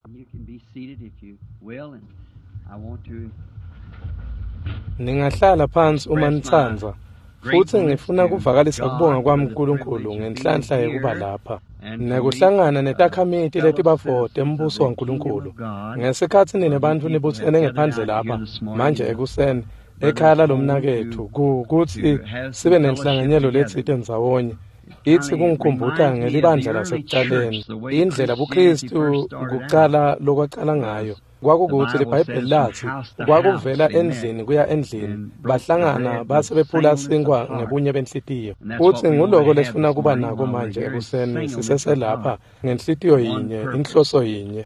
You can be seated if you will, and I want to Ningahlala phansi uma express my nitsandza, futsi gratefulness ngifuna to kuvakalisa kubonga God kwami for the kuNkulunkulu privilege of being ngenhlanhla yekuba here lapha and to meet nekuhlangana netakhamiti fellow letibafo citizens of tembuso the kingdom waNkulunkulu. of God. Ngesikhatsi nine For you bantfu people have nibutsene gathered ngephandle out here lapha this morning manje in the ekuseni ekhaya brother's home lalomnaketfu kutsi to have sibe some fellowship nenhlanganyelo together. letsite ndzawonye. It Itsi kind of kungikhumbuta reminds me of the ngelibandla early lasekucaleni, church, the way indlela Christianity buKristu first started out. kucala lokwacala ngayo. Was the Kwakukuthi Bible liBhayibheli says from latsi house to house kwakuvela they met endlini kuya endlini, and broke the bahlangana bread with base bephula singleness of sinkwa heart. ngebunye benhlitiyo. And that's what Futsi we want nguloko to have lesifuna this kuba morning nako while we're manje here is ekuseni singleness of siseselapha heart, ngenhlitiyo one yinye, purpose, inhloso yinye.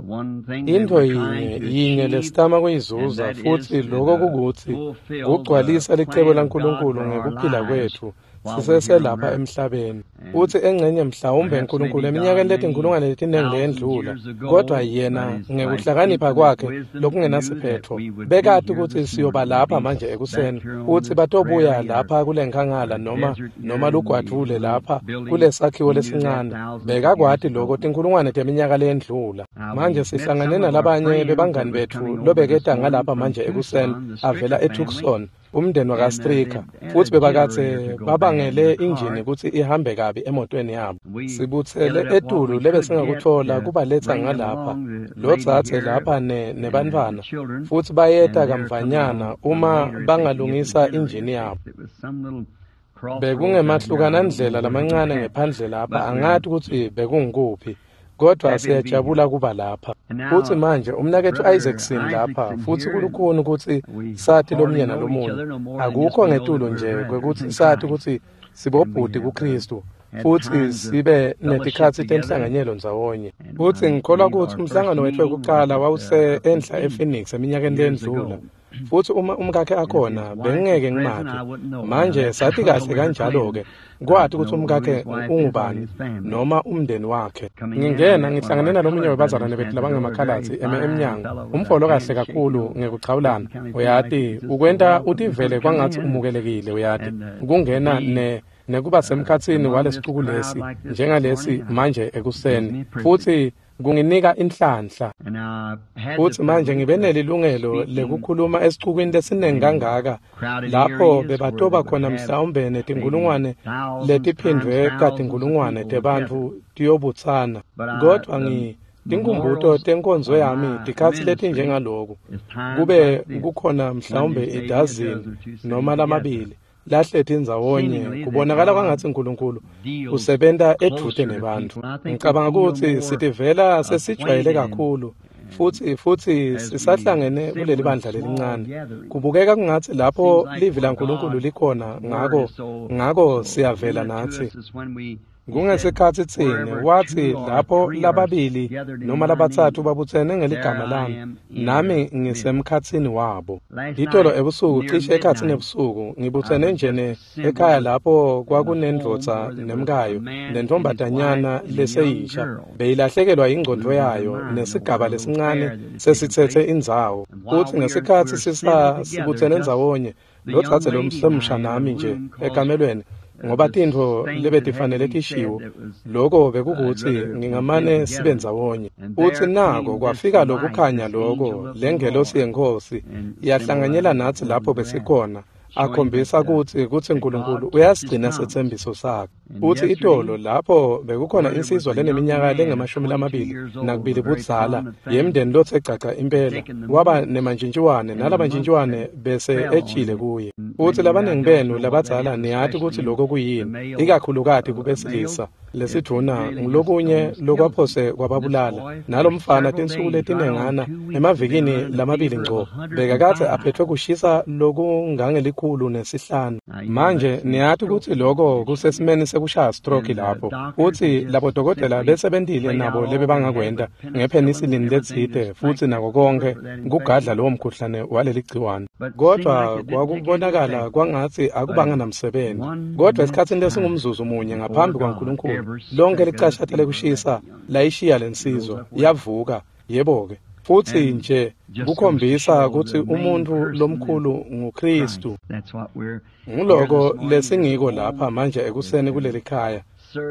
one thing that Intfo we're trying yinye to yinye achieve, lesitama and kuyizuza that is futsi to loko kukutsi fulfill the kugcwalisa licebo plan of God laNkulunkulu for our ngekuphila lives kwetfu while we're here on siseselapha earth. emhlabeni. And Futsi engcenye mhlawumbe perhaps Nkulunkulu maybe eminyakeni God many letinkhulungwane letinengi thousands leyendlula, years ago, kodwa by yena his, by his ngekuhlakanipha infinite kwakhe wisdom, knew that lokungenasiphetfo we would be bekati here kutsi this siyoba morning, lapha be manje back ekuseni, here on kutsi this batobuya prairie or lapha kulenkhangala noma desert here noma in the lugwadvule little lapha building. kulesakhiwo He knew that lesincane. thousands of years Bekakwati loko ago. tinkhulungwane teminyaka leyendlula. Now, Manje we met sihlangane some of our nalabanye friends that bebangani was betfu coming over this lobeketa morning ngalapha from manje ekuseni Tucson, the avela Stricker family, eTucson, umndeni and they wakaStricker, had futsi a bebakadze generator to go bad in babangele their injini car. kutsi ihambe kabi emotweni yabo. We Sibutsele gathered up what etulu we could get lebesingakutfola to kubaletsa bring them ngalapha, along, the lo lady dzadze here lapha and the nebantfwana, children, futsi bayeta and they're coming kamvanyana on uma later if they can get the bangalungisa generator injini yabo. fixed. It was some little crossroads out here. I don't know Bekungemahlukanandlela where it was lamancane at, ngephandle lapha, but we're angati kutsi bekungukuphi, kodwa happy to be here. siyajabula kuba lapha. And Futsi now, manje umnaketfu Brother Isaacson lapha, Isaacson futsi here, and kulukhuni kutsi we sati hardly lomunye know each nalomunye. other no more than just Akukho we know that ngetulu we're nje brethren kwekutsi in sati Christ. kutsi And we sibobhuti have kuKristu, had futsi times of sibe fellowship netikhatsi together. tenhlanganyelo ndzawonye. And Futsi I ngikholwa believe kutsi our first umhlangano wetfu meeting was wekucala at wawuse up in enhla Phoenix ePhoenix eminyakeni years leyendlula. ago. Futsi uma umkakhe And if his akhona, wife was bengingeke present, ngimati. I wouldn't know. Now Manje that's sati I don't know kahle where they're kanjalo-ke, claiming. I kwati don't kutsi know who umkakhe his wife is or ungubani his family. noma umndeni wakhe. Coming in, I Ngingena met one of ngihlangane our nalomunye colored webazalwane brothers bethu at the door, a very labangemakhalatsi eme fine emnyango, fellow with a umfo lokahle handshake, you kakhulu know, ngekuchawulana. doesn't kind of seem like Uyati, he's just so ukwenta welcome utivele to come kwangatsi in umukelekile uyati. and to Kungena be nekuba semkhatsini among this walesicuku crowd lesi like this this njengalesi morning manje gives ekuseni, me a privilege. futsi kunginika inhlanhla. And I've had the Futsi manje privilege ngibe of nelilungelo speaking lekukhuluma esicukwini lesiningi in kangaka crowded lapho areas where they bebatoba would khona have mhlawumbe maybe netinkhulungwane thousands times letiphindvwe thousands of katinkhulungwane people would gather. tebantfu tiyobutsana. But Kodvwa the tinkhumbuto memorials tenkonzo of yami my tikhatsi ministry letinjengaloku is times kube like this, kukhona when mhlawumbe there's maybe a idazini dozen or two sitting noma together. lamabili lahleti ndzawonye Seemingly that kubonakala God kwangatsi Nkulunkulu deals usebenta edvute closer to nebantfu. people. And I think we Ngicabanga feel kutsi more sitivela sesijwayele acquainted and kakhulu futsi as we sisahlangene assemble kuleli in bandla small lelincane. gatherings. Kubukeka kungatsi lapho Seems like livi where laNkulunkulu God's likhona word ngako is so ngako so siyavela near to natsi. us is when we he said, Kungesikhatsi tsine wherever watsi two or lapho three are lababili gathered in noma my labatsatfu name, babutsene there ngeligama I lami, am in their nami midst. ngisemkhatsini wabo. Last Itolo night, ebusuku near cishe ekhatsini midnight, ebusuku I ngibutsene was nje just ne assembled ekhaya with lapho in the home kwakunendvodza where there was a nemkayo man and his wife nentfombatanyana and a young leseyisha girl beyilahlekelwa ingcondvo losing their yayo mind over nesigaba a little lesincane affair that had taken sesitsetse place. indzawo. And while Kutsi we're ngesikhatsi assembled together, sibutsene just ndzawonye the lo young dzadze lady and lomsemsha I in a nami nje room 'cause ekamelweni ngoba the tintfo things that had to lebetifanele be said tishiwo that was loko I'd bekukutsi rather we been ngingamane sibe together. ndzawonye. And Utsi there nako came this kwafika light, lokukhanya this loko angel of the lengelosi Lord, yeNkhosi and symbolized yahlanganyela the natsi word lapho breath, besikhona showing that akhombisa kutsi that Nkulunkulu God keeps his uyasigcina promise. setsembiso sakhe. And Utsi itolo yesterday, lapho bekukhona where there was insizwa a young leneminyaka man of lengemashumi 22 lamabili years old, a nakubili very budzala prominent family, yemndeni lotse gcagca impela taken the waba mumps, nemantjintjiwane and the mumps nalabantjintjiwane had bese fell on ejile him. kuye. And Utsi many of you I labaningi don't benu know what that labadzala is, niyati kutsi especially loko the kuyini, male ikakhulukati males. kubesilisa. It Lesidvuna really just ngulokunye almost kills them. lokwaphose And this kwababulala. boy, for Nalomfana several tinsuku days, right on letinengana 2 weeks, had been emavikini running a lamabili fever of ngco bekakadze 105. aphetfwe kushisa lokungangelikhulu 5. Now, you know Manje that's some niyati stroke kutsi loko condition. kusesimeni sekushaya stroke And the lapho. doctors had Utsi just labodokotela simply besebentile played nabo out all they had lebebangakwenta with penicillin and ngepenicillin everything letsite to futsi fight nako the cure konkhe for that kugadla infection. lowo mkhuhlane waleli gciwane. But it seemed like Kodvwa it didn't take any kwakubonakala effect. kwangatsi But akubanga in namsebenti. one Kodvwa minute's esikhatsini time, lesingumzuzu munye before ngaphambi God, kwaNkulunkulu every lonke speck of the licashata fever left lekushisa the young man. layishiya He rose lensizwa up well. yavuka yebo-ke. Futsi And nje just goes to kukhombisa show kutsi the main umuntfu person is lomkhulu nguKristu. Christ. That's what we're here this Nguloko morning in this lesingiko home lapha manje is ekuseni to kuleli khaya.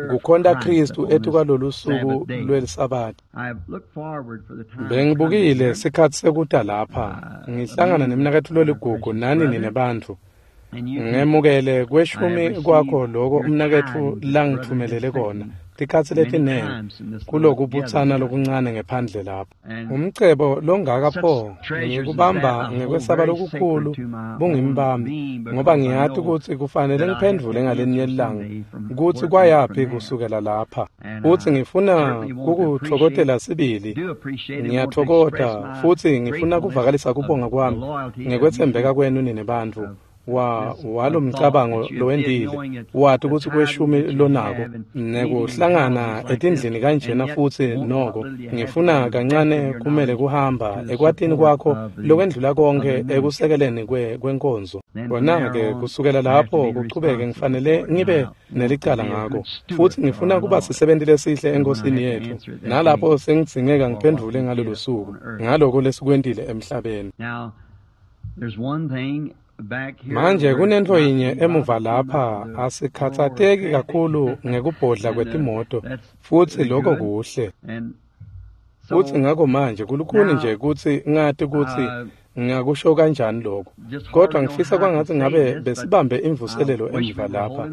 kukhonta Khristu etukwalolusuku lweliSabatha. Bengibukile sikhatsi sekuta lapha, ngihlangana nemnaketfu loligugu nani nine bantfu. Ngemukele kweshumi kwakho loko umnaketfu langitfumelele kona tikhatsi letinengi kulokubutsana lokuncane ngephandle lapho. Umcebo longaka pho ngikubamba ngekwesaba lokukhulu bungimbambi, ngoba ngiyati kutsi kufanele ngiphendvule ngalenye ilanga kutsi kwayaphi kusukela lapha. Futsi ngifuna kukutfokotela sibili, ngiyatfokota futsi ngifuna kuvakalisa kubonga kwami ngekwetsembeka kwenu nine bantfu walomcabango lowendile wati kutsi kweshumi lonako nekuhlangana etindlini kanjena futsi noko ngifuna kancane kumele kuhamba ekwatini kwakho lokwendlula konke ekusekeleni kwenkonzo. Kona-ke kusukela lapho kuchubeke ngifanele ngibe nelicala ngako, futsi ngifuna kuba sisebenti lesihle enkosini yetfu, nalapho sengidzingeka ngiphendvule ngalolo suku ngaloko lesikwentile emhlabeni. Manje kunentfo yinye emuva lapha, asikhatsateki kakhulu ngekubhodla kwetimoto, futsi lokho kuhle. Futsi ngako manje kulukhuni nje kutsi ngati kutsi ngingakusho kanjani lokho, kodwa ngifisa kwangatsi ngabe besibambe imvuselelo emuva lapha,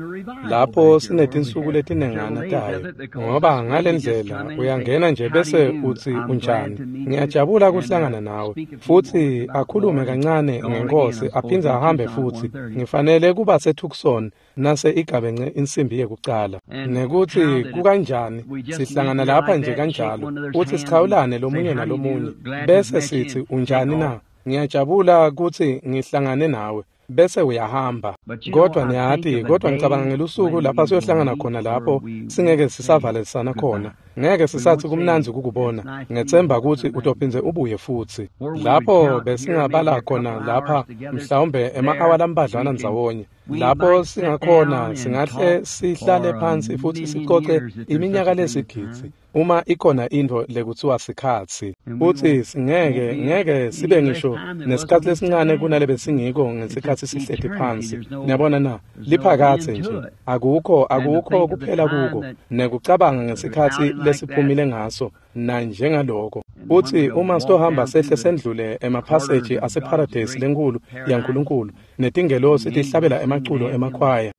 lapho sinetinsuku letinengana tayo, ngoba ngalendlela uyangena nje bese utsi unjani, ngiyajabula kuhlangana nawe, futsi akhulume kancane ngenkosi aphindze ahambe futsi. Ngifanele kuba seTucson nase igabence insimbi yekucala, nekutsi kukanjani sihlangana lapha nje kanjalo, utsi sichawulane lomunye nalomunye, bese sitsi unjani na? Ngiyajabula kutsi ngihlangane nawe, bese uyahamba. Kodwa niyati, kodwa ngicabanga ngelusuku lapha siyohlangana khona lapho singeke sisavalelisana khona. Ngeke sisathi kumnandzi kukubona. Ngethemba kutsi utophindze ubuye futsi. Lapho besingabala khona lapha mhlawumbe ema-awa lambadlwana ndzawonye. Lapho singakhona singahle sihlale phansi futsi sicoce iminyaka lesigidzi uma ikhona intfo lekuthiwa sikhatsi. Futsi singeke ngeke sibe ngisho nesikhatsi lesincane kunale besingiko ngesikhatsi sihleti phansi. Niyabona na, liphakatse nje akukho kuphela kuko, nekucabanga ngesikhatsi lesiphumile ngaso na njengaloko. Futsi uma sitohamba sehle sendlule emaphaseji aseparadesi lenkulu yaNkulunkulu, netingelosi tihlabela emaculo emakhwaya.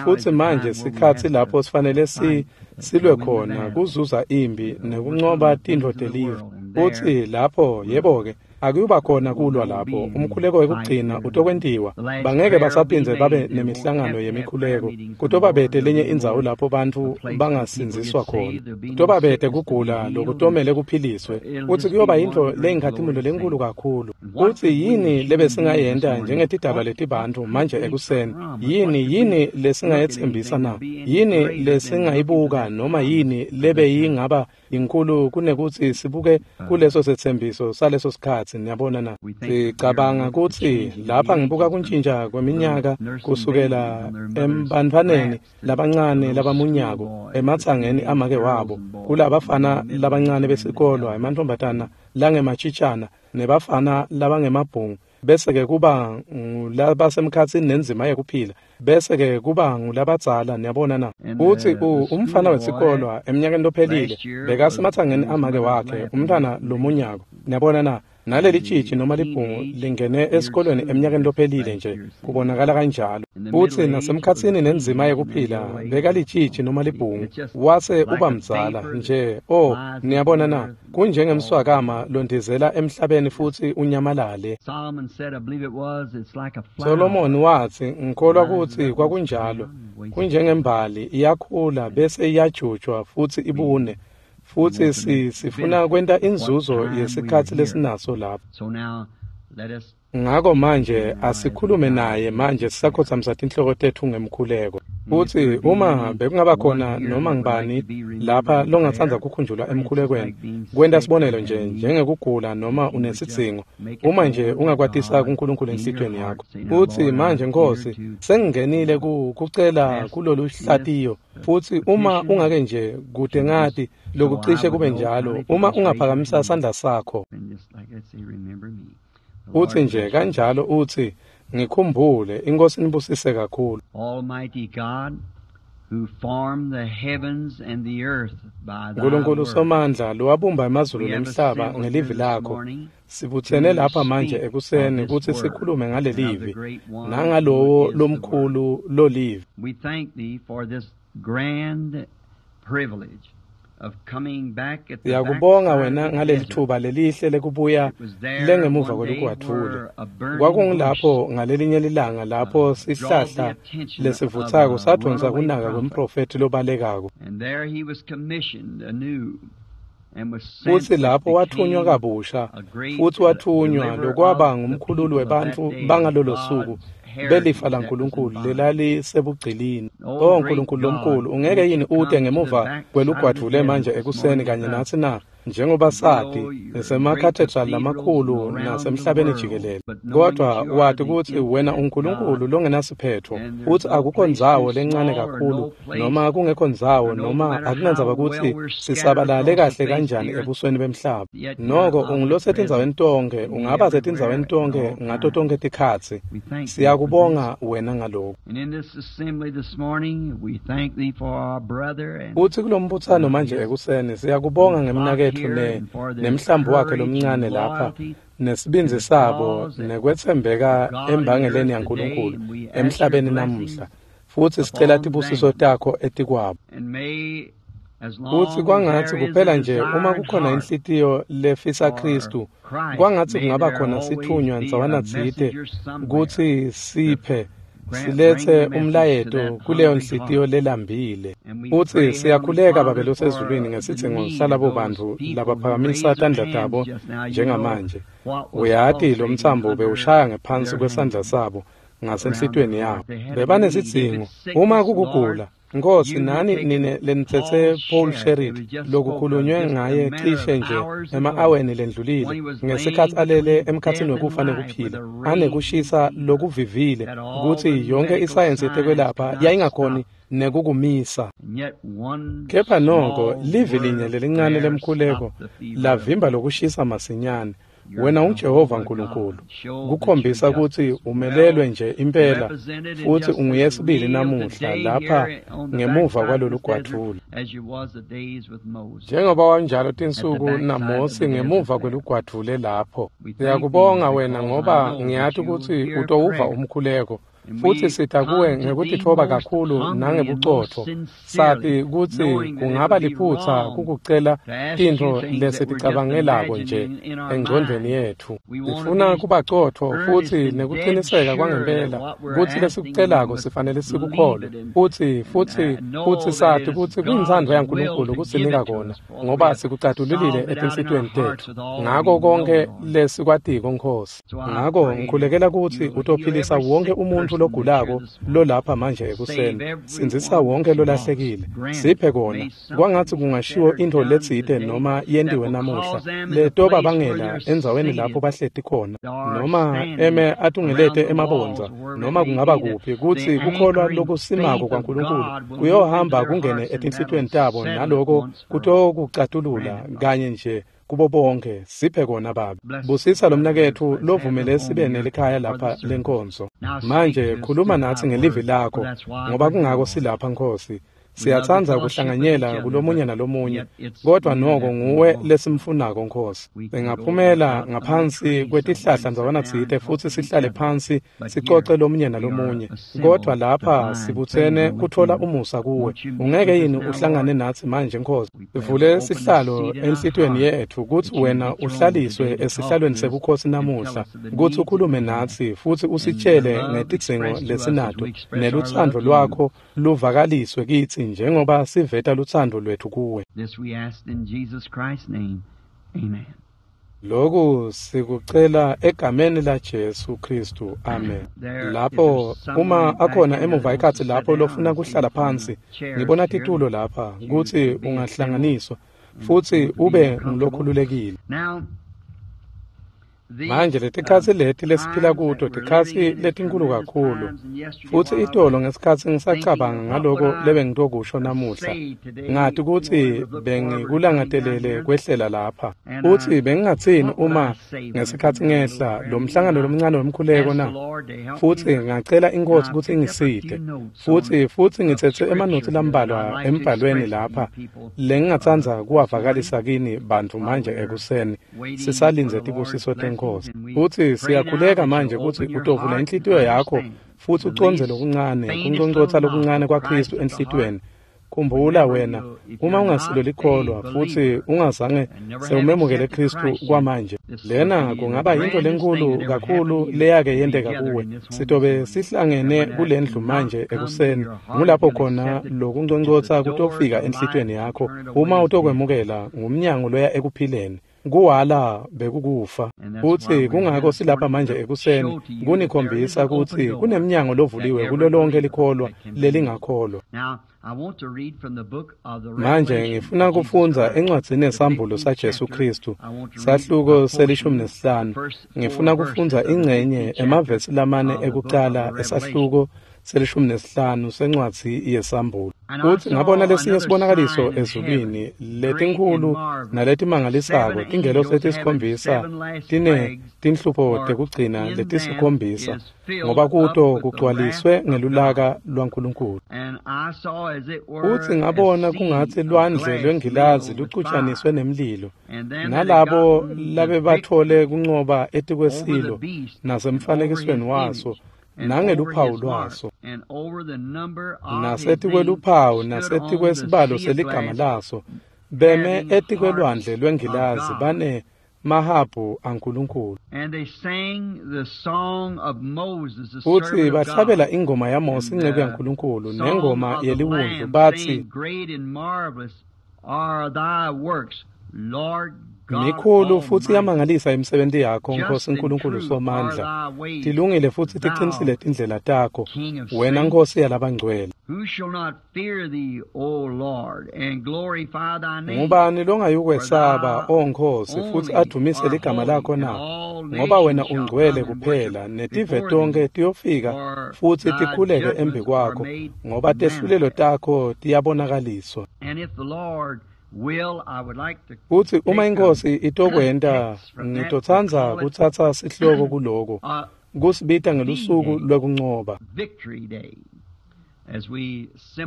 Futsi manje sikhatsi lapho sifanele silwe khona kuzuza imbi nekuncoba tintfo telive. Futsi lapho yebo-ke akuyuba khona kulwa lapho, umkhuleko wekugcina utokwentiwa. Bangeke basaphindze babe nemihlangano yemikhuleko. Kutoba bete lenye indzawo lapho bantfu bangasindziswa khona. Kutoba bete kugula lokutomele kuphiliswe. Futsi kuyoba yintfo leyinkhatimulo lenkulu kakhulu. Futsi yini lebesingayenta njengetidalwa letibantfu manje ekuseni? Yini lesingayetsembisa na? Yini lesingayibuka noma yini lebeyingaba inkulu kunekutsi sibuke kuleso setsembiso saleso sikhatsi? Niyabona na, sicabanga kutsi lapha ngibuka kuntjintja kweminyaka kusukela ebantfwaneni labancane labamunyako ematsangeni amake wabo, kulabafana labancane besikolwa, emantfombatana langematshitshana nebafana labangemabhungu, bese-ke kuba ngulabasemkhatsini nenzima yekuphila, bese-ke kuba ngulabadzala. Niyabona na, utsi umfana wesikolwa eminyakeni lophelile bekasematsangeni amake wakhe, umntfwana lomunyako. Niyabona na, naleli tshitshi noma libhungu lingene esikolweni eminyakeni lophelile nje, kubonakala kanjalo. Futsi nasemkhatsini nenzima yekuphila bekalitshitshi noma libhungu, wase uba mdzala nje. Oh, niyabona na, kunjengemswakama londizela emhlabeni futsi unyamalale. Solomon watsi, ngikholwa kutsi kwakunjalo, kunjengembali iyakhula bese iyajutshwa futsi ibune. Futsi sifuna kwenta inzuzo yesikhatsi lesinaso lapho. Ngako manje asikhulume naye manje sisakhotsamisa tinhloko tetfu ngemkhuleko. Futsi uma bekungaba khona noma ngibani lapha longatsandza kukhunjulwa emkhulekweni, kwenta sibonelo nje njengekugula noma unesidzingo, uma nje ungakwatisa kuNkulunkulu enhlitiyweni yakho. Futsi manje Nkosi, sengingenile kucela kulolu hlatiyo, futsi uma ungake nje kude ngati lokucishe kube njalo, uma ungaphakamisa sandla sakho. Utsi nje kanjalo utsi, ngikhumbule, iNkosi nibusise kakhulu. Almighty God, who formed the heavens and the earth by thy Nkulunkulu word. Somandla lowabumba emazulu We have nemhlaba assembled ngelivi here this lakho. morning Sibutsene to lapha manje speak of ekuseni this kutsi word sikhulume and of the ngalelivi great one who nangalowo is the Word. lomkhulu lolivi. We thank thee for this grand privilege of coming back at the Siyakubonga backside wena of the ngaleli desert. thuba lelihle lekubuya It was there lengemuva one day kwelugwadvule. where a burning bush Kwakungilapho ngalelinye lilanga lapho draw the sihlahla attention of lesivutsako a sadvonsa runaway kunaka prophet. kwemprofethi lobalekako. And there he was commissioned anew and was sent Futsi which lapho wathunywa became kabusha a great futsi wathunywa deliverer lokwaba of the ngumkhululi people of that webantfu day, bangalolo suku God's heritage belifa that was in laNkulunkulu bondage. lelalisebugcilini. O O great Nkulunkulu God, lomkhulu, ungeke won't yini you ute come to the ngemuva backside of the kwelugwadvule manje desert this ekuseni morning kanye with us? natsi na? Njengoba We sati know your great nisemakhathedrali cathedrals and lamakhulu around the nasemhlabeni world, jikelele, but knowing that kodwa you are wati the kutsi wena infinite God, uNkulunkulu longenasiphetho, and there's futsi no akukho place too ndzawo lencane small or kakhulu no place noma kungekho ndzawo or no noma matter akunandzaba how well kutsi we're scattered sisabalale across the kahle face of the kanjani earth, ebusweni bemhlaba. yet you're Noko ungulosetindzaweni omnipresent tonkhe, and be ungaba everywhere setindzaweni at tonkhe all ngato times. tonkhe tikhatsi. We thank thee for this. Siyakubonga wena ngalokhu. And in this assembly this morning, we thank thee for our brother and Futsi kulombutsano manje his ekuseni siyakubonga flock ngemnaketfu here and for their nemhlambi wakhe courage and lomncane lapha loyalty to nesibindzi the sabo cause that nekwetsembeka of God in the embangeleni earth today. yaNkulunkulu And we ask your emhlabeni blessings namuhla. Futsi sicela upon tibusiso them. takho etikwabo. And may, as Futsi long as kwangatsi there is a kuphela nje uma desired kukhona heart inhlitiyo lefisa for Khristu, Christ, kwangatsi may kungaba there khona always sithunywa be a ndzawana tsite messenger somewhere kutsi to siphe bring siletse the message to umlayeto that kuleyo hungry nhlitiyo heart. lelambile. And we Futsi pray, Heavenly siyakhuleka Babe Father, losezulwini for the ngesidzingo need of salabo those bantfu people who labaphakamisa raise their tandla hands tabo just now. You know njengamanje. what was Uyati lo pulsating mtsambo under bewushaya ngephansi their kwesandla hands sabo around their ngasenhlitiyweni yabo. heart. They had a need. If Bebanesidzingo. it's Uma sickness, Lord, kukugula, Nkosi you who nani take nine lenitsetse Paul Paul Sharrit, it Sherritt was just spoke of lokukhulunywe just a ngaye matter of cishe nje hours ago ema-aweni when lendlulile he was ngesikhatsi laying alele between emkhatsini death and wekufa life with nekuphila a raging anekushisa fever lokuvivile that all kutsi the yonke medical isayensi science could yetekwelapha not yayingakhoni stop. nekukumisa. And yet one Kepha noko small livi word linye of lelincane prayer lemkhuleko stopped the fever of lavimba lokushisa masinyane. your Wena unguJehova Jehovah Nkulunkulu God. Show that your kukhombisa kutsi justice umelelwe well nje impela represented and futsi just as unguyesibili real namuhla today lapha here on the ngemuva backside of kwalolu this desert gwatfule. as you was the days with Moses Njengoba wanjalo at the tinsuku backside of naMosi the desert ngemuva there. kwelugwadvule lapho. We thank thee Siyakubonga wena because I ngoba know that ngiyati you will kutsi hear utowuva prayer. umkhuleko. And Futsi we sita kuwe come to thee ngekutitfoba most kakhulu humbly and most nangebucotfo. sincerely, Sati kutsi knowing that it kungaba would be liphutsa wrong kukucela to ask you tintfo things that we're just lesiticabangelako nje imagining in our engcondvweni mind. yetfu. We want to Sifuna be kuba cotfo earnest futsi and dead nekuciniseka sure that kwangempela what we're kutsi asking we lesikucelako must sifanele believe sikukholwe it and, futsi and futsi know futsi that it sati is kutsi kuyintsandvo God's will yaNkulunkulu to give kusinika it to kona us, for we ngoba have sikucatululile solved it out in our etinhlitiyweni hearts tetfu with all we ngako know, konkhe Lord. lesikwatiko Nkhosi. So I Ngako pray that ngikhulekela kutsi you will heal utophilisa every wonke sick umuntfu person that's here logulako this morning. lolapha manje Save ekuseni. Sindzisa everyone wonke that's lost. lolahlekile. Grant Siphe it. kona. May Kwangatsi something kungashiwo scattered intfo done letsite today noma that yentiwe will namuhla cause them in the letoba place where bangela they're endzaweni lapho seated bahleti khona or noma standing eme around atungelete the walls emabondza or wherever it noma may kungaba be, that kuphi the kutsi kukholwa anchoring lokusimako faith of kwaNkulunkulu God will move into kuyohamba their kungene hearts and that'll etinhlitiyweni tabo settle it naloko once for all. kutokucatulula Grant it, Father. kanye nje kubo bonke. Siphe kona Babe. Bless Busisa the lo brother here. mnaketfu Let's have the lovumele home sibe here nelikhaya for the lapha service. lenkonzo. Now speak Manje to us khuluma through natsi thy ngelivi word, for lakho that's why ngoba we're here, kungako Lord. silapha Nkhosi. We love to Siyatsandza fellowship with each kuhlanganyela other, kulomunye but nalomunye yet it's kodwa you noko that we nguwe want. lesimfunako Nkhosi. We can go Singaphumela without under ngaphansi trees somewhere kwetihlahla and sit ndzawana down and tsite talk futsi to each sihlale other. phansi But here sicoce lomunye we are nalomunye kodwa assembled to lapha find sibutsene favor with kutfola you. umusa kuwe. Won't you meet Ungeke with us yini now, uhlangane Lord? natsi manje Nkhosi? We pray Sivule we'll open the sihlalo seat in our enhlitiyweni heart yetfu kutsi that you wena be throned uhlaliswe today to talk esihlalweni to us sebukhosi and tell namuhla us of the kutsi needs that ukhulume we have natsi futsi and the usitshele love ngetidzingo expressed to us as lesinato we express our love nelutsandvo to you. lwakho luvakaliswe kitsi njengoba siveta lutsandvo lwetfu kuwe. This we ask in Jesus Christ's name. Amen. Lokhu sikucela egameni laJesu Kristu. Amen. There, if Lapho there's uma someone back akhona there emuva that wants ekhatsi to sit lapho down, lofuna I see kuhlala some phansi, chairs ngibona here titulo lapha that you kutsi could be assembled ungahlanganiswa and futsi want to be ube comfortable. ngulokhululekile. Now, Manje letikhatsi leti lesiphila kuto tikhatsi letinkulu kakhulu, futsi itolo ngesikhatsi ngisacabanga ngaloko lebengitokusho namuhla, ngati kutsi bengikulangatelele kwehlela lapha. Futsi bengingatsini uma ngesikhatsi ngehla lo mhlangano lomncane wemkhuleko na? Futsi ngacela iNkhosi kutsi ingisite. Futsi ngitsetse emanotsi lambalwa embhalweni lapha lengingatsandza kuwavakalisa kini bantfu manje ekuseni sisalindze tibusiso tenkosi. Futsi siyakhuleka manje kutsi utovula inhlitiyo yakho futsi ucondze lokuncane, kunconcotsa lokuncane kwaKhristu enhlitiyweni. Khumbula wena, uma ungasilo likholwa futsi ungazange sewumemukele Khristu kwamanje, lena kungaba yintfo lenkulu kakhulu leyake yenteka kuwe. Sitobe sihlangene kulendlu manje ekuseni, ngulapho khona lokunconcotsa kutofika enhlitiyweni yakho. Uma utokwemukela, ngumnyango loya ekuphileni. Kuwala bekukufa. Futsi kungako silapha manje ekuseni kunikhombisa kutsi kunemnyango lovuliwe kulo lonke likholwa lelingakholwa. Manje ngifuna kufundza encwadzini yeSambulo saJesu Khristu, sahluko se-15. Ngifuna kufundza ingcenye emavesi lamane ekucala esahluko se-15 sencwadzi yeSambulo. Futsi ngabona lesinye sibonakaliso ezulwini, letinkhulu naletimangalisako, tingelosi letisikhombisa tine tinhlupho tekugcina letisikhombisa, ngoba kuto kugcwaliswe ngelulaka lwaNkulunkulu. Futsi ngabona kungatsi lwandle lwengilazi lucutshaniswe nemlilo, nalabo labebatfole kuncoba etikwesilo nasemfanekisweni waso, nangeluphawu lwaso, nasetikweluphawu nasetikwesibalo seligama laso, beme etikwelwandle lwengilazi bane mahabhu aNkulunkulu. Futsi bahlabela ingoma yaMose inceku yaNkulunkulu nengoma yeliwundlu batsi, Mikhulu futsi iyamangalisa imisebenti yakho, Nkosi Nkulunkulu Somandla. Tilungile futsi tiqinisile tindlela takho, wena Nkosi yalabangcwele. Ngubani longayukwesaba, O Nkosi, futhi adumise ligama lakho na? Ngoba wena ungcwele kuphela, netive tonke tiyofika futhi tikhuleke embi kwakho, ngoba tehlulelo takho tiyabonakaliswa. Futsi uma iNkhosi itokwenta, ngitotsandza kutsatsa sihloko kuloko, kusibita ngelusuku lwekuncoba.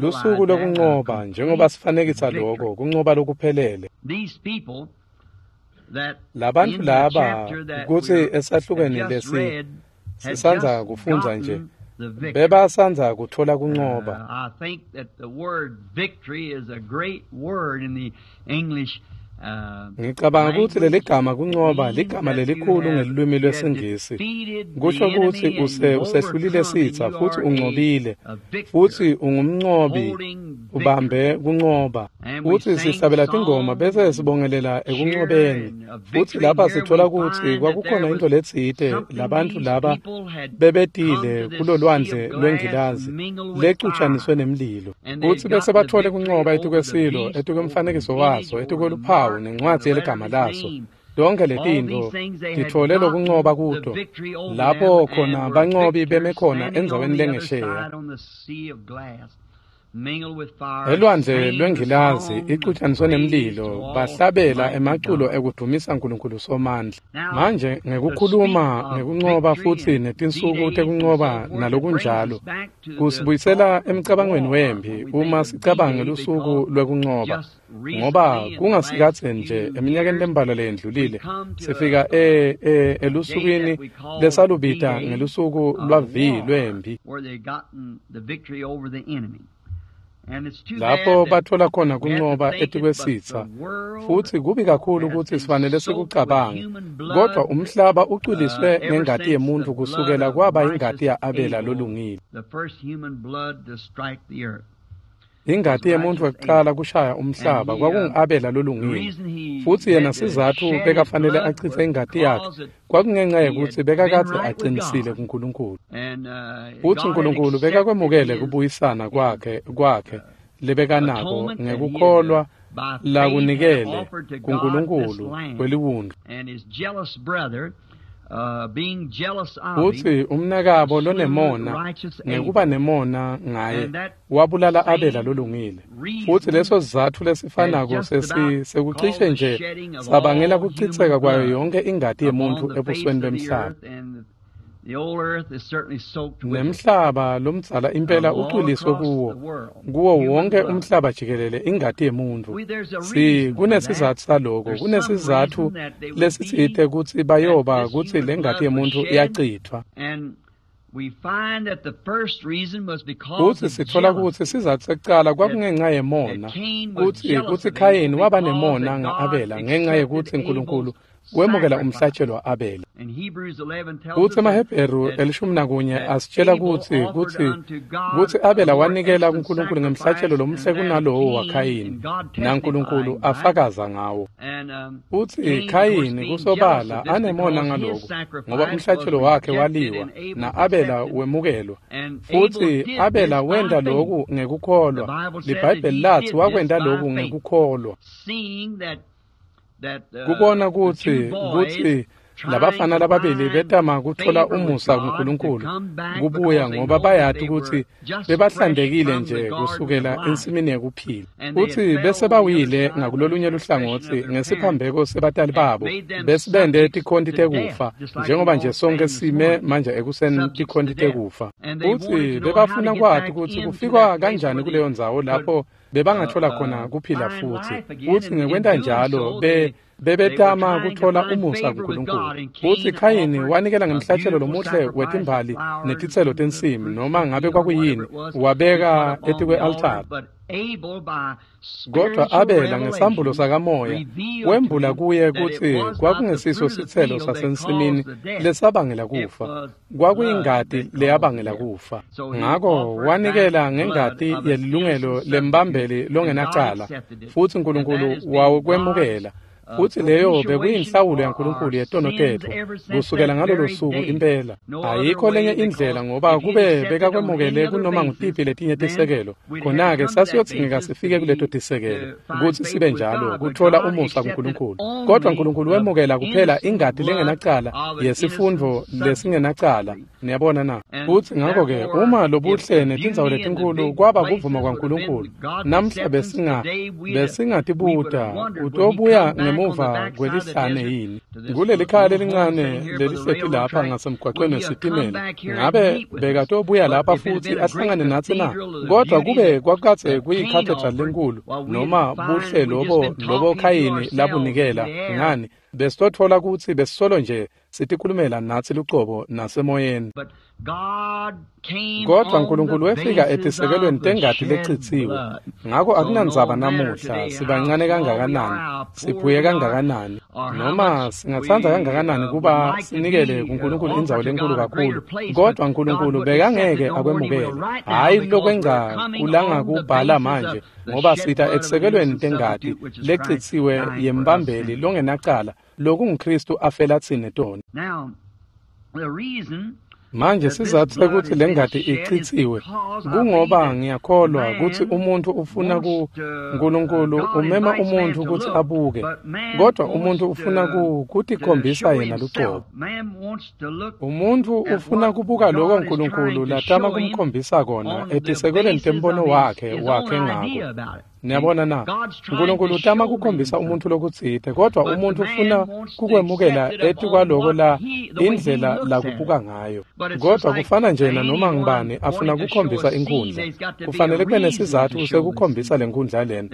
Lusuku lwekuncoba, njengoba sifanekisa loko, kuncoba lokuphelele. Labantfu laba kutsi esahlukweni lesi sisandza kufundza nje, bebasandza kutfola kuncoba. I think that the word victory is a great word in the English. Ngicabanga kutsi leligama kuncoba ligama lelikhulu ngelulwimi lwesiNgisi. Kusho kutsi usehlulile sitsa futsi uncobile, futsi ungumncobi, ubambe kuncoba. Futsi sihlabela tingoma bese sibongelela ekuncobeni. Futsi lapha sithola kutsi kwakukhona into letsite labantfu laba bebetile kulolwandle lwengilazi lecutshaniswe nemlilo. Futsi bese bathole kuncoba etikwesilo, etikwemfanekiso waso, etikweluphawu nencwadzi yeligama laso. Tonke letintfo titfole lokuncoba kuto, lapho khona bancobi beme khona endzaweni lengesheya. Elwandle lwengilazi icutshaniswe nemlilo, bahlabela emaculo ekudumisa Nkulunkulu Somandla. Manje ngekukhuluma ngekuncoba futsi netinsuku tekuncoba nalokunjalo, kusibuyisela emcabangweni wemphi uma sicabanga ngelusuku lwekuncoba, ngoba kungasikadze nje eminyakeni lembalwa leyendlulile sifika elusukwini lesalubita ngelusuku lwa-V lwemphi, lapho bathola khona kuncoba etikwesitsa. Futsi kubi kakhulu kutsi sifanele sikucabange, kodwa umhlaba ucwiliswe ngengati yemuntfu kusukela kwaba ingati ya-Abela lolungile. Ingati yemuntfu wekucala kushaya umhlaba kwakungu-Abela lolungile, futsi yena sizatfu bekafanele achitse ingati yakhe kwakungenxa yekutsi bekakadze aqinisile kuNkulunkulu. Futsi uNkulunkulu bekakwemukele kubuyisana kwakhe lebekanako ngekukholwa lakunikele kuNkulunkulu kweliwundlu. Kutsi umnakabo lonemona ngekuba nemona ngaye wabulala Abela lolungile. Futsi leso sizatfu lesifanako sekucishe nje sabangela kucitseka kwayo yonke ingati yemuntfu ebusweni bemhlaba. Nemhlaba lomdzala impela ucwiliswe kuwo wonke umhlaba jikelele ingati yemuntfu. Kunesizatfu saloko, kunesizatfu lesitsite kutsi bayoba kutsi lengati yemuntfu iyacitfwa. Kutsi sitfola kutsi sizatfu sekucala kwakungenca yemona, kutsi Khayini waba nemona nga-Abela ngenca yekutsi Nkulunkulu wemukela umhlatshelo wa-Abela. Kutsi emaHebheru 11 asitshela kutsi Abela wanikela kuNkulunkulu ngemhlatshelo lomuhle kunalowo waKhayini, naNkulunkulu afakaza ngawo. Kutsi Khayini kusobala anemona ngaloko, ngoba umhlatshelo wakhe waliwa, na-Abela wemukelwa. Futsi Abela wenta loku ngekukholwa. LiBhayibheli latsi wakwenta loku ngekukholwa. Kubona kutsi labafana lababili betama kutfola umusa kuNkulunkulu kubuya ngoba bayati kutsi bebahlantekile nje kusukela ensimini yekuphila. Kutsi bese bawile ngakulolunye luhlangotsi ngesiphambeko sebatali babo besibende tikhonti tekufa, njengoba nje sonke sime manje ekuseni tikhonti tekufa. Kutsi bebafuna kwati kutsi kufikwa kanjani kuleyo ndzawo lapho bebangathola khona kuphila futsi. Kutsi ngekwenta njalo bebetama kutfola umusa kuNkulunkulu. Kutsi Khayini wanikela ngemhlatshelo lomuhle wetimbali netitselo tensimi, noma ngabe kwakuyini, wabeka etikwe-altari. Kodwa Abela ngesambulo sakamoya wembula kuye kutsi kwakungesiso sitselo sasensimini lesabangela kufa, kwakuyingati leyabangela kufa. Ngako wanikela ngengati yelilungelo lembambeli longenacala, futsi Nkulunkulu wakwemukela. Futsi leyo bekuyinhlawulo yaNkulunkulu yetono tetfu kusukela ngalolo suku impela. Ayikho lenye indlela, ngoba kube bekakwemukele kunoma ngutiphi letinye tisekelo, khona-ke sasiyodzingeka sifike kuleto tisekelo kutsi sibe njalo kutfola umusa kuNkulunkulu. Kodwa Nkulunkulu wemukela kuphela ingati lengenacala yesifundvo lesingenacala. Niyabona na? Futsi ngako-ke uma lobuhle netindzawo letinkhulu kwaba kuvuma kwaNkulunkulu, namhla besingatibuta utobuya ngemuva kwelihlane yini? Kuleli khaya lelincane lelihleti lapha ngasemgwaqweni wesitimela, ngabe bekatobuya lapha futsi ahlangane natsi na? Kodwa kube kwakukadze kuyikhathedrali lenkulu noma buhle lobo Khayini labunikela, ngani besitotfola kutsi besisolo nje sitikhulumela natsi lucobo nasemoyeni. Kodwa Nkulunkulu wefika etisekelweni tengati lecitsiwe. Ngako akunandzaba namuhla sibancane kangakanani, siphuye kangakanani, noma singatsandza kangakanani kuba sinikele kuNkulunkulu indzawo lenkulu kakhulu, kodwa Nkulunkulu bekangeke akwemukele. Hhayi lokwengca kulangakubhala manje, ngoba sita etisekelweni tengati lecitsiwe yembambeli longenacala, lokunguKristu afela tsine tona. Manje sizatfu sekutsi lengati icitsiwe kungoba ngiyakholwa kutsi umuntfu ufuna Nkulunkulu umema umuntfu kutsi abuke, kodwa umuntfu ufuna kutikhombisa yena lucobo. Umuntfu ufuna kubuka loko Nkulunkulu latama kumkhombisa kona etisekelweni tembono wakhe ngako. Niyabona na? Nkulunkulu utama kukhombisa umuntfu lokutsite, kodwa umuntfu ufuna kukwemukela etikwaloko la indlela lakubuka ngayo. Kodwa kufana nje nanoma ngubani afuna kukhombisa inkhundla, kufanele kube nesizatfu sekukhombisa lenkhundla lena.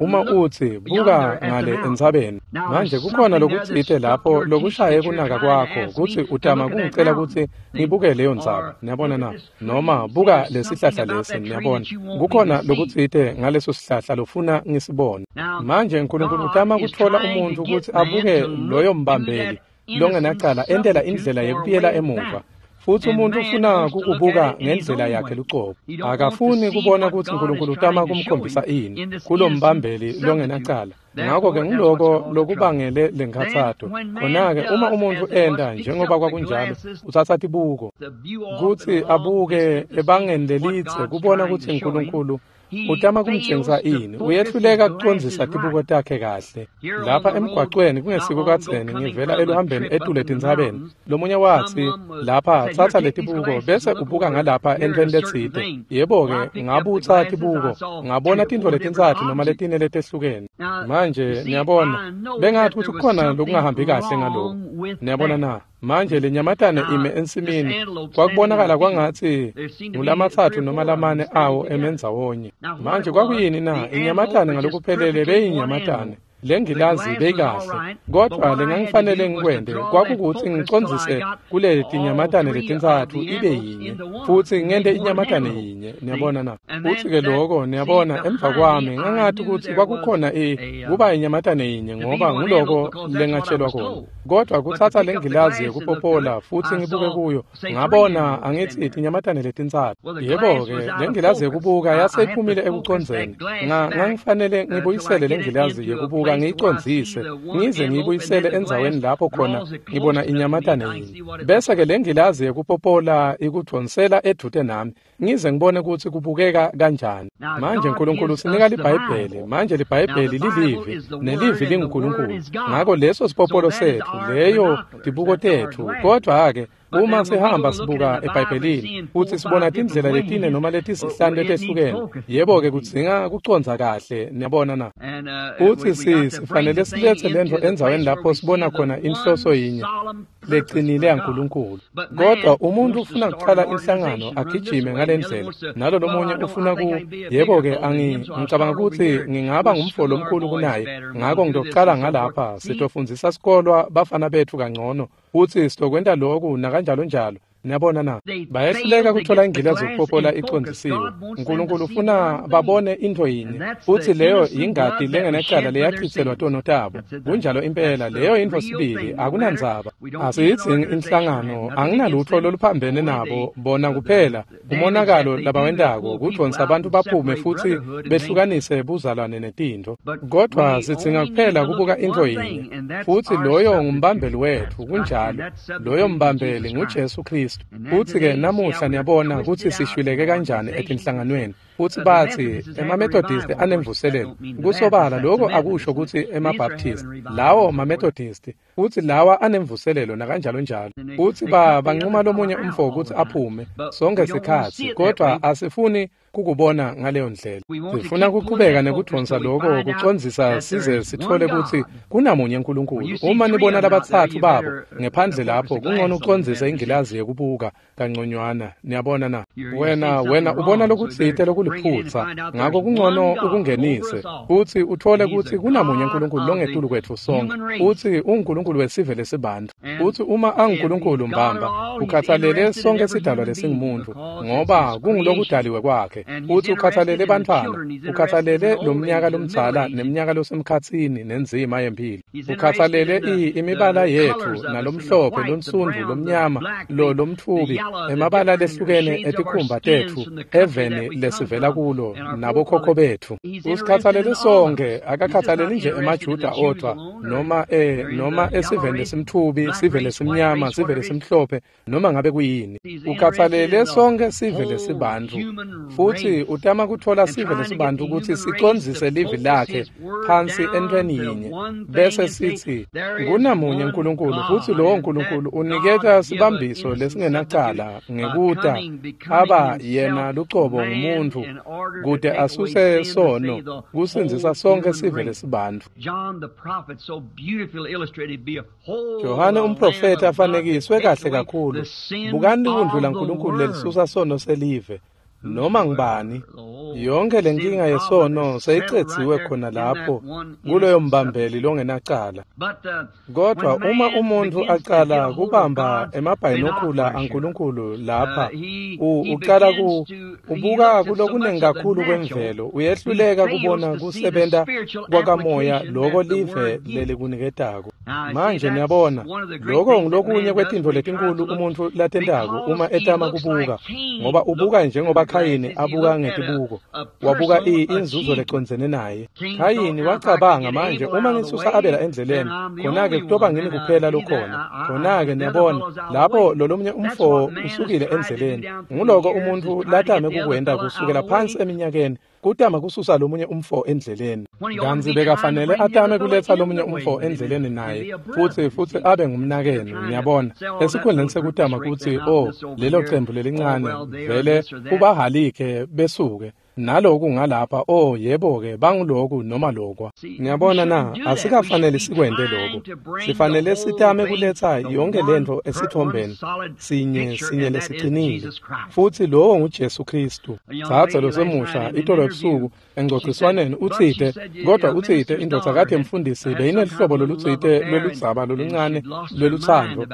Uma utsi buka ngale entsabeni, manje kukhona lokutsite lapho lokushaye kunaka kwakho kutsi utama kungicela kutsi ngibuke leyo ntsaba. Niyabona na? Noma buka lesihlahla lesi. Niyabona, kukhona lokutsite ngaleso sihlahla lofuna ngisibone. Manje Nkulunkulu utama kutfola umuntfu kutsi abuke loyo mbambeli longenacala entela indlela yekubuyela emuva. Futsi umuntu ufuna kukubuka ngendlela yakhe lucobo. Akafuni kubona kutsi Nkulunkulu utama kumkhombisa ini kulombambeli longenacala. Ngako-ke nguloko lokubangele lenkhatsato. Khona-ke uma umuntfu enta njengoba kwakunjalo, utsatsa tibuko kutsi abuke ebangeni lelitse kubona kutsi Nkulunkulu Utama kumtshengisa ini? Uyehluleka kucondzisa tibuko takhe kahle. Lapha emgwacweni kungesiko kadzeni ngivela eluhambeni etule tintsabeni. Lomunye watsi, lapha tsatsa letibuko bese ubuka ngalapha entweni letsite. Yebo-ke, ngabutsa tibuko, ngabona tintfo letintsatfu noma letine letehlukene. Manje niyabona, bengathi kutsi kukhona lokungahambi kahle ngaloko. Niyabona na? Manje lenyamatane ime ensimini, kwakubonakala kwangatsi ngulamatsatfu noma lamane awo emendzawonye. Manje kwakuyini na? Inyamatane ngalokuphelele beyinyamatane. Lengilazi beyikahle, kodvwa lengangifanele ngikwente kwakukuthi ngicondzise kule tinyamatane letintsatfu ibe yinye, futsi ngente inyamatane yinye. Niyabona na? Futsi-ke loko, niyabona, emva kwami ngangathi kutsi kwakukhona kuba inyamatane yinye, ngoba nguloko lengatshelwa kona. Kodvwa kutsatsa lengilazi yekupopola futsi ngibuke kuyo, ngabona angithi tinyamatane letintsatfu. Yebo-ke, lengilazi yekubuka yaseyiphumile ekucondzeni. Ngangifanele ngibuyisele lengilazi yekubuka, ngiyicondzise ngize ngiyibuyisele endzaweni lapho khona ngibona inyamatane yinye. Bese-ke lengilazi yekupopola ikudvonsela edvute nami, ngize ngibone kutsi kubukeka kanjani. Manje Nkulunkulu usinika liBhayibheli. Manje liBhayibheli lilivi, nelivi linguNkulunkulu. Ngako leso sipopolo setfu, leyo tibuko tetfu. Kodvwa-ke uma sihamba sibuka eBhayibhelini futsi sibona tindlela letine noma letisihlanu letehlukene, yebo-ke kudzinga kucondza kahle. Niyabona na? Futsi sifanele siletse lentfo endzaweni lapho sibona khona inhloso yinye lecinile yaNkulunkulu. Kodwa umuntu ufuna kucala inhlangano agijime ngalendlela, nalo lomunye ufuna ku, yebo-ke ngicabanga kutsi ngingaba ngumfo lomkhulu kunaye, ngako ngitocala ngalapha, sitofundzisa sikolwa bafana betfu kangcono, futsi sitokwenta loku nakanjalo njalo. Niyabona na? Bayehluleka kuthola ingilazi yokupopola icondzisiwe. Nkulunkulu ufuna babone intfo yinye, futsi leyo yingati lengenacala leyachitselwa tono tabo. Kunjalo impela, leyo yintfo sibili, akunandzaba. Asiyidzingi inhlangano, anginalutfo loluphambene nabo, bona kuphela umonakalo labawentako kudvonsa abantu baphume futsi behlukanise buzalwane netintfo. Kodvwa sidzinga kuphela kubuka intfo yinye, futsi loyo ngumbambeli wetfu. Kunjalo, loyo mbambeli nguJesu Kristu. Futsi-ke namuhla niyabona kutsi sishwileke kanjani etinhlanganweni. Futsi batsi emaMethodist anemvuselelo. Kusobala lokho akusho kutsi emaBaptist, lawo maMethodist, futsi lawa anemvuselelo nakanjalo njalo. Futsi banquma lomunye umfo kutsi aphume sonke sikhatsi, kodvwa asifuni kukubona ngaleyo ndlela. Sifuna kuqhubeka nekudvonsa lokho kucondzisa size sithole kutsi kunamunye Nkulunkulu. Uma nibona labatsatfu babo ngephandle lapho, kungcono ucondzise ingilazi yekubuka kangconywana. Niyabona na? Wena ubona lokutsite lokuliphutsa, ngako kungcono ukungenise futsi uthole kutsi kunamunye Nkulunkulu longetulu kwetfu sonke, futsi unguNkulunkulu wesive lesibantfu. Futsi uma anguNkulunkulu mbamba, ukhathalele sonke sidalwa lesingumuntfu, ngoba kungulokudaliwe kwakhe. Futsi ukhathalele bantfwana, ukhathalele lomnyaka lomdzala neminyaka losemkhatsini nenzima yempilo, ukhathalele imibala yetfu nalomhlophe, lonsundvu, lomnyama, lo lomtfubi, emabala lehlukene etikhumba tetfu eveni lesivela kulo nabokhokho betfu. Usikhathalele sonke, akakhathaleli nje emaJuda odvwa noma esiveni lesimtfubi, sive lesimnyama, sive lesimhlophe, noma ngabe kuyini. Ukhathalele sonke sive lesibantfu, futsi utama kutfola sive lesibantfu kutsi sicondzise livi lakhe phansi entweni yinye, bese sithi kunamunye Nkulunkulu, futsi lowo Nkulunkulu uniketa sibambiso lesingenacala ngekuta aba yena lucobo ngumuntfu kute asuse sono kusindzisa sonke sive lesibantfu. Johane umprofeti afanekiswe kahle kakhulu. Bukani liwundlu laNkulunkulu lelisusa sono selive. Noma ngibani, yonke lenkinga yesono seyicedziwe khona lapho kuloyo mbambeli longenacala. Kodwa uma umuntu aqala kubamba emabhayinokula aNkulunkulu lapha, uqala ubuka kulokunengi kakhulu kwemvelo, uyehluleka kubona kusebenta kwakamoya loko live lelikuniketako. Manje niyabona, lokho ngulokunye kwetintfo letinkulu umuntfu latentako uma etama kubuka, ngoba ubuka njengoba Khayini abuka ngetibuko, wabuka inzuzo lecondzene naye. Khayini wacabanga, manje uma ngisusa Abela endleleni, khona-ke kutoba ngimi kuphela lokhona. Khona-ke niyabona, lapho lolomunye umfo usukile endleleni. Nguloko umuntfu latame kukwenta kusukela phansi eminyakeni. Kutama kususa lomunye umfo endleleni. Kantsi bekafanele atame kuletsa lomunye umfo endleleni naye, futsi abe ngumnakenu, niyabona. Esikhundleni sekutama kutsi, oh, lelo cembu lelincane, vele ubahalike besuke. Naloku ngalapha, oh, yebo-ke, banguloku noma lokwa. Niyabona na, asikafanele sikwente lokho. Sifanele sitame kuletsa yonke lento esithombeni sinye lesiqinile. Futhi lowo nguJesu Kristu. Dzadze losemusha itolo ebusuku engcociswaneni utsite, kodwa utsite indvodzakati yemfundisi beyinelihlobo lolutsite lweludzaba loluncane lwelutsandvo,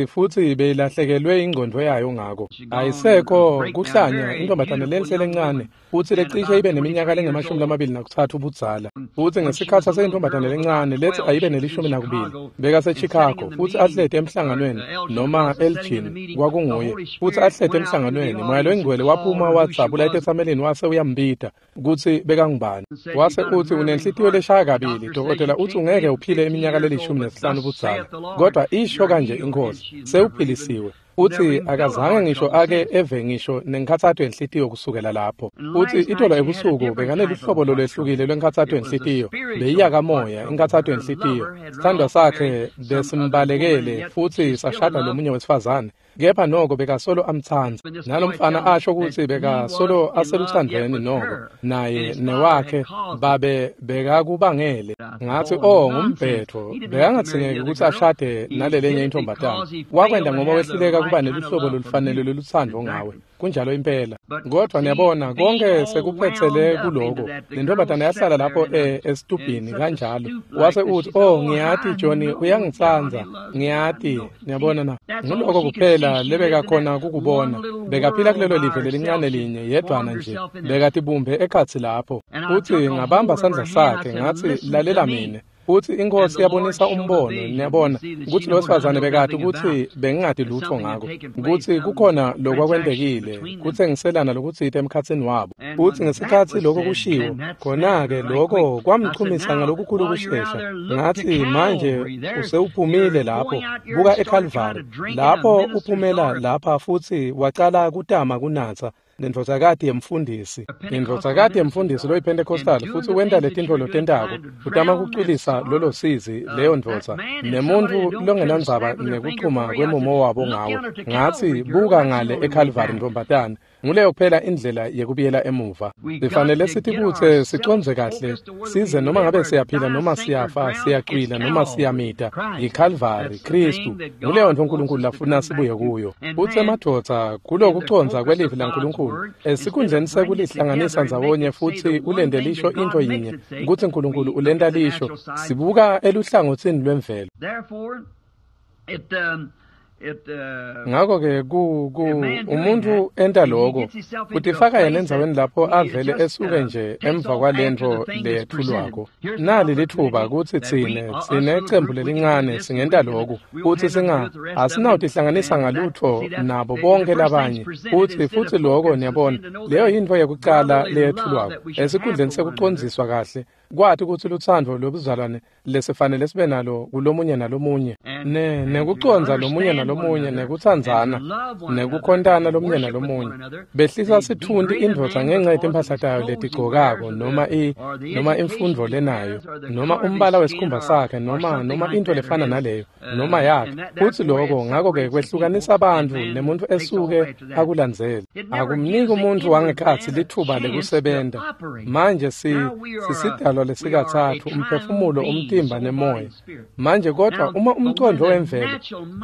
futsi beyilahlekelwe ingcondvo yayo ngako. Ayisekho kuhlanya intombatane lenhle lencane, futsi lecishe ibe neminyaka lengamashumi-23 budzala. Futsi ngesikhatsi aseyintombatane lencane lethi ayibe ne-12, bekaseChicago, futsi ahleti emhlanganweni noma Elgin kwakunguye, futsi ahleti emhlanganweni, Moya loyiNgcwele waphuma wadzabula etetsamelini wase uyambita kutsi bekangubani. Wase utsi unenhlitiyo leshaya kabili, dokotela utsi ungeke uphile iminyaka leli-15 budzala, kodwa isho kanje iNkhosi, sewuphilisiwe. Utsi akazange ngisho ake eve ngisho nenkhatsato yenhlitiyo kusukela lapho. Utsi itolo ebusuku bekanelihlobo lolwehlukile lwenkhatsato yenhlitiyo, beyiyakamoya inkhatsato yenhlitiyo. Sithandwa sakhe besimbalekele futsi sashada lomunye wesifazane, kepha noko bekasolo amtsandza. Nalomfana asho kutsi bekasolo aseluthandweni noko naye newakhe babe bekakubangele. Ngatsi, oh, ngumbhetho, bekangadzingeki kutsi ashade nalelenye intombatane. Wakwenta ngoba wehluleka kuba neluhlobo lolufanele lolutsandvo ngawe. Kunjalo impela. Kodwa niyabona, konke sekuphetsele kuloko. Lentombatane yahlala lapho esitubhini kanjalo. Wase uthi, oh, ngiyati Johnny uyangitsandza, ngiyati. Niyabona na, nguloko kuphela lebekakhona kukubona. Bekaphila kulelo live lelincane linye yedvwana nje, bekatibumbe ekhatsi lapho. Uthi ngabamba sandla sakhe ngatsi, lalela mine. Futsi iNkhosi yabonisa umbono, niyabona, kutsi lowesifazane bekati kutsi bengingati lutfo ngako, kutsi kukhona lokwakwentekile, kutsengiselana lokutsite emkhatsini wabo. Futsi ngesikhatsi lokho kushiwo, khona-ke lokho kwamchumisa ngalokukhulu kushesha. Ngatsi, manje usewuphumile lapho, buka eKalvari, lapho uphumela lapha futsi wacala kutama kunatsa nendvodzakati yemfundisi. Indvodzakati yemfundisi loyiPentecostal, futsi wenta letintfo lotentako, utama kucwilisa lolo sizi leyo ndvodza nemuntfu longenandzaba nekuchuma kwemumo wabo ngawe. Ngatsi, buka ngale eKalvari ntombatane, nguleyo kuphela indlela yekubuyela emuva. Sifanele sitibutse sicondze kahle, size noma ngabe siyaphila noma siyafa, siyacwila noma siyamita, yiKalvari, Kristu, nguleyo ntfo uNkulunkulu lafuna sibuye kuyo. Futsi emadvodza kulokucondza kwelivi laNkulunkulu, esikhundleni sekulihlanganisa ndzawonye futsi ulente lisho intfo yinye, kutsi uNkulunkulu ulenta lisho, sibuka eluhlangotsini lwemvelo. Ngakho-ke umuntfu enta loko, utifaka yena endzaweni lapho avele esuke nje emva kwalentfo leyetfulwako. Nali litfuba kutsi tsine cembu lelincane singenta loku, futsi asinawutihlanganisa ngalutfo nabo bonke labanye. Futsi loko, niyabona, leyo yintfo yekucala leyetfulwako esikhundleni sekucondziswa kahle, kwati kutsi lutsandvo lwebuzalwane lesifanele sibe nalo kulomunye nalomunye, nekucondza lomunye nalomunye, nekutsandzana, nekukhontana lomunye nalomunye. Behlisa sithunti indvodza ngenxa yetimphahla tayo letigcokako, noma imfundvo lenayo, noma umbala wesikhumba sakhe, noma intfo lefana naleyo, noma yakhe. Futsi loko ngakho-ke kwehlukanisa bantfu nemuntfu esuke akulandzele. Akumniki umuntfu wangekhatsi litfuba lekusebenta. Manje sisidalwa lesikatsatfu, umphefumulo, umtimba nemoya. Manje kodwa uma umcondvo wemvelo,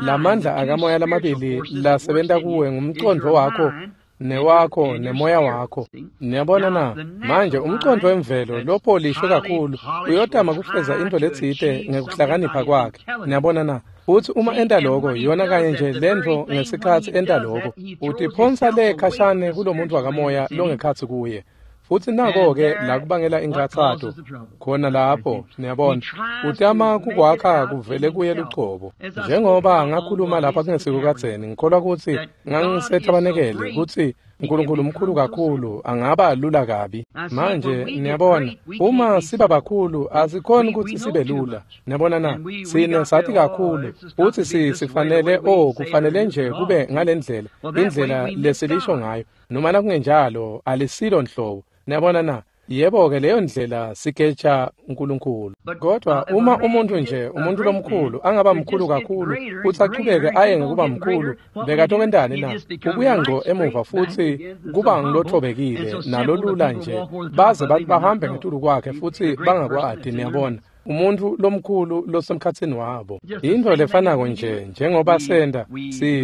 lamandla akamoya lamabili lasebenta kuwe ngumcondvo wakho newakho nemoya wakho. Niyabona na, manje umcondvo wemvelo lopolishwe kakhulu uyotama kufeza intfo letsite ngekuhlakanipha kwakhe. Niyabona na, futsi uma enta loko, yona kanye nje lentfo ngesikhatsi enta loko, utiphonsa le khashane kulomuntu wakamoya longekhatsi kuye. Futsi nako-ke la kubangela inkhatsato khona lapho, niyabona, utama kukwakha kuvele kuye lucobo. Njengoba ngakhuluma lapha kungesiko kadzeni, ngikholwa kutsi ngangisethabanekele kutsi Nkulunkulu mkhulu kakhulu, angaba lula kabi. Manje niyabona, uma siba bakhulu asikhoni ukuthi sibe lula. Niyabona na? Sine sathi kakhulu futhi sifanele kufanele nje kube ngalendlela, indlela lesilisho ngayo. Noma nakungenjalo alisilo nhlobo. Niyabona na? Yebo-ke leyo ndlela sigeja uNkulunkulu. Kodwa uma umuntu nje, umuntu lomkhulu, angaba mkhulu kakhulu, futhi achubeke aye ngekuba mkhulu, bekatokwentani na? Ubuya ngco emuva futhi kuba ngilothobekile nalolula nje, baze bantu bahambe ngetulu kwakhe futhi bangakwadi, niyabona. Umuntu lomkhulu losemkhatsini wabo. Into lefanako nje njengoba senda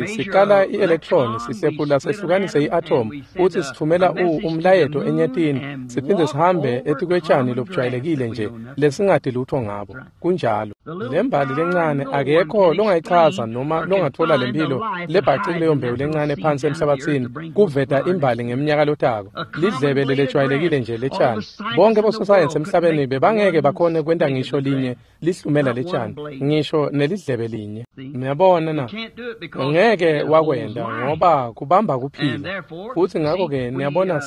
sikala i-electron sihlephula sehlukanise i-atom futhi sithumela umlayeto enyetini siphinde sihambe etikwetshani lobujwayelekile nje lesingadi lutho ngabo. Kunjalo. Lembali lencane akekho longayichaza noma longathola lempilo lebhacile leyo mbewu lencane phansi emhlabathini kuveta imbali ngeminyaka lotako. Lidlebe lelejwayelekile nje letshani. Bonke bososayensi emhlabeni bebangeke bakhone kwenta ngisho linye lihlumela letshani, ngisho nelidlebe linye. Niyabona na? Ngeke wakwenda ngoba kubamba kuphila. Futhi ngakho-ke niyabona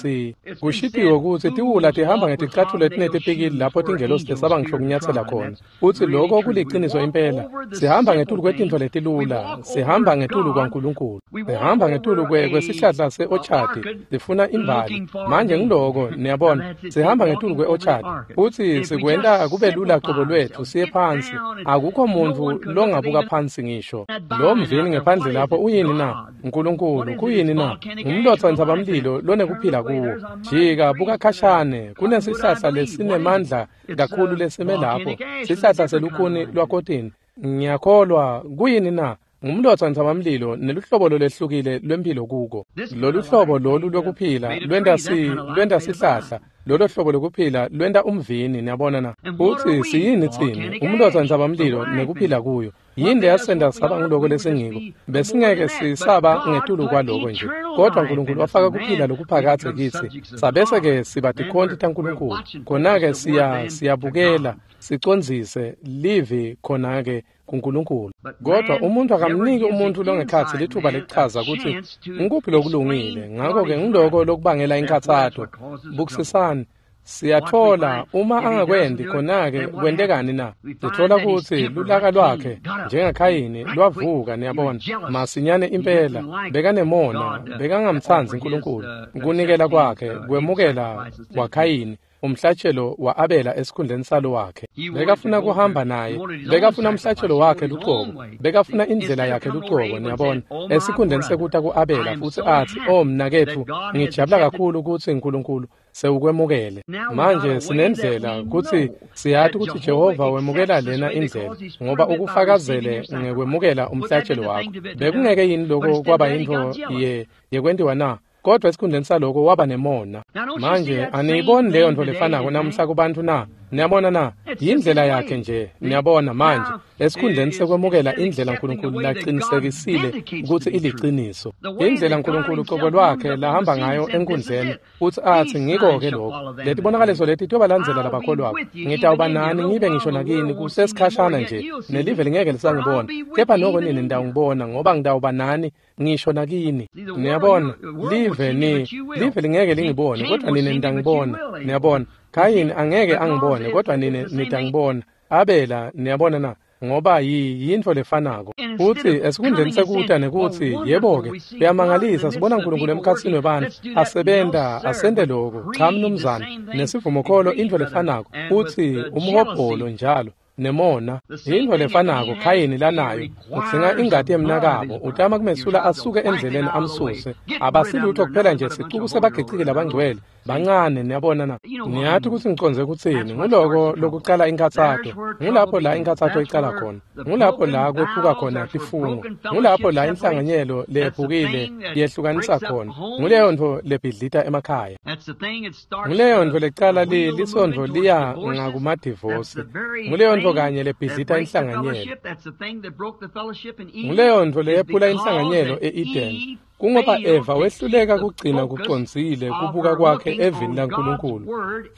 kushitiwe ukuthi tiwula tihamba ngeticathulo etinetipikili lapho tingelosi tesaba ngisho kunyathela khona. Futhi lokho kuliqiniso impela. Sihamba ngetulu kwetintfo letilula, sihamba ngetulu kwaNkulunkulu. Sihamba ngetulu kwesihlahla se-orchard, sifuna imbali. Manje ngiloko niyabona, sihamba ngetulu kwe-orchard. Futhi sikwenta kube lula qobo lwethu siye phansi. Akukho muntu longabuka phansi ngisho. Lo mvini ngephandle lapho uyini na? uNkulunkulu kuyini na? Ngumlotha wentsabamlilo lonekuphila kuwo. Jika buka khashane, kunesihlahla lesinemandla kakhulu lesime lapho. Sihlahla selukhuni lwakotini. Ngiyakholwa kuyini na? Ngumlotha wentsabamlilo neluhlobo lolehlukile lwempilo kuko. Lolu hlobo lolu lokuphila lwenta sihlahla. Lolo hlobo lokuphila lwenta umvini, niyabona na? Uthi siyini thina? Umlotha wentsabamlilo nekuphila kuyo. Yini leyasenda saba ngiloko lesingiko? Besingeke sisaba ngetulu kwaloko nje. Kodwa uNkulunkulu wafaka kuphila lokuphakathe kithi. Sabese ke siba tikhonti taNkulunkulu. Khona-ke siyabukela, sicondzise livi khona-ke kuNkulunkulu. Kodwa umuntu akamniki umuntu longekhatsi lithuba lekuchaza ukuthi ngikuphi lokulungile. Ngakho-ke ngiloko lokubangela inkathato. Bukisisani. Siyathola uma angakwendi khona-ke kwentekani na? Sithola ukuthi lulaka lwakhe njengaKhayini lwavuka, niyabona, masinyane impela. Bekanemona, bekangamtsandzi uNkulunkulu. Kunikela kwakhe kwemukela kwaKhayini umhlatshelo wa-Abela esikhundleni salo wakhe. Bekafuna kuhamba naye, bekafuna umhlatshelo wakhe luqobo, bekafuna indlela yakhe luqobo, niyabona, esikhundleni sekuta ku-Abela futhi athi, "Oh mnaketfu, ngijabula kakhulu ukuthi uNkulunkulu sewukwemukele." Manje sinendlela kutsi siyati ukuthi Jehova wemukela lena indlela ngoba ukufakazele ngekwemukela umhlatshelo wakho. Bekungeke yini lokho kwaba yintfo yekwentiwa na? Kodwa esikhundleni saloko waba nemona. Manje aniyiboni leyo nto lefanako namuhla kubantu na? Niyabona na? Yindlela yakhe nje. Niyabona manje esikhundleni sekwemukela indlela uNkulunkulu laqinisekisile ukuthi iliciniso. Indlela uNkulunkulu qobo lwakhe lahamba ngayo enkundleni futhi athi ngiko-ke lokho. Letibonakaliso leti tiyobalandzela labakholwako. Ngitawuba nani ngibe ngisho nakini kusesikhashana nje nelive lingeke lisangibona. Kepha noko nini nitawungibona ngoba ngitawuba nani ngisho nakini. Niyabona, live lingeke lingibone kodwa nini nitangibona. Niyabona, Khayini angeke angibone kodwa nini nitangibona. Abela, niyabona na? Ngoba yintfo lefanako. Futhi esikhundleni sekuta nekuthi yebo-ke kuyamangalisa sibona uNkulunkulu emkhatsini webantfu asebenta asente lokho. Cha mnumzane, nesivumokholo intfo lefanako futhi umhobholo njalo nemona yintfo lefanako Khayini lanayo. Udzinga ingati yemnakabo, utama kumesula asuke endleleni amsuse. Abasilutho kuphela nje sicuku sebagiciki labangcwele bancane, niyabona na? Ngiyathi ukuthi ngicondze kutsini. Nguloko lokucala inkathato. Ngulapho la inkathato icala khona. Ngulapho la kwephuka khona tifungo. Ngulapho la inhlanganyelo lephukile yehlukanisa khona. Nguleyo ntfo lebhidlita emakhaya. Nguleyo ntfo lecala lisondvo liya ngakumadivosi. Nguleyo ntfo kanye lebhidlita inhlanganyelo. Nguleyo ntfo leyephula inhlanganyelo e-Eden. Kungoba Eva wehluleka kugcina kucondzile kubuka kwakhe evini laNkulunkulu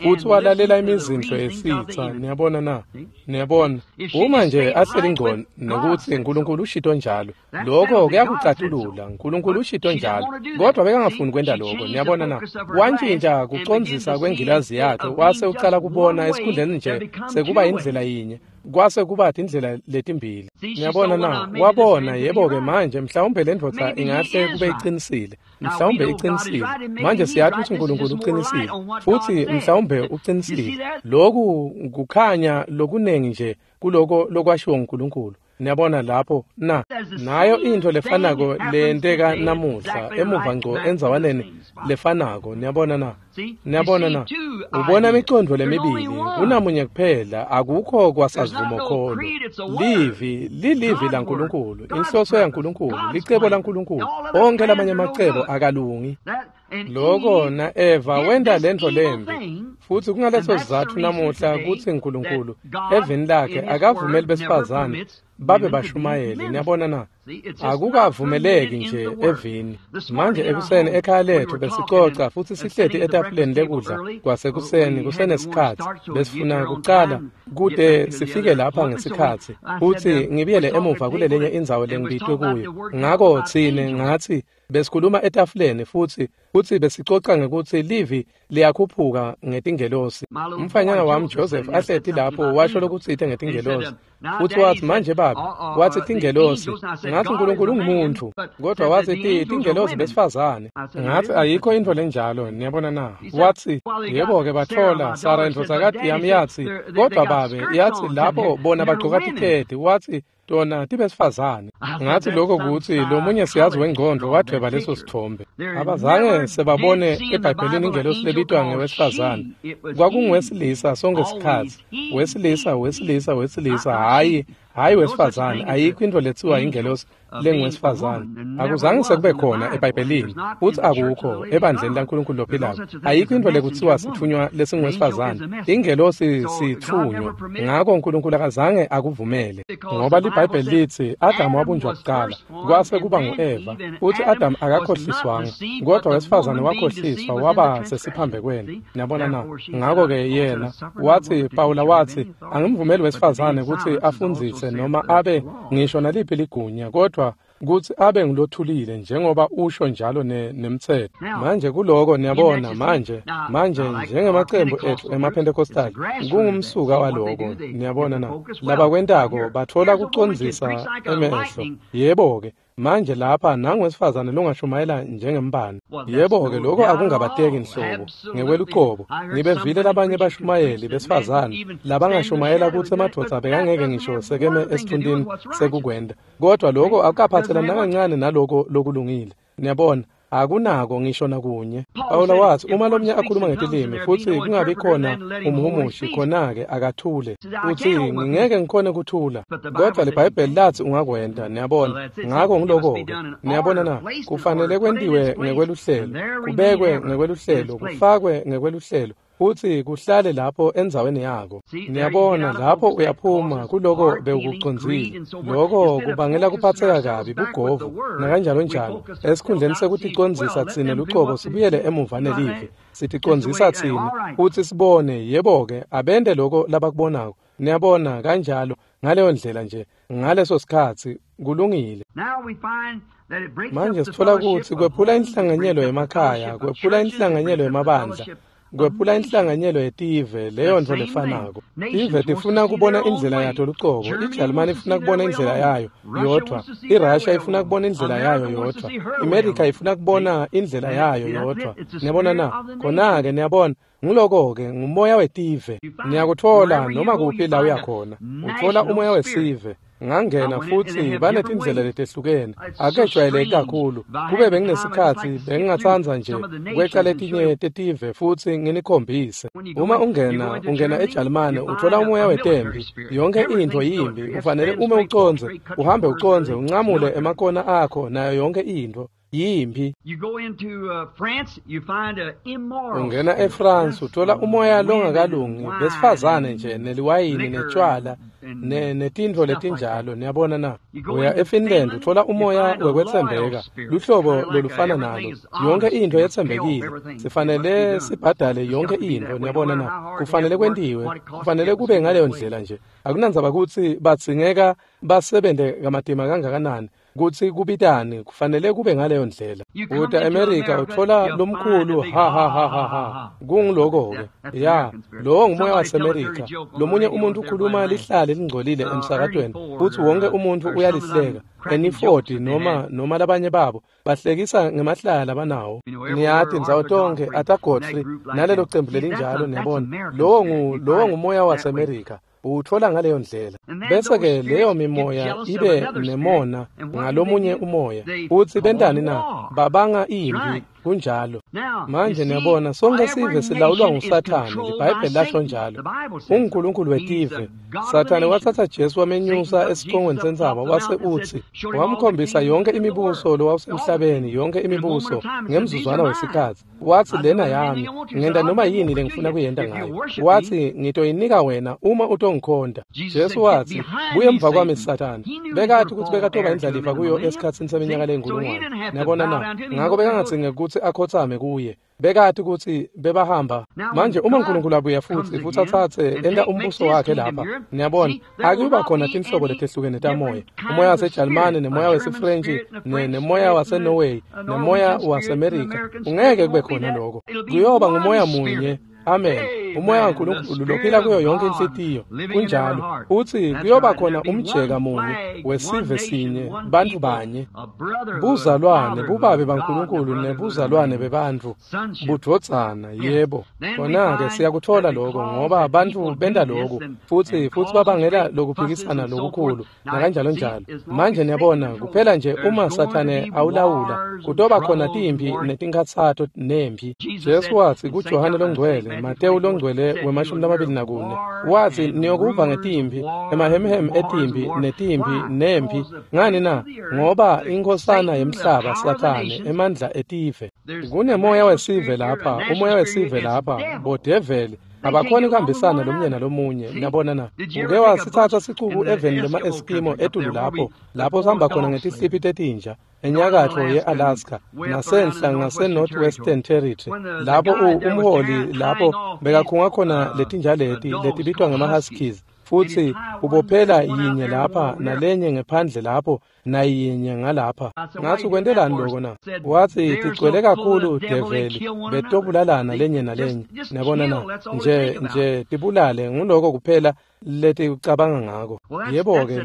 futhi walalela imizindlo yesitha. Niyabona na? Niyabona, uma nje ahleli ngco nokuthi uNkulunkulu ushito njalo, lokho kuyakucatulula. uNkulunkulu ushito njalo, kodwa bekangafuni kwenta lokho. Niyabona na? Wantshintsha kucondzisa kwengilazi yakhe, wase ucala kubona esikhundleni nje sekuba indlela yinye, kwase kuba indlela letimbili. Niyabona na? Wabona, yebo-ke manje mhlawumbe le ndvodza ingahle kube iqinisile, mhlawumbe iqinisile. Manje siyathi ukuthi uNkulunkulu uqinisile, futhi mhlawumbe uqinisile. Lokhu kukhanya lokuningi nje kuloko lokwashiwo nguNkulunkulu. Niyabona lapho na? Nayo into lefanako leyenteka namuhla emuva ngco endzawaneni lefanako. Niyabona na? Niyabona na? Ubona imicondvo lemibili, kunamunye kuphela, akukho kwasavumokholo. Livi lilivi laNkulunkulu, inhloso yaNkulunkulu, licebo laNkulunkulu. Onke lamanye amacebo akalungi. Lokho na Eva wenta lento lembi, futhi kungaleso sizatfu namuhla kutsi uNkulunkulu evini lakhe akavumeli besifazane babe bashumayeli. Niyabona na? Akukavumeleki nje evini. Manje ekuseni ekhaya lethu besicoca futhi sihleti etafuleni lekudla kwasekuseni kusenesikhatsi. Besifuna kucala kude sifike lapha ngesikhatsi futhi ngibuyele emuva kulelenye indzawo lengibitwe kuyo. Ngako tsine ngatsi besikhuluma etafuleni futhi besicoca ngekuthi livi liyakhuphuka ngetingelosi. Umfanyana wami Joseph ahleti lapho washo lokutsite ngetingelosi, futhi wathi manje baba, wathi tingelosi. Ngathi uNkulunkulu ungumuntu, kodwa wathi tingelosi besifazane. Ngathi ayikho into lenjalo. Niyabona na? Wathi yebo-ke bathola Sara indvodzakati yami yathi, kodwa babe yathi lapho bona bagcoka tiketi, wathi tona tibesifazane. Ngathi lokho kuthi lomunye siyazi wengqondo wadweba leso sithombe. Abazange sebabone eBhayibhelini ingelosi lebitwa ngewesifazane. Kwakunguwesilisa sonke sikhatsi, wesilisa, wesilisa, wesilisa, hhayi wesifazane. Ayikho into lethiwa ingelosi lenguwesifazane. Akuzange sekube khona eBhayibhelini, futhi akukho ebandleni laNkulunkulu lophilako. Ayikho into lekuthiwa sithunywa lesinguwesifazane. Ingelosi sithunywa. Ngakho uNkulunkulu akazange akuvumele, ngoba liBhayibheli lithi Adamu wabunjwa kuqala, kwase kuba ngu-Eva, futhi Adamu akakhohliswanga, kodwa wesifazane wakhohliswa waba sesiphambekweni. Niyabona na? Ngakho-ke yena wathi, Pawula wathi, angimvumeli wesifazane ukuthi afundzise noma abe ngisho naliphi ligunya, kodwa kutsi abe ngilothulile njengoba usho njalo nemtsetfo. Manje kuloko niyabona manje njengemacembu ethu emaPentecostal kungumsuka waloko. Niyabona na? Labakwentako bathola kucondzisa emehlo. Yebo-ke manje lapha nangwesifazane longashumayela njengembane. Yebo-ke lokho akungabateki nhlobo ngekwelucobo. Ngibevile labanye bashumayeli besifazane labangashumayela kutsi emadvodza bekangeke ngisho sekeme esithuntini sekukwenda, kodwa lokho akukaphathelani nakancane naloko lokulungile. Niyabona, akunako ngisho nakunye. Pawula wathi uma lomnye akhuluma ngetilimi futhi kungabi khona umhumushi, khona-ke akathule. Uthi ngingeke ngikhone kuthula, kodwa liBhayibheli lathi ungakwenta. Niyabona, ngako ngiloko-ke. Niyabona na? Kufanele kwentiwe ngekweluhlelo, kubekwe ngekweluhlelo, kufakwe ngekweluhlelo, futhi kuhlale lapho endzaweni yako. Niyabona, lapho uyaphuma kuloko bewukucondzile. Lokho kubangela kuphatseka kabi, bugovu nakanjalo njalo. Esikhundleni sekuticondzisa tsine lucobo sibuyele emuva nelivi, siticondzisa tsine futhi sibone, yebo-ke abente loko labakubonako. Niyabona, kanjalo ngaleyo ndlela nje ngaleso sikhatsi kulungile. Manje sithola kutsi kwephula inhlanganyelo yemakhaya, kwephula inhlanganyelo yemabandla, kwephula inhlanganyelo yetive, leyo nto lefanako. Tive tifuna kubona indlela yato lucobo. IJalimane ifuna kubona indlela yayo yodwa, iRussia ifuna kubona indlela yayo yodwa, iMelika ifuna kubona indlela yayo yodwa. Niyabona na? Khona-ke niyabona, ngiloko-ke ngumoya wetive. Niyakuthola noma kuphi la uyakhona, uthola umoya wesive. Ngangena futhi banetindlela letehlukene, akejwayeleki kakhulu. Kube benginesikhatsi bengingatsandza nje kweca letinye tetive futhi nginikhombise. Uma ungena eJalimane uthola umoya wetembi, yonke intfo yimbi. Ufanele ume ucondze, uhambe ucondze, uncamule emakona akho nayo yonke intfo. Yimphi. Ungena eFrance uthola umoya longakalungi besifazane nje neliwayini netshwala netintfo letinjalo, niyabona na. Uya eFinland uthola umoya wekwetsembeka, luhlobo lolufana nalo, yonke intfo yetsembekile, sifanele sibhadale yonke intfo, niyabona na, kufanele kwentiwe, kufanele kube ngaleyo ndlela nje. Akunandzaba kutsi badzingeka basebente kamatima kangakanani, kutsi kubitani, kufanele kube ngaleyo ndlela. Uta eMerika uthola lomkhulu ha ha ha ha ha, kungiloko-ke ya, lowo ngumoya waseMerika. Lomunye umuntu ukhuluma lihlale lingcolile emsakatweni futsi wonke umuntu uyalihleka. Eniford noma labanye babo bahlekisa ngemahlaya labanawo, niyati, ndzawo tonkhe, Arthur Godfrey nalelo cembu lelinjalo, niyabona, lowo ngumoya waseMerika. Uwuthola ngaleyo ndlela. Bese-ke leyo mimoya ibe nemona ngalomunye umoya. Utsi bentani na? Babanga imphi. Kunjalo. Manje niyabona, sonke sive silawulwa nguSathane, liBhayibheli lasho njalo. UnguNkulunkulu wetive. Sathane watsatsa Jesu wamenyusa esicongweni sentsaba wase utsi, wamkhombisa yonke imibuso lowawusemhlabeni, yonke imibuso ngemzuzwana wesikhatsi. Watsi, lena yami, ngenta noma yini lengifuna kuyenta ngayo. Watsi, ngitoyinika wena uma utongikhonta. Jesu watsi, buye emva kwami Sathane. Bekati kutsi bekatoba indlalifa kuyo esikhatsini seminyaka leyinkulungwane. Niyabona na? Ngako bekangadzingi kutsi akhotsame kuye. Bekati kutsi bebahamba. Manje uma uNkulunkulu abuya futsi atsatse enta umbuso wakhe lapha, niyabona, akuba khona tinhlobo letehlukene tamoya, umoya waseJalimane nemoya wesiFrentshi nemoya waseNorway nemoya waseMerika, ungeke kube khona lokho. Kuyoba ngumoya munye. Amen. Umoya waNkulunkulu lophila kuyo yonke inhlitiyo. Kunjalo. Utsi kuyoba khona umjeka munye wesive sinye, bantfu banye, buzalwane, bubabe baNkulunkulu nebuzalwane bebantfu, budvodzana, yebo. Kona-ke siyakuthola lokho ngoba bantfu benta lokhu futsi babangela lokuphikisana lokukhulu nakanjalo njalo. Manje niyabona, kuphela nje uma Sathane awulawula, kutoba khona timphi netinkhatsato nemphi. Jesu watsi kuJohane longcwele, Matewu longcwele we-24, watsi niyokuva ngetimpi, emahemhem etimpi netimpi nemphi. Ngani na? Ngoba inkhosana yemhlaba Sathane, emandla etive. Kunemoya wesive lapha, umoya wesive lapha, bodeveli abakhoni kuhambisana lomunye nalomunye, niyabona na. Uke wasitsatsa sicuku eveni lema-Eskimo etulu lapho sihamba khona ngetisiphi tetinja, enyakatfo ye-Alaska nasenhla ngase-Northwestern Territory, lapho umholi lapho bekakhunga khona letinja leti letibitwa ngema-huskies, futsi ubophela yinye lapha nalenye ngephandle lapho nayinye ngalapha. Ngatsi kwentelani loko na? Watsi tigcwele kakhulu develi betobulalana lenye nalenye, niyabona na, nje tibulale, nguloko kuphela leticabanga ngako. Yebo-ke,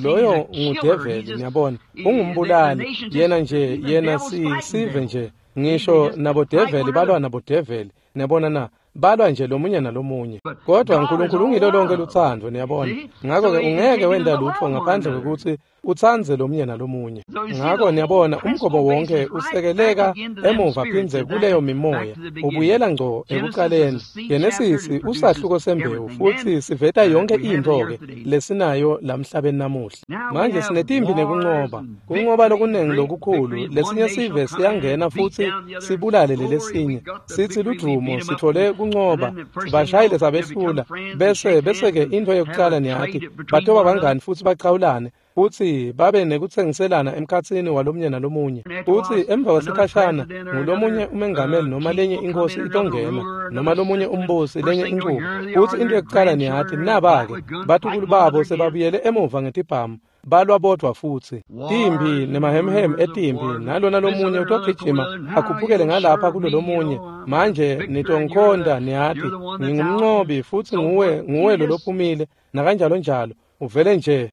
loyo ngudeveli, niyabona, ungumbulali yena nje, yena sive nje, ngisho nabodeveli balwa nabodeveli, niyabona na, balwa nje lomunye nalomunye. Kodwa uNkulunkulu ungilo lonke lutsandvo, niyabona. Ngako-ke ungeke wenta lutfo ngaphandle kwekutsi utsandze lomunye nalomunye. Ngako niyabona, umgobo wonke usekeleka emuva phindze kuleyo mimoya, ubuyela ngco ekuqaleni. Genesisi usahluko sembewu futsi siveta yonke intfo-ke lesinayo lamhlabeni namuhla. Manje sinetimpi nekuncoba, kuncoba lokunengi lokukhulu. Lesinye sive siyangena futsi sibulale lelesinye, sitsi ludvumo, sitfole kuncoba, sibashayile sabehlula, bese-ke intfo yekucala niyati, batoba bangani futsi bachawulane, futsi babe nekutsengiselana emkhatsini walomunye nalomunye. Futsi emva kwesikhashana ngulomunye umengameli noma lenye inkhosi itongena, noma lomunye umbusi, lenye inchubo. Futsi into yekucala niyati, naba-ke batukulu babo sebabuyele emuva ngetibhamu, balwa bodvwa futsi. Timphi nemahemhem etimpi, nalona lomunye utogijima akhuphukele ngalapha kulo lomunye. Manje nitongikhonta, niyati, ngingumncobi futsi nguwe lolophumile, nakanjalo njalo. Uvele nje.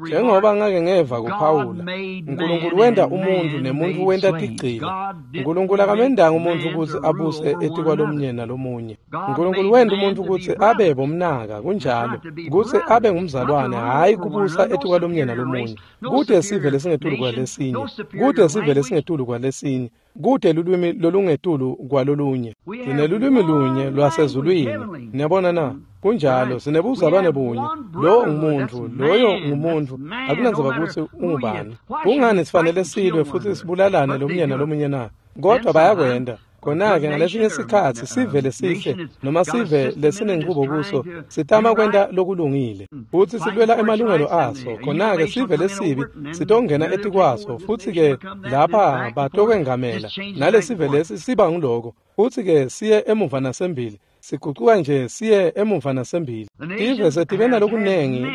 Njengoba ngake ngeva kuPawula, uNkulunkulu wenta umuntu nemuntu wenta tigcila. uNkulunkulu akamendanga umuntu kutsi abuse etikwalomunye nalomunye. uNkulunkulu wenta umuntu kutsi abe bomnaka, kunjalo, kutsi abe ngumzalwane, hhayi kubusa etikwalomunye nalomunye. Kute sive lesingetulu kwalesinye, kute sive lesingetulu kwalesinye. Kute lulwimi lolungetulu kwalolunye. Sinelulwimi lunye lwasezulwini. Niyabona na? Kunjalo, sinebuzalwane bunye. Lowo ngumuntu, loyo ngumuntu. Akunandzaba kutsi ungubani. Kungani sifanele silwe futsi sibulalane lomunye nalomunye na? Kodwa bayakwenda. Khona-ke ngalesinye sikhatsi sive lesihle noma sive lesinenchubo kuso sitama kwenta lokulungile futsi silwela emalungelo aso. Khona-ke sive lesibi sitongena etikwaso futsi-ke lapha batokwengamela nalesive lesi siba nguloko futsi-ke siye emuva nasembili. Sigucuka nje siye emuva nasembili. Tive setive nalokunengi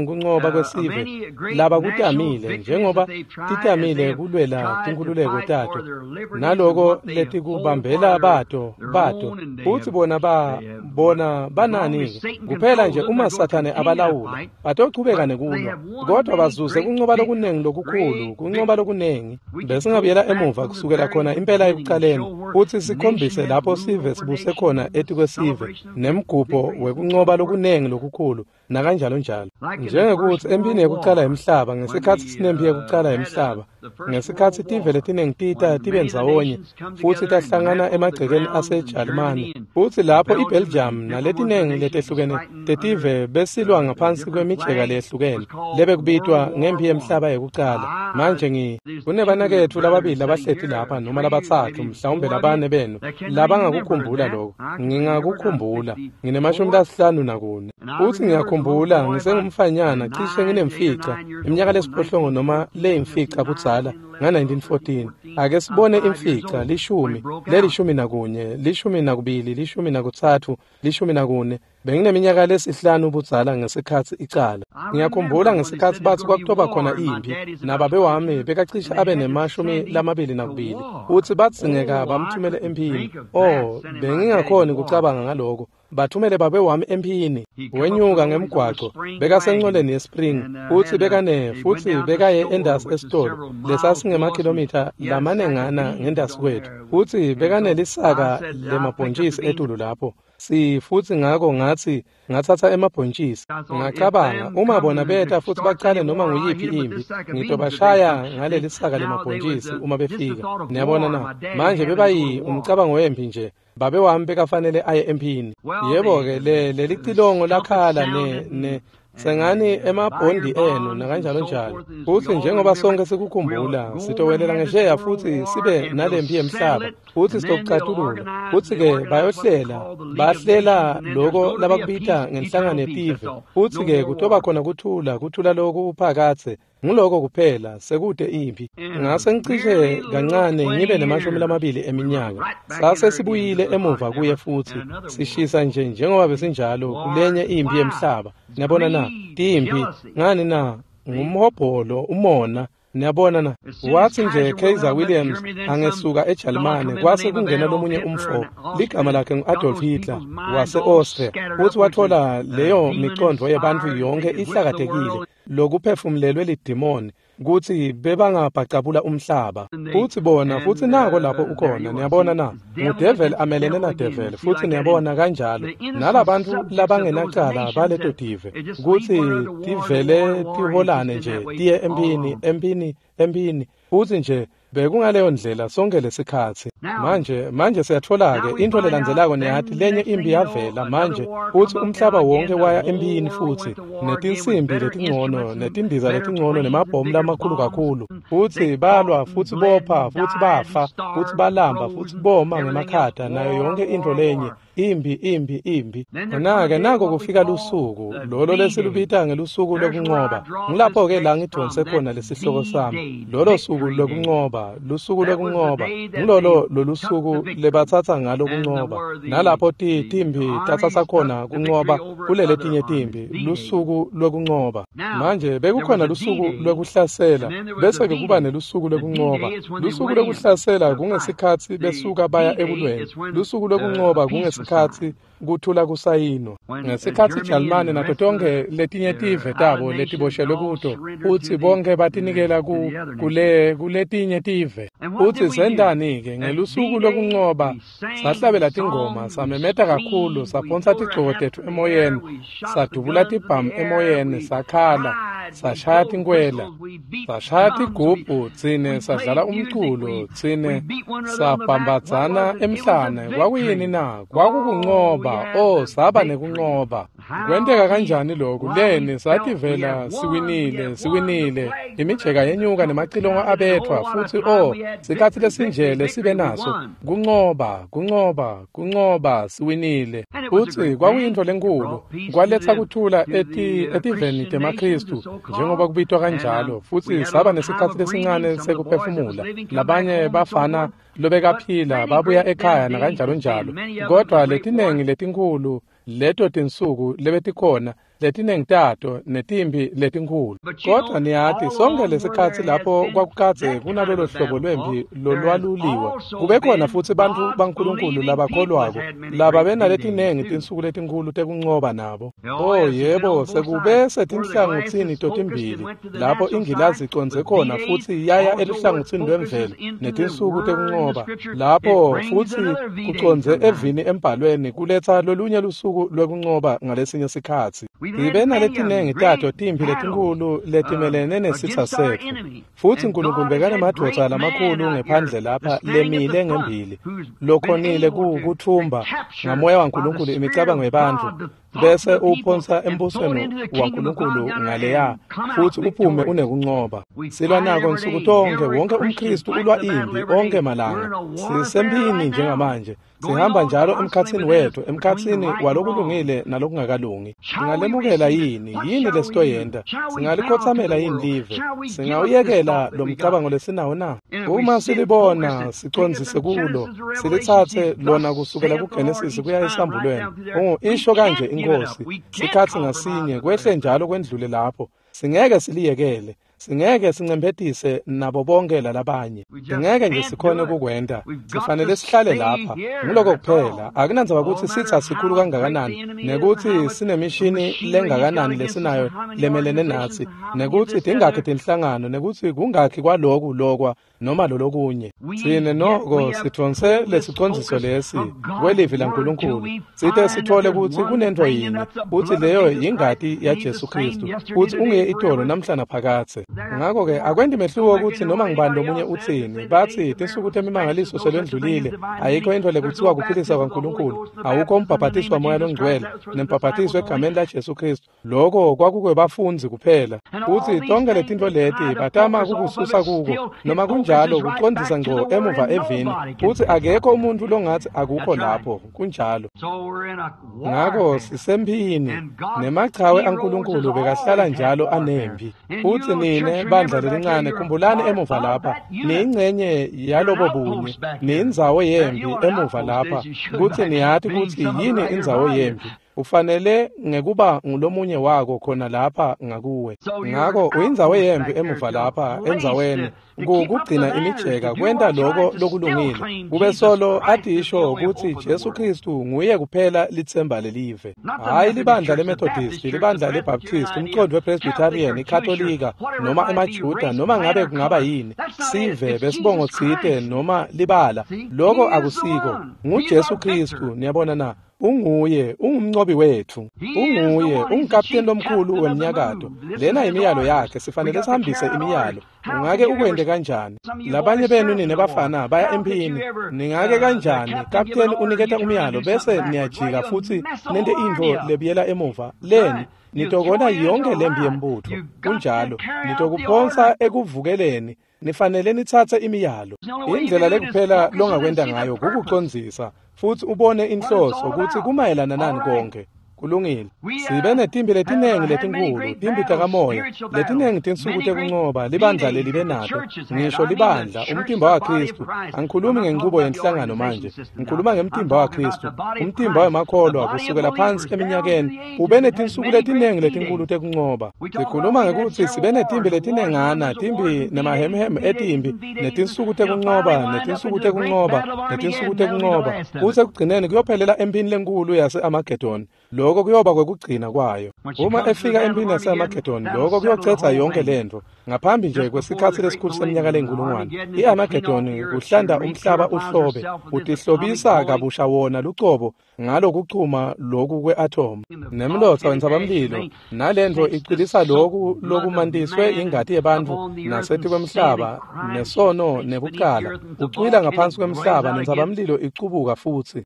kuncoba kwesive laba kutamile njengoba titamile kulwela tinkhululeko tato naloko letikubambela bato futsi bona banani kuphela nje uma Sathane abalawula batochubeka nekulwa kodwa bazuze kuncoba lokunengi lokukhulu kuncoba lokunengi. Besingabuyela emuva kusukela khona impela ekucaleni futsi sikhombise lapho sive sibuse khona etikwesive nemgubho wekuncoba lokunengi lokukhulu nakanjalo njalo. Njengekuthi empini yekucala yemhlaba ngesikhatsi sinempi yekucala yemhlaba ngesikhatsi tive letinengi tita tibe ndzawonye futsi tahlangana emagcekeni aseJalimane futsi lapho iBelgium naletinengi letehlukene tetive besilwa ngaphansi kwemijeka leyehlukene lebekubitwa ngempi yemhlaba yekucala. Manje kunebanaketfu lababili labahleti lapha noma labatsatfu mhlawumbe labane benu labangakukhumbula lokho. Ngingakukhumbula ngine-54 futsi ngiyakhumbula ngisengumfanyana cishe nginemfica iminyaka lesiphohlongo noma leyimfica budzala nga-1914. Ake sibone imfica 10 le-11 12 13 14. Bengineminyaka lesihlanu budzala ngesikhatsi icala. Ngiyakhumbula ngesikhatsi batsi kwakutoba khona impi nababe wami bekacishe abe ne-22 futsi badzingeka bamthumele emphini. Oh, bengingakhoni kucabanga ngaloko. Bathumele babe wami emphini. Wenyuka ngemgwaco bekasencoleni yespring futsi futsi bekaye endasi esitolo lesasingemakhilomitha lamanengana ngendasi kwethu futsi bekanelisaka lemabhontjisi etulu lapho. Futsi ngako ngatsi ngatsatsa emabhontjisi. Ngacabanga uma bona beta futsi bacale noma nguyiphi impi ngitobashaya ngalelisaka lemabhontjisi uma befika. Niyabona na? Manje bebayi umcabango wempi nje. Babe wami bekafanele aye emphini. Yebo-ke lelicilongo lakhala ne sengani emabhondi enu nakanjalo njalo. Futsi njengoba sonke sikukhumbula sitowelela ngesheya futsi sibe nalempi yemhlaba futsi sitokucatulula. Futsi-ke bayohlela bahlela loko labakubita ngenhlangano yetive futsi-ke kutoba khona kuthula loku phakatse. Nguloko kuphela sekude impi. Ngase ngicishe kancane ngibe ne-20 eminyaka. Sase sibuyile emuva kuye futsi sishisa nje njengoba besinjalo kulenye impi yemhlaba. Niyabona na? Timpi ngani na? Ngumhobholo umona. Niyabona na? Wathi nje Kaiser Williams angesuka eJalimane kwase kungena lomunye umfo ligama lakhe ngu-Adolf Hitler wase-Austria futsi wathola leyo micondo yebantfu yonke ihlakatekile lokuphefumulelwe lidimoni kutsi bebangabhacabula umhlaba. Futsi bona futsi nako lapho ukhona. Niyabona na? Ngudevil amelene nadevil futsi niyabona kanjalo nalabantu labangenacala baleto tive kutsi tivele tiholane nje tiye emphini emphini emphini futsi nje bekungaleyo ndlela sonke lesikhatsi. Manje siyatfola-ke intfo lelandzelako niyati lenye impi yavela manje futsi umhlaba wonke waya emphini futsi netinsimbi letingcono netindiza letingcono nemabhomu lamakhulu kakhulu futsi balwa futsi bopha futsi bafa futsi balamba futsi boma ngemakhata nayo yonke intfo lenye. Impi impi impi. Khona-ke nako kufika lusuku lolo lesilubita ngelusuku lokuncoba. Ngilapho-ke la ngidonse khona lesihloko sami. Lolo suku lokuncoba, lusuku lokuncoba. Ngilolo lolusuku lebatsatsa ngalo kuncoba. Nalapho timpi tatsatsa khona kuncoba kuleletinye timpi, lusuku lokuncoba. Manje bekukhona lusuku lwekuhlasela bese-ke kuba nelusuku lwekuncoba. Lusuku lwekuhlasela kungesikhatsi besuka baya ekulweni. Lusuku lwekuncoba kungesikhatsi kuthula kusayinwa. Ngesikhatsi iJalimane nato tonke letinye tive tabo letiboshelwe kuto futsi bonke batinikela kuletinye tive. Futsi sentani-ke ngelusuku lokuncoba? Sahlabela tingoma, samemeta kakhulu, saphonsa tigcoko tetfu emoyeni, sadubula tibhamu emoyeni, sakhala. Sashaya tinkwela, sashaya tigubhu, tsine sadlala umculo, tsine sabhambadzana emhlane. Kwakuyini na? Kwakukuncoba. O, saba nekuncoba. Kwenteka kanjani lokhu? Leni sativela siwinile, siwinile. Imijeka yenyuka nemacilongo abethwa futsi o, sikhatsi lesinjele sibe naso. Kuncoba, kuncoba, kuncoba, siwinile. Futsi kwakuyintfo lenkhulu. Kwaletsa kuthula etiveni temaKhristu njengoba kubitwa kanjalo, futsi saba nesikhatsi lesincane sekuphefumula. Labanye bafana lobekaphila babuya ekhaya nakanjalo njalo, kodwa letinengi letinkhulu leto tinsuku lebetikhona, letinengi tato netimpi letinkhulu. Kodwa niyati, sonke lesikhatsi lapho kwakukadze kunalolo hlobo lwempi lolwaluliwa, kube khona futsi bantfu baNkulunkulu labakholwako lababenaletinengi tinsuku letinkhulu tekuncoba nabo. Oh yebo, sekube setinhlangotsini totimbili lapho ingilazi icondze khona futsi yaya eluhlangotsini lwemvelo netinsuku tekuncoba, lapho futsi kucondze evini embhalweni kuletsa lolunye lusuku lwekuncoba ngalesinye sikhatsi. Sibe naletinengi tato timphi letinkhulu letimelene nesitsa setfu, futsi Nkulunkulu bekanemadvodza lamakhulu ngephandle lapha lemile ngembili lokhonile kutfumba ngamoya waNkulunkulu imicabango yebantfu, bese uphonsa embusweni waNkulunkulu ngaleya futsi uphume unekuncoba. Silwa nako nsuku tonkhe, wonke umKhristu ulwa impi onke malanga. Sisemphini njengamanje, sihamba njalo emkhatsini wethu, emkhatsini walokulungile nalokungakalungi. Singalemukela yini? Yini lesitoyenta? Singalikhotsamela yini live? Singawuyekela lo mcabango lesinawo na? Uma silibona sicondzise kulo, silitsatse lona kusukela kuGenesis kuya esambulweni. Isho kanje iNkhosi, sikhatsi ngasinye kwehle njalo kwendlule lapho. Singeke siliyekele. Singeke sincemphetise nabo bonke lalabanye. Singeke nje sikhone kukwenta. Sifanele sihlale lapha. Nguloko kuphela. Akunandzaba kutsi sitsa sikhulu kangakanani, nekuthi sinemishini lengakanani lesinayo lemelene natsi, nekuthi tingakhi tinhlangano, nekuthi kungakhi kwaloku lokwa noma lolokunye. Tsine noko sithonse lesicondziso lesi kwelivi laNkulunkulu, site sithole kutsi kunentfo yinye, kutsi leyo yingati yaJesu Khristu, kutsi unguye itolo namhla naphakadze. Ngakho-ke akwenti mehluko kutsi noma ngubani lomunye utsini, batsi tinsuku temimangaliso selwendlulile, ayikho intfo lekutsiwa kuphilisa kwaNkulunkulu, awukho umbhabhatiso waMoya loNgcwele nembhabhatiso egameni laJesu Khristu. Loko kwakukwebafundzi kuphela. Futsi tonke letintfo leti batama kukususa kuko, noma kunjalo kucondzisa ngco emuva evini, futsi akekho umuntfu longatsi akukho lapho. Kunjalo. Ngako sisemphini, nemachawe aNkulunkulu bekahlala njalo anempi. Futsi nine bandla lelincane, khumbulani emuva lapha, niyingcenye yalobo bunye, niyindzawo yempi emuva lapha, kutsi niyati kutsi yini indzawo yempi. Ufanele ngekuba ngulomunye wako khona lapha ngakuwe. Ngako uyindzawo yempi emuva lapha endzaweni kugcina imijeka, kwenta loko lokulungile, kube solo atisho kutsi Jesu Khristu nguye kuphela litsemba lelive. Hhayi libandla leMethodist, libandla leBaptist, umcondvo wePresbyterian, iKatolika, noma emaJuda, noma ngabe kungaba yini, sive besibongo tsite noma libala, loko akusiko. NguJesu Khristu, niyabona na? Unguye, ungumncobi wetfu. Unguye, ungukapteni lomkhulu wemnyakato. Lena imiyalo yakhe, sifanele sihambise imiyalo. Ungake ukwente kanjani? Labanye benu nine bafana baya emphini. Ningake kanjani? Kapteni uniketa umyalo bese niyajika futsi nente intfo lebuyela emuva. Leni nitokona yonke lempi yembutfo. Kunjalo, nitokuphonsa ekuvukeleni. Nifanele nitsatse imiyalo. Indlela lekuphela longakwenta ngayo kukucondzisa futsi ubone inhloso kutsi kumayelana nani konke. Kulungile. Sibe netimpi letinengi letinkhulu, timpi takamoya, letinengi tinsuku tekuncoba libandla lelibe nato, ngisho libandla, umtimba waKhristu. Angikhulumi ngenchubo yenhlangano manje, ngikhuluma ngemtimba waKhristu, umtimba wemakholwa kusukela phansi eminyakeni, ube netinsuku letinengi letinkhulu tekuncoba. Sikhuluma ngekutsi sibe netimpi letinengana, timpi nemahemhem etimpi, netinsuku tekuncoba, netinsuku tekuncoba, netinsuku tekuncoba, kutsi ekugcineni kuyophelela emphini lenkhulu yase-Amagedoni. Loko kuyoba kwekugcina kwayo. Uma efika emphini yase-Amagedoni, loko kuyocetsa yonke lentfo. Ngaphambi nje kwesikhatsi lesikhulu seminyaka leyinkulungwane, i-Amagedoni kuhlanda umhlaba uhlobe, utihlobisa kabusha wona lucobo Ngalokuchuma loku kwe-atomu nemlotsa wentsabamlilo nalentfo icwilisa loku lokumantiswe ingati yebantfu nasetikwemhlaba nesono nebucala ucwila ngaphansi kwemhlaba nentsabamlilo icubuka futsi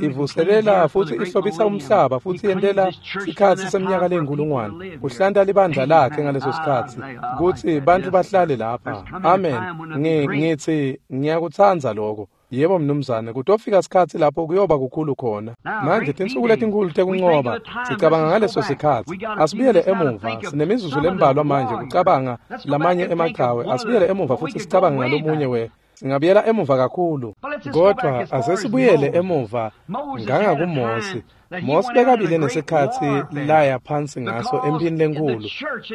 ivuselela futsi ihlobisa umhlaba futsi yentela sikhatsi seminyaka leyinkulungwane kuhlanta libandla lakhe ngaleso sikhatsi kutsi bantfu bahlale lapha. Amen. Ngithi ngiyakutsandza lokho. Yebo mnumzane, kutofika sikhatsi lapho kuyoba kukhulu khona. Manje tinsuku letinkhulu tekuncoba, sicabanga ngaleso sikhatsi. Asibuyele emuva, sinemizuzu lembalwa manje kucabanga lamanye emachawe. Asibuyele emuva futsi sicabanga ngalomunye we. Singabuyela emuva kakhulu. Kodwa asesibuyele emuva ngangakuMosi. Mosi bekabile nesikhatsi laya phansi ngaso emphini lenkhulu,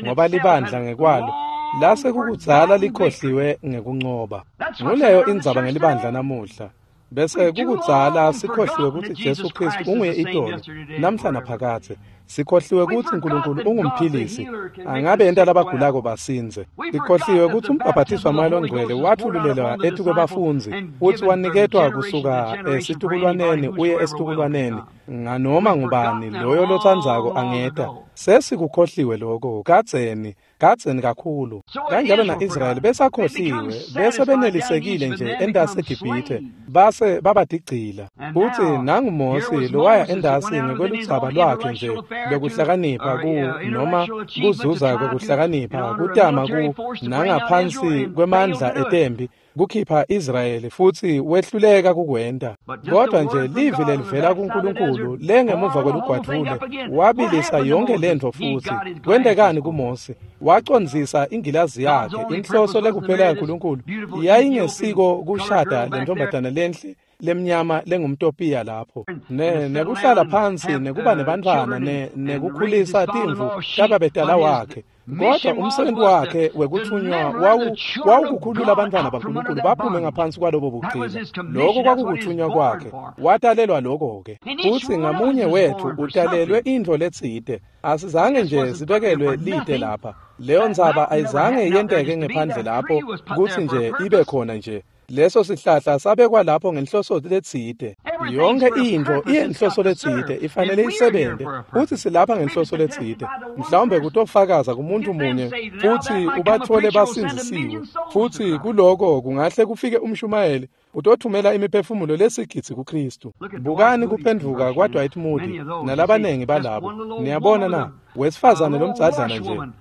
ngoba libandla ngekwalo lase kukudzala likhohliwe ngekuncoba. Nguleyo indzaba ngelibandla namuhla. Bese kukudzala sikhohliwe kutsi Jesu Kristu unguye itolo namhla naphakadze. Sikhohliwe kutsi Nkulunkulu ungumphilisi, angabe yenta labagulako basindze. Sikhohliwe kutsi umbhaphathiso waMoya Longcwele watfululelwa etikwebafundzi futsi waniketwa kusuka esitukulwaneni uye esitukulwaneni nganoma ngubani loyo lotsandzako angeta. Sesikukhohliwe lokho kadzeni kakhulu. Kanjalo na-Israyeli besakhohliwe, bese benelisekile nje entasi eGibhithe, base babadigcila. Futsi nanguMosi lowaya entasi ngekweludzaba lwakhe nje lokuhlakanipha ku noma kuzuza kwekuhlakanipha kutama ku nangaphansi kwemandla etembi kukhipha Israyeli futsi wehluleka kukwenta. Kodwa nje livi lelivela kuNkulunkulu lengemuva kwelugwadvule wabilisa yonke lentfo futsi. Kwentekani kuMosi? Wacondzisa ingilazi yakhe. Inhloso lekuphela yaNkulunkulu yayingesiko kushada lentombazana lenhle lemnyama lengumtopiya lapho nekuhlala phansi nekuba nebantfwana nekukhulisa timvu tababetala wakhe. Kodwa umsebenzi wakhe wekuthunywa wawukukhulula abantwana baNkulunkulu baphume ngaphansi kwalobo bugcila. Lokho kwakukuthunywa kwakhe, watalelwa lokho-ke. Futsi ngamunye wethu utalelwe intfo letsite. Asizange nje sibekelwe lite lapha. Leyo ndzaba ayizange yenteke ngephandle lapho kutsi nje ibe khona nje. Leso sihlahla sabekwa lapho ngenhloso letsite. Yonke intfo iyenhloso letsite, ifanele isebenze. Futsi silapha ngenhloso letsite. Mhlawumbe kutofakaza kumuntu munye futsi ubathole basindzisiwe. Futsi kuloko kungahle kufike umshumayeli utothumela imiphefumulo lesigidzi kuKristu. Bukani kuphendvuka kwaDwight Moody nalabanengi balabo. Niyabona na? Wesifazane lomdzadlana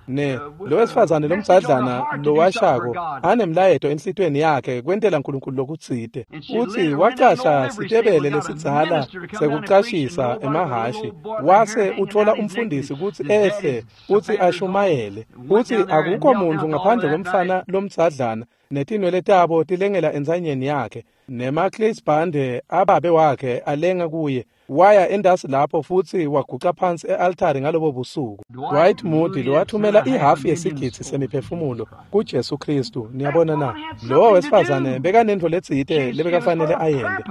nje, lo wesifazane lomdzadlana lowashako anemlayeto enhlitweni yakhe kwentela Nkulunkulu lokutsite. Utsi wacasha sitebele lesidzala sekucashisa emahhashi, wase utfola umfundisi kutsi ehle kutsi ashumayele. Utsi akukho muntfu ngaphandle kwemfana lomdzadlana netinwele tabo tilengela entsanyeni yakhe nemaklisbhande ababe wakhe alenga kuye. Waya endasi lapho futsi waguca phansi e-altari ngalobo busuku. Dwight Moody lowathumela ihafu yesigidzi semiphefumulo kuJesu Kristu. Niyabona na? Lowo wesifazane bekanentfo letsite lebekafanele ayente.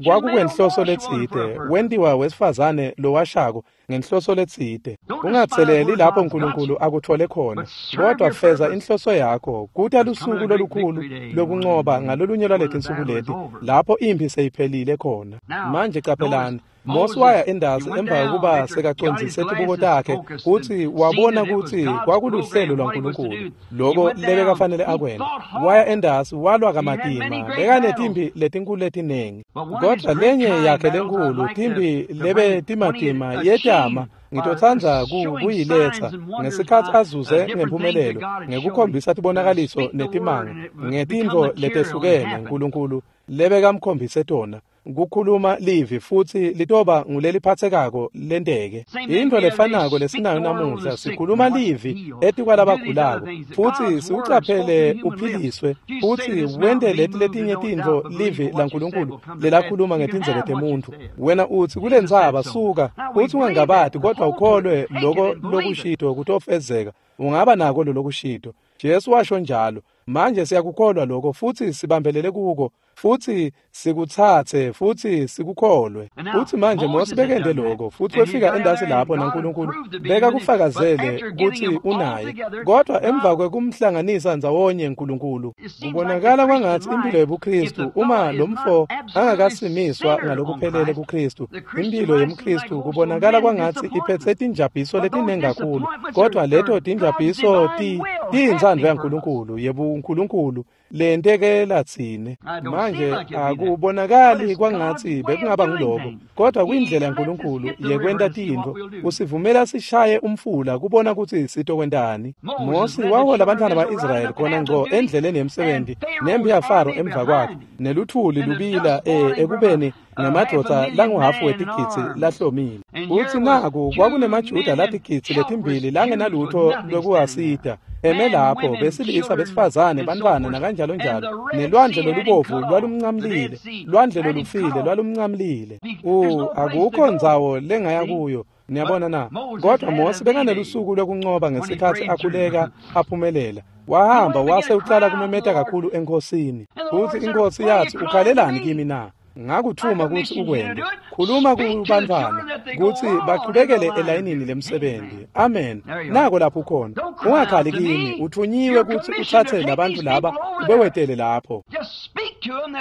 Kwakukwenhloso letsite, wentiwa wesifazane lowashako ngenhloso letsite. Ungatseleli lapho Nkulunkulu akutfole khona, kodwa feza inhloso yakho. Kuta lusuku lolukhulu lokuncoba ngalolunye lwaletinsuku leti lapho imphi seyiphelile khona. Manje caphelani, Mosi waya endasi emva kokuba sekacondzise tibuko takhe kutsi wabona kutsi kwakuluhlelo lwaNkulunkulu loko lebekafanele akwente. Waya endasi walwa kamatima, bekanetimpi letinkulu letinengi. Kodwa lenye yakhe lenkulu timpi lebe timatima yetama ngitotsandza kuyiletsa ngesikhatsi azuze ngemphumelelo ngekukhombisa tibonakaliso netimanga ngetintfo letehlukene Nkulunkulu lebekamkhombise tona. Kukhuluma livi futsi litoba nguleliphatsekako lenteke. Intfo lefanako lesinayo namuhla, sikhuluma livi etikwalabagulako futsi siwucaphele uphiliswe futsi wente leti letinye tintfo livi laNkulunkulu lelakhuluma ngetindzebe temuntfu. Wena utsi kulentsaba suka, utsi ungangabati kodwa ukholwe loko lokushito kutofezeka. Ungaba nako lolokushito. Jesu washo njalo. Manje siyakukholwa lokho futhi sibambelele kuko futhi sikutsatse futhi sikukholwe. Futhi manje Mose bekende lokho futhi wefika endasi lapho naNkulunkulu beka kufakazele ukuthi unaye, kodwa emva kwekumhlanganisa ndzawonye uNkulunkulu kubonakala kwangathi impilo yobuKristu uma lomfo angakasimiswa ngalokuphelele kuKristu, impilo yomKristu kubonakala kwangathi iphethe tinjabiso letiningi kakhulu, kodwa leto tinjabiso tiyintsandvo yaNkulunkulu yebuNkulunkulu lentekela tsine. Manje akubonakali kwangathi bekungaba ngiloko, kodwa kuyindlela yaNkulunkulu yekwenta tintfo. Usivumela sishaye umfula kubona ukuthi sitokwentani. Mosi wahola abantwana ba-Israyeli khona ngco endleleni yemsebenzi nempi yaFaro emva kwakhe, neluthuli lubila ekubeni ngemadvodza languhafu wetigidzi lahlomile. Uthi naku kwakunemajuda latigidzi letimbili langenalutho lwekuwasita eme lapho, besilisa, besifazane, bantwana nakanjalo njalo, nelwandle lolubovu lwalumncamlile, lwandle lolufile lwalumncamlile. Akukho ndzawo lengaya kuyo, niyabona na? Kodwa Mose bekanelusuku lwekuncoba ngesikhathi akhuleka aphumelela. Wahamba wase ucala kumemeta kakhulu enkosini. Futhi inkosi yathi, ukhalelani kimi na? Ngakuthuma ukuthi ukwende. Khuluma kubantwana ukuthi baqhubekele elayinini lemsebenzi. Amen. Nako lapho ukhona. Ungakhali kimi, uthunyiwe ukuthi uthathe labantu laba ubewetele lapho.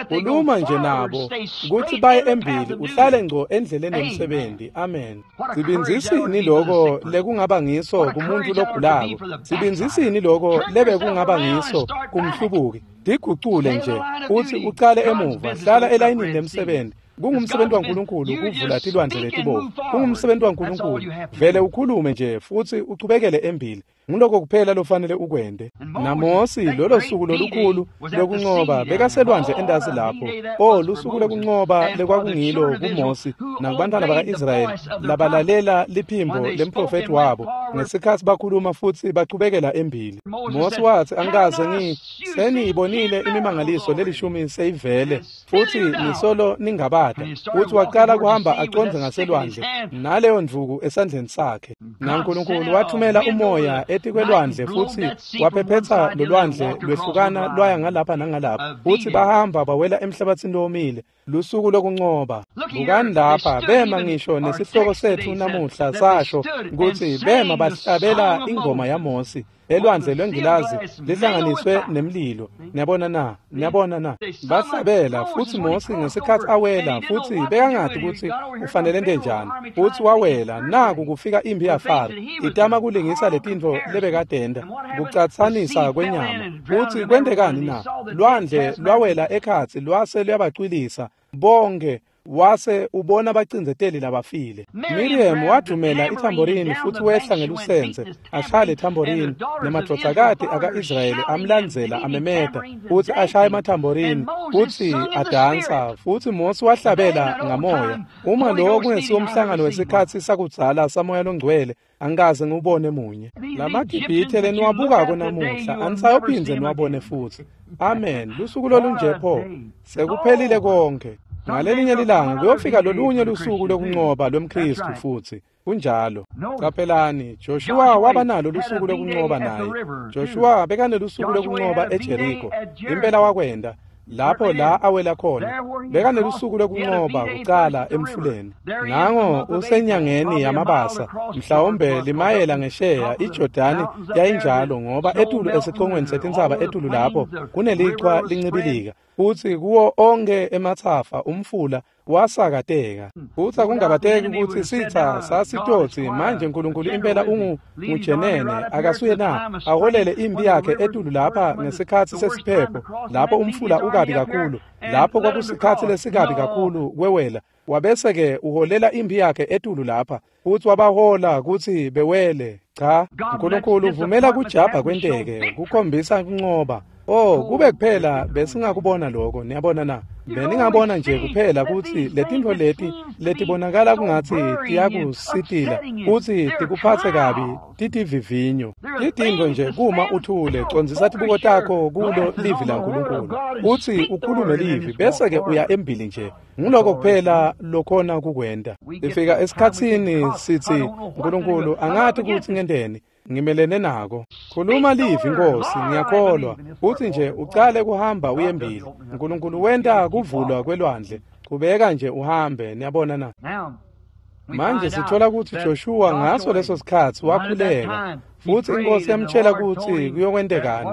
Khuluma nje nabo ukuthi baye embili, uhlale ngco endleleni yemsebenzi. Amen. Sibinzisini lokho lekungaba ngiso kumuntu logulako? Sibinzisini lokho lebe kungaba ngiso kumhlubuki? Tigucule nje uthi ucale emuva, hlala elayinini lemsebenzi. Kungumsebenzi waNkulunkulu ukuvula tilwandle letibovu. Kungumsebenzi waNkulunkulu. Vele ukhulume nje futhi uchubekele embili. Nguloko kuphela lofanele ukwende. NaMosi lolo suku lolukhulu lokuncoba bekaselwandle endasi lapho. Lusuku lokuncoba lekwakungilo kuMosi nakubantwana baka-Israyeli labalalela liphimbo lemprofethi wabo ngesikhathi bakhuluma futhi bachubekela embili. Mosi wathi, angikaze seniyibonile imimangaliso lelishumi seyivele futhi nisolo ningabada. Futhi waqala kuhamba aconze ngaselwandle naleyo ndvuku esandleni sakhe. NaNkulunkulu wathumela umoya etikwelwandle futhi waphephetha lolwandle lwehlukana lwaya ngalapha nangalapha, futhi bahamba bawela emhlabathini lowomile. Lusuku lokuncoba. Bukani lapha, bema ngisho nesihloko sethu namuhla sasho ukuthi bema bahlabela ingoma yaMosi elwandle lwengilazi lihlanganiswe nemlilo. Niyabona na? Niyabona na? Bahlabela futhi Mosi ngesikhathi awela futhi bekangadi ukuthi ufanele ente njani. Futhi wawela, naku kufika impi yaFaro itama kulingisa letintfo lebekadenda kucatsanisa kwenyama. Futhi kwentekani na? Lwandle lwawela ekhatsi lwase luyabacwilisa bonke, wase ubona abacindzeteli labafile. Miriam wadumela ithamborini futhi wehla ngelusenze ashaya lethamborini, nemadvodzakati aka-Israyeli amlandzela amemeta futhi ashaya emathamborini futhi adansa, futhi Mosi wahlabela ngamoya. Uma lowo kungesiwo umhlangano wesikhathi sakudzala samoya longcwele, angikaze ngiwubone munye. LamaGibhithe leniwabukako namuhla anisayophindze niwabone futhi. Amen. Lusuku lolunje pho, sekuphelile konke. Ngalelinye lilanga kuyofika lolunye lusuku lokuncoba lwemKristu futhi. Kunjalo. Qaphelani, Joshua waba nalo lusuku lokuncoba naye. Joshua bekanelusuku lokuncoba eJericho. Impela wakwenda lapho la awela khona. Bekanelusuku lokuncoba kucala emfuleni. Nango usenyangeni yamabasa, mhlawumbe limayela ngesheya iJordani yayinjalo, ngoba etulu esicongweni setintsaba etulu lapho kunelichwa lincibilika. Futhi kuwo onke emathafa umfula wasakateka. Futhi akungabateki ukuthi sitha sasitotsi manje uNkulunkulu impela ungujenene akasuye na aholele impi yakhe etulu lapha ngesikhathi sesiphepho lapho umfula ukabi kakhulu, lapho kwakusikhathi lesikabi kakhulu kwewela. Wabese ke uholela impi yakhe etulu lapha futhi wabahola ukuthi bewele. Cha, uNkulunkulu uvumela kujabha kwenteke kukhombisa kuncoba. Kube kuphela besingakubona lokho, niyabona na? Beningabona nje kuphela ukuthi letintfo leti letibonakala kungathi tiyakusitila futhi tikuphatse kabi titivivinyo. Titintfo nje kuma uthule, condzisa tibuko takho kulo livi laNkulunkulu uthi ukhulume livi bese ke uya embili nje. Nguloko kuphela lokhona kukwenta. Sifika esikhatsini sithi, uNkulunkulu angathi ukuthi ngenteni. Ngimelene nako. Khuluma livi Nkosi, ngiyakholwa. Uthi nje ucale kuhamba uyembili. Nkulunkulu wenta kuvulwa kwelwandle. Qhubeka nje uhambe, niyabona na? Manje sithola ukuthi Joshua ngaso leso sikhathi wakhuleka futhi inkosi yamtshela ukuthi kuyokwentekani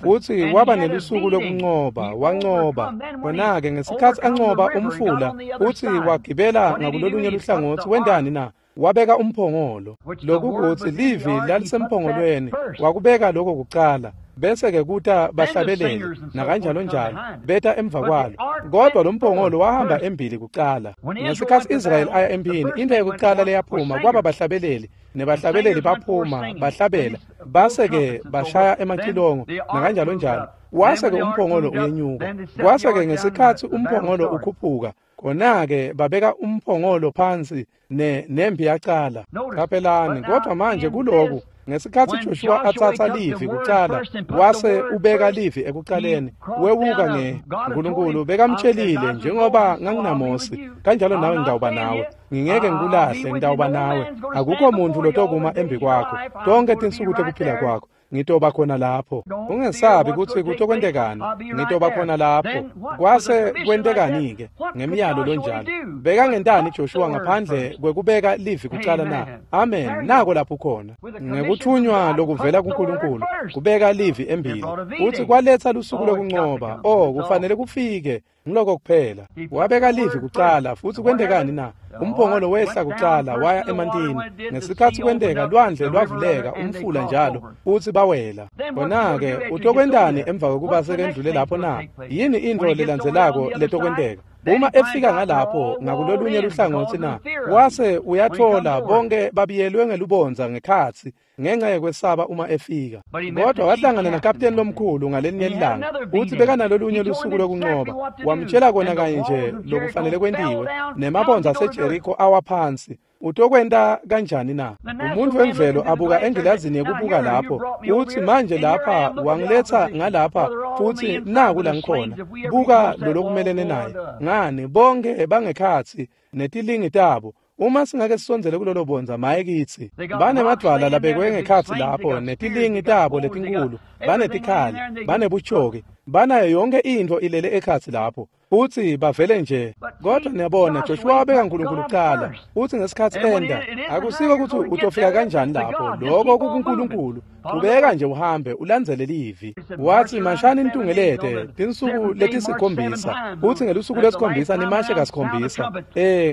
futhi waba nelusuku lokunqoba, wanqoba. Khona-ke ngesikhathi anqoba umfula futhi wagibela ngakulolunye luhlangothi, wentani na? Wabeka umphongolo. Lokhu kuthi livi lalisemphongolweni, wakubeka lokho kucala. Bese-ke kuta bahlabeleli nakanjalo njalo beta emva kwalo, kodwa lo mphongolo wahamba embili kucala. Ngesikhathi Israel aya empini, into yokucala leyaphuma kwaba bahlabeleli, nebahlabeleli baphuma bahlabela, base-ke bashaya emacilongo nakanjalo njalo. Wase-ke umphongolo uyenyuka. Kwase-ke ngesikhathi umphongolo ukhuphuka, khona-ke babeka umphongolo phansi nempi yacala. Qaphelani, kodwa manje kuloku ngesikhathi Joshua athatha livi kucala, wase ubeka livi ekucaleni, wewuka nge Nkulunkulu bekamtshelile, njengoba nganginaMose kanjalo nawe ngitawuba nawe, ngingeke ngikulahle, ngitawuba nawe, akukho muntu lotokuma embi kwakho tonke tinsuku tekuphila kwakho, ngitoba khona lapho. Ungesabi ukuthi kutokwentekani, ngitoba khona lapho. Kwase kwentekani-ke ngemiyalo lonjalo? Bekangentani Joshua ngaphandle kwekubeka livi kucala na? Amen. Nako lapho khona ngekuthunywa lokuvela kuNkulunkulu, kubeka livi embili, uthi kwaletha lusuku lokunqoba. Oh, kufanele kufike ngiloko kuphela. Wabeka livi kucala, futhi kwentekani na? Umphongolo wehla kucala waya emantini. Ngesikhathi kwenteka, lwandle lwavuleka, umfula njalo, futhi bawela. Khona-ke utokwentani emva kokuba sekendlule lapho na? Yini into lelandzelako letokwenteka? Uma efika ngalapho ngakulolunye luhlangothi na, wase uyathola bonke babiyelwe ngelubonza ngekhatsi ngenxa yekwesaba uma efika. Kodwa wahlangana nakapteni lomkhulu ngalenye ilanga, uthi bekanalolunye lusuku lokunqoba. Wamtshela kona kanye nje lokufanele kwentiwe, nemabonza aseJeriko awaphansi. Utokwenta kanjani na? Umuntu wemvelo abuka engilazini yekubuka lapho, uthi manje lapha wangiletha ngalapha futhi naku la ngikhona. Buka lolokumelene naye. Ngani bonke bangekhatsi netilingi tabo. Uma singake sisondzele kulolo bonza, maye kitsi. Banemadvwala labekwe ngekhatsi lapho, netilingi tabo letinkulu, banetikhali, banebuchoki, banayo yonke intfo ilele ekhatsi lapho. Uthi bavele nje. Kodwa niyabona, Joshua wabeka uNkulunkulu kucala. Uthi ngesikhathi enda, akusiko ukuthi utofika kanjani lapho, lokho kukuNkulunkulu. Qhubeka nje uhambe ulandzele livi. Wathi mashani nitungelete tinsuku letisikhombisa. Uthi ngelusuku lwesikhombisa nimashe kasikhombisa.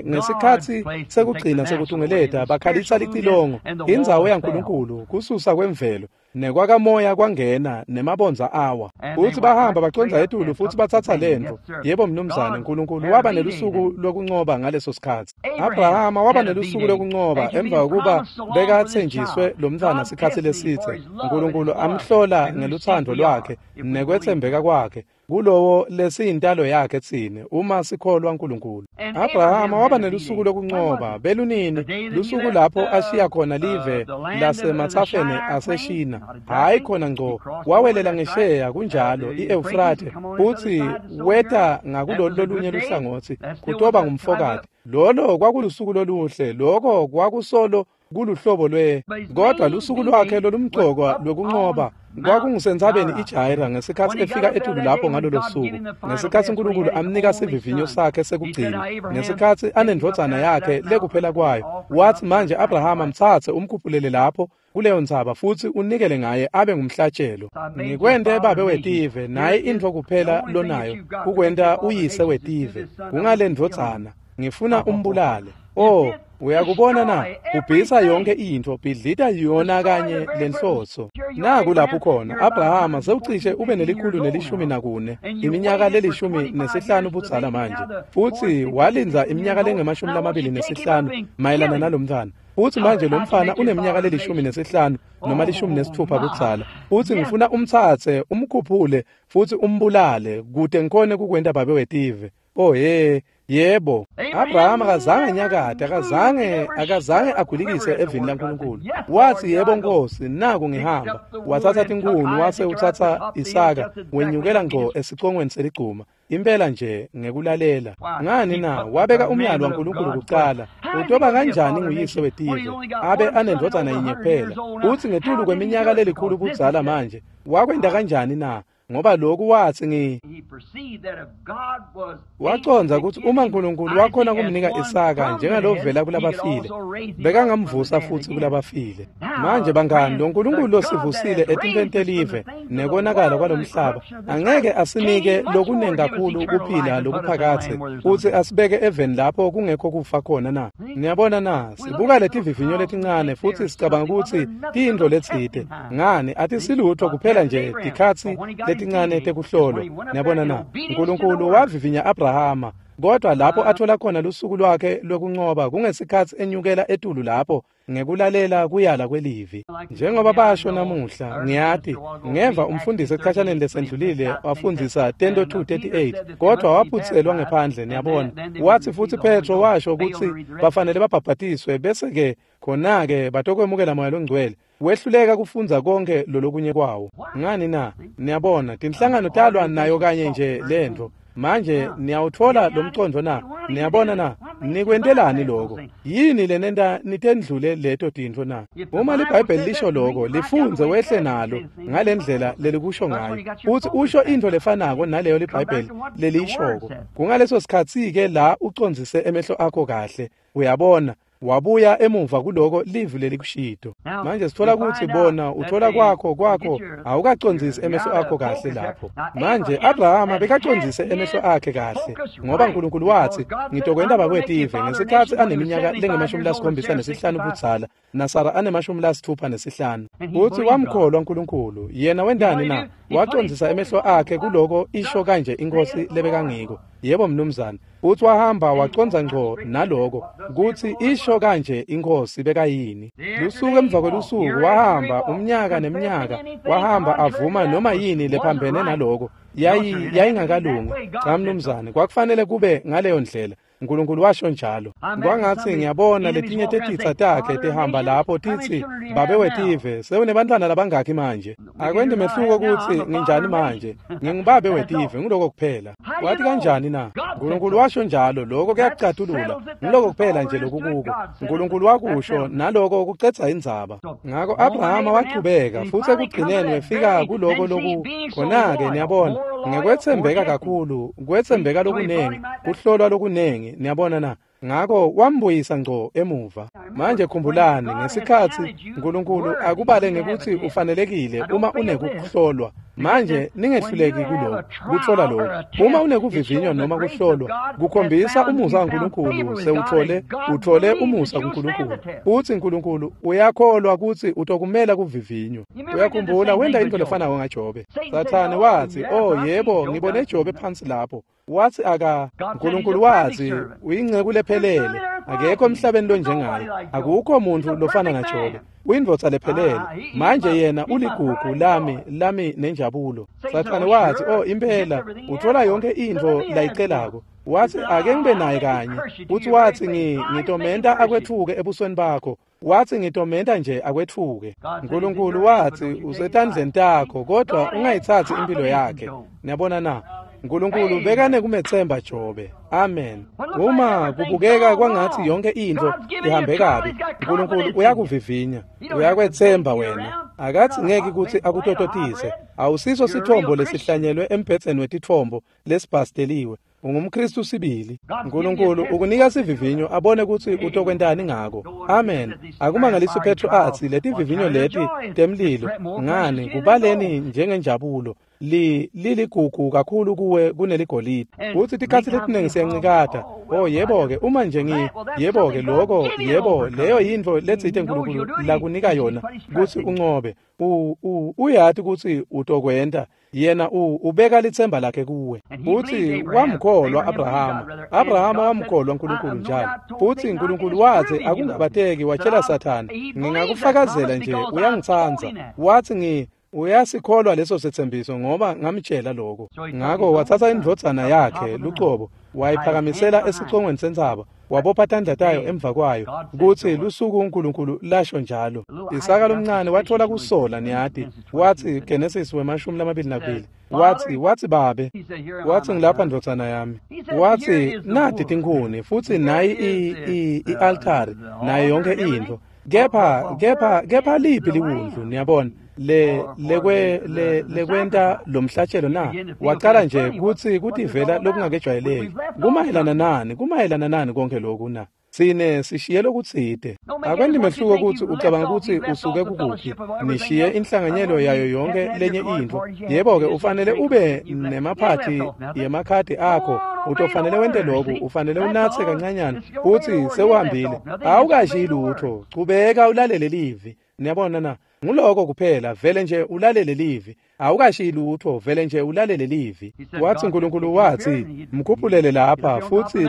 Ngesikhathi sekugcina sekutungeleta bakhalisa licilongo. Indzawo yaNkulunkulu kususa kwemvelo. Nekwakamoya kwangena nemabonza awa. Uthi bahamba bacondza etulu futhi bathatha lento. Yebo mnumzane, uNkulunkulu waba nelusuku lokunqoba ngaleso sikhathi. Abrahama waba nelusuku lokunqoba emva kokuba bekathenjiswe lo mntwana sikhathi lesithe. uNkulunkulu amhlola ngeluthando lwakhe nekwethembeka kwakhe kulowo lesiyintalo yakhe tsine uma sikholwa uNkulunkulu. Abrahama waba nelusuku lokunqoba belunini, lusuku lapho ashiya khona live lasemathafeni aseShina. Hayi khona ngco, wawelela ngesheya kunjalo iEufrate, futhi weta ngakulolu lolunye luhlangothi kutoba ngumfokati. Lolo kwakulusuku loluhle, lokho kwakusolo kuluhlobo lwe, kodwa lusuku lwakhe lolumgcokwa lokunqoba kwakungusentsabeni iJaira ngesikhathi efika etulu lapho ngalolo suku, ngesikhathi uNkulunkulu amnika sivivinyo sakhe sekugcina, ngesikhathi anendvodzana yakhe lekuphela kwayo. Wathi manje Abrahama mthathe umkhuphulele lapho kuleyo ntsaba futhi unikele ngaye abe ngumhlatshelo. Ngikwente babe wetive, naye intfo kuphela lonayo kukwenta uyise wetive kungale ndvodzana. Ngifuna umbulale. Oh, uyakubona na? Ubhisa yonke intfo, bhidlita yona kanye lenhloso. Naku lapho khona Abrahama sewucishe ube ne-114, iminyaka le-15 budzala manje, futhi walindza iminyaka lengama-25 mayelana nalomntwana. Futhi manje lo mfana uneminyaka le-15 noma 16 budzala, futhi ngifuna umtsatse umkhuphule futhi umbulale kute ngikhone kukwenta babe wetive. Oh he, yebo. Abrahama akazange anyakate, akazange agulikise evini laNkulunkulu. Wathi yebo Nkosi, naku ngihamba. Wathatha tinkuni wase uthatha Isaka, wenyukela ngco esicongweni seligcuma. Impela nje ngekulalela. Ngani na? Wabeka umyalo waNkulunkulu kucala. Utoba kanjani nguyise wetive abe anendvodzana yinye kuphela? Uthi ngetulu kweminyaka lelikhulu budzala manje. Wakwenta kanjani na? Ngoba lokhu wathi wacondza ukuthi uma uNkulunkulu wakhona kumnika Isaka njengalovela kulabafile, bekangamvusa futhi kulabafile. Manje bangani, lo nkulunkulu losivusile etintweni telive nekonakala kwalomhlaba angeke asinike lokunengi kakhulu kuphila lokuphakathe futhi asibeke eveni lapho kungekho kufa khona na? Niyabona na? Sibuka letivivinyo letincane futhi sicabanga ukuthi tiyintfo letsite. Ngani, atisilutho kuphela nje tikhatsi letincane tekuhlolwa. Niyabona na? uNkulunkulu wavivinya Abrahama, kodwa lapho athola khona lusuku lwakhe lwekuncoba kungesikhatsi enyukela etulu lapho ngekulalela kuyala kwelivi. Njengoba basho namuhla, ngiyati ngeva umfundisi ekhashaneni lesendlulile wafundzisa 10:238, kodwa waphutselwa ngephandle. Niyabona, wathi futhi Petro washo ukuthi bafanele babhabhatiswe bese ke khona-ke batokwemukela moya longcwele. Wehluleka kufundza konke lolokunye kwawo. Ngani na? Niyabona, tinhlangano talwa nayo kanye nje lento. Manje niyawuthola lo mcondvo na? Niyabona na? Nikwentelani lokho? Yini lenenta nitendlule leto tintfo na? Uma liBhayibheli lisho lokho, lifundze wehle nalo ngalendlela lelikusho ngayo. Uthi usho intfo lefanako naleyo liBhayibheli leliyishoko. Kungaleso sikhatsi-ke la ucondzise emehlo akho kahle. Uyabona, wabuya emuva kuloko livi lelikushito. Manje sithola ukuthi bona uthola kwakho awukacondzisi emehlo akho kahle lapho. Manje Abrahama bekacondzise emehlo akhe kahle, ngoba uNkulunkulu wathi ngitokwenta bakwetive ngesikhatsi aneminyaka lengama-75 budzala naSara anema-65. Uthi wamkholwa uNkulunkulu. Yena wentani na? Wacondzisa emehlo akhe kuloko isho kanje inkosi lebekangiko. Yebo mnumzane. Uthi wahamba wacondza ngco naloko kuthi isho kanje inkosi bekayini. Lusuku emva kwelusuku wahamba umnyaka neminyaka, wahamba avuma noma yini lephambene naloko. Yayingakalungi. Cha mnumzane, kwakufanele kube ngaleyo ndlela. uNkulunkulu washo njalo. Kwangathi ngiyabona letinye tetitsa takhe tihamba lapho titsi babe wetive sewunebantwana labangakhi manje. Akwendi mehluko ukuthi nginjani manje, ngingubabe wetive, ngiloko kuphela. Wathi kanjani na? uNkulunkulu washo njalo, lokho kuyakucatulula. Ngiloko kuphela nje lokukuko. uNkulunkulu wakusho naloko kucetsa indzaba. Ngakho Abrahama wachubeka futhi ekugcineni wefika kuloko loku khona-ke. Niyabona, ngekwethembeka kakhulu, kwethembeka lokunengi, kuhlolwa lokunengi. Niyabona na? Ngakho wambuyisa ngco emuva. Manje khumbulani, ngesikhatsi uNkulunkulu akubale ngekuthi ufanelekile uma unekuhlolwa. Manje ningehluleki kuloko kuthola lokho. Uma unekuvivinywa noma kuhlolwa, kukhombisa umusa waNkulunkulu. Sewuthole uthole umusa kuNkulunkulu. Uthi uNkulunkulu uyakholwa ukuthi utokumela kuvivinywa. Uyakhumbula wenda into lefanako ngaJobe. Sathane wathi, "Oh yebo, ngibone Jobe phansi lapho." Wathi aka uNkulunkulu wathi uyinceku lephelele, akekho emhlabeni lonjengaye, akukho muntu lofana naJobe, uyindvodza lephelele. Manje yena uligugu lami nenjabulo. Sathane wathi, "Oh impela uthola yonke intfo layicelako." Wathi ake ngibe naye kanye. Uthi wathi ngitomenta akwethuke ebusweni bakho. Wathi ngitomenta nje akwethuke. uNkulunkulu wathi usetandleni takho, kodwa ungayithathi impilo yakhe. Niyabona na? uNkulunkulu bekane kumethemba Jobe. Amen. Uma kubukeka kwangathi yonke into ihambe kabi, uNkulunkulu uyakuvivinya, uyakwethemba wena. Akathi ngeke ukuthi akutototise. Awusiso sithombo lesihlanyelwe embhedzeni wetithombo lesibhasteliwe. UngumKristu sibili. uNkulunkulu ukunika sivivinyo abone ukuthi utokwentani ngako. Amen. Akumangalisi Petro athi letivivinyo leti temlilo ngani kubaleni njengenjabulo. Liligugu kakhulu kuwe kuneligolide. Uthi tikhatsi letiningi siyancikata. Oh yebo-ke, uma nje yebo-ke lokho, yebo, leyo yintfo letsite uNkulunkulu lakunika yona kutsi uncobe. Uyati kutsi utokwenta. Yena ubeka lithemba lakhe kuwe. Uthi wamkholwa Abrahama. Abrahama wamkholwa uNkulunkulu njalo. Futhi uNkulunkulu wathi akungabateki, watshela Sathane, ngingakufakazela nje uyangitsandza. Wathi Uyasikholwa leso setsembiso ngoba ngamtshela lokho. Ngakho wathatha indvodzana yakhe lucobo, wayiphakamisela esicongweni sentsaba, wabopha tandla tayo emva kwayo, kutsi lusuku uNkulunkulu lasho njalo. Isaka lomncane wathola kusola, niyati, wathi Genesis 22, wathi babe, wathi ngilapha ndvodzana yami, wathi nati tinkhuni futsi nayi i-altari nayo yonke intfo, kepha liphi liwundlu, niyabona, lekwenta lomhlatshelo na? Waqala nje kutsi kutivela lokungakejwayeleki. Kumayelana nani konke lokhu na? Sine sishiye lokutsite. Akwenti mehluko kutsi ucabanga kutsi usuke kukuphi, nishiye inhlanganyelo yayo yonke lenye intfo. Yebo-ke, ufanele ube nemaphathi yemakhadi akho, utofanele wente lokhu, ufanele unatse kancanyana, utsi sewuhambile. Awukashiyi lutho, chubeka ulalele livi. Niyabona na? Nguloko kuphela, vele nje ulalele livi. Awukashiyi lutho, vele nje ulalele livi. Wathi uNkulunkulu wathi, mkhuphulele lapha, futhi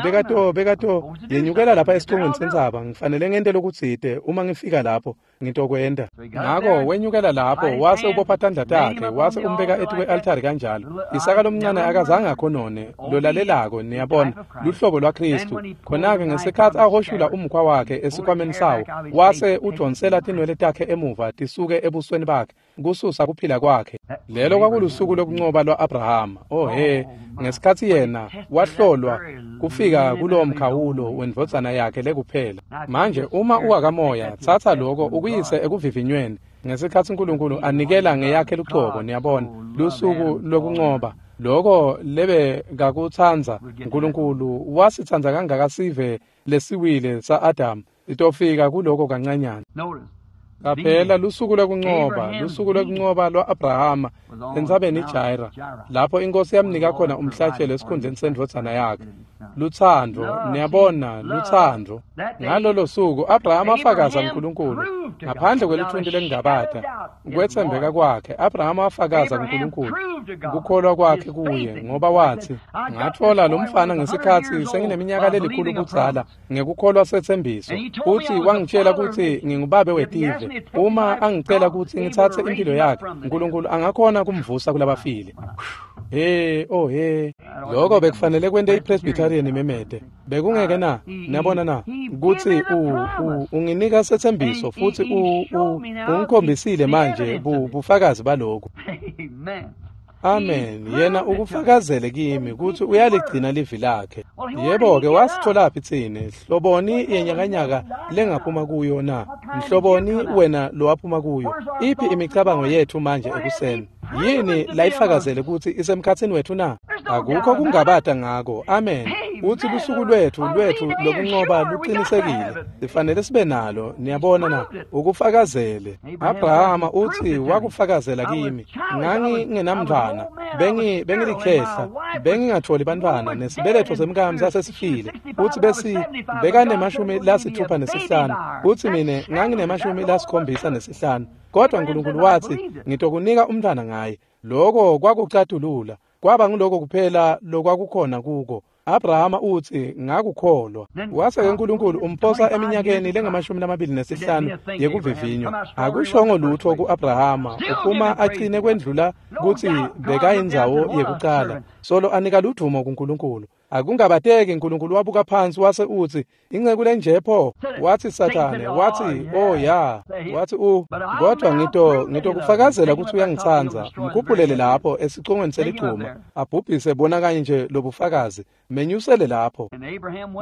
bekato yenyukela lapha esicongweni sentsaba, ngifanele ngente lokutsite uma ngifika lapho, ngitokwenta. Ngakho wenyukela lapho, wase ubopha tandla takhe, wase umbeka etikwe-altari kanjalo. Isaka lomncane akazange akhonone, lolalelako, niyabona, luhlobo lwaKristu. Khona-ke ngesikhatsi ahoshula umkhwa wakhe esikhwameni sawo, wase udonsela tinwele takhe emuva tisuke ebusweni bakhe, kususa kuphila kwakhe. Lelo kwakulusuku lokuncoba lwa-Abrahama. Oh he, ngesikhatsi yena wahlolwa kufika kulowo mkhawulo wendvodzana yakhe lekuphela. Manje uma uwakamoya, tsatsa lokho ukuyise ekuvivinyweni. Ngesikhatsi uNkulunkulu anikela ngeyakhe lucobo, niyabona, lusuku lokuncoba. Lokho lebe kakutsandza uNkulunkulu, wasitsandza kangaka sive lesiwile sa-Adamu. Itofika kuloko kancanyana. Qaphela lusuku lokuncoba lwa-Abrahama entsabeni iJaira, lapho inkosi yamnika khona umhlatshelo esikhundleni sendvodzana yakhe. Lutsandvo, niyabona, lutsandvo. Ngalolo suku Abrahama afakaza kuNkulunkulu ngaphandle kwelithunti lengabata kwetsembeka kwakhe. Abrahama afakaza kuNkulunkulu kukholwa kwakhe kuye, ngoba wathi, ngatfola lo mfana ngesikhatsi sengineminyaka lelikhulu budzala ngekukholwa setsembiso, futsi wangitshela kutsi ngingubabe wetive. Uma angicela kutsi ngitsatse impilo yakhe, uNkulunkulu angakhona kumvusa kulabafile. He, oh he, lokho bekufanele kwente iPresbyterian imemete. Bekungeke na? Niyabona na? Kutsi unginika setsembiso futhi ungikhombisile manje bufakazi balokhu. Amen. Yena ukufakazele kimi kutsi uyaligcina livi lakhe. Yebo-ke, wasitholaphi tsine? Hloboni yenyakanyaka lengaphuma kuyo na? Mhloboni wena lowaphuma kuyo? Iphi imicabango yethu manje ekuseni? Yini layifakazele kutsi isemkhatsini wethu na? Akukho kungabata ngako. Amen. Uthi lusuku lwethu lokuncoba luqinisekile. Sifanele sibe nalo, niyabona na? Ukufakazele. Abrahama uthi wakufakazela kimi. Ngangingenamntwana, bengilikhehla, bengingatholi bantwana, nesibeletho semkami sasesifile. Uthi besi bekanemashumi 65, uthi mina nganginemashumi 75. Kodwa uNkulunkulu wathi, ngitokunika umntwana ngaye. Lokho kwakucatulula, kwaba nguloko kuphela lokwakukhona kuko. Abrahama uthi ngakukholwa. Wase-ke uNkulunkulu umphosa eminyakeni lengamashumi 25 yekuvivinywa. Akushongo lutho ku-Abrahama, uphuma agcine kwendlula kutsi bekayindzawo yekucala, solo anika ludvumo kuNkulunkulu. Akungabateki uNkulunkulu wabuka phansi wase utsi, inceku lenje pho? Wathi Sathane, wathi, oh ya, wathi kodwa ngitokufakazela kutsi uyangitsandza. Mkhuphulele lapho esicongweni seligcuma, abhubhise bona kanye nje lobufakazi, menyusele lapho.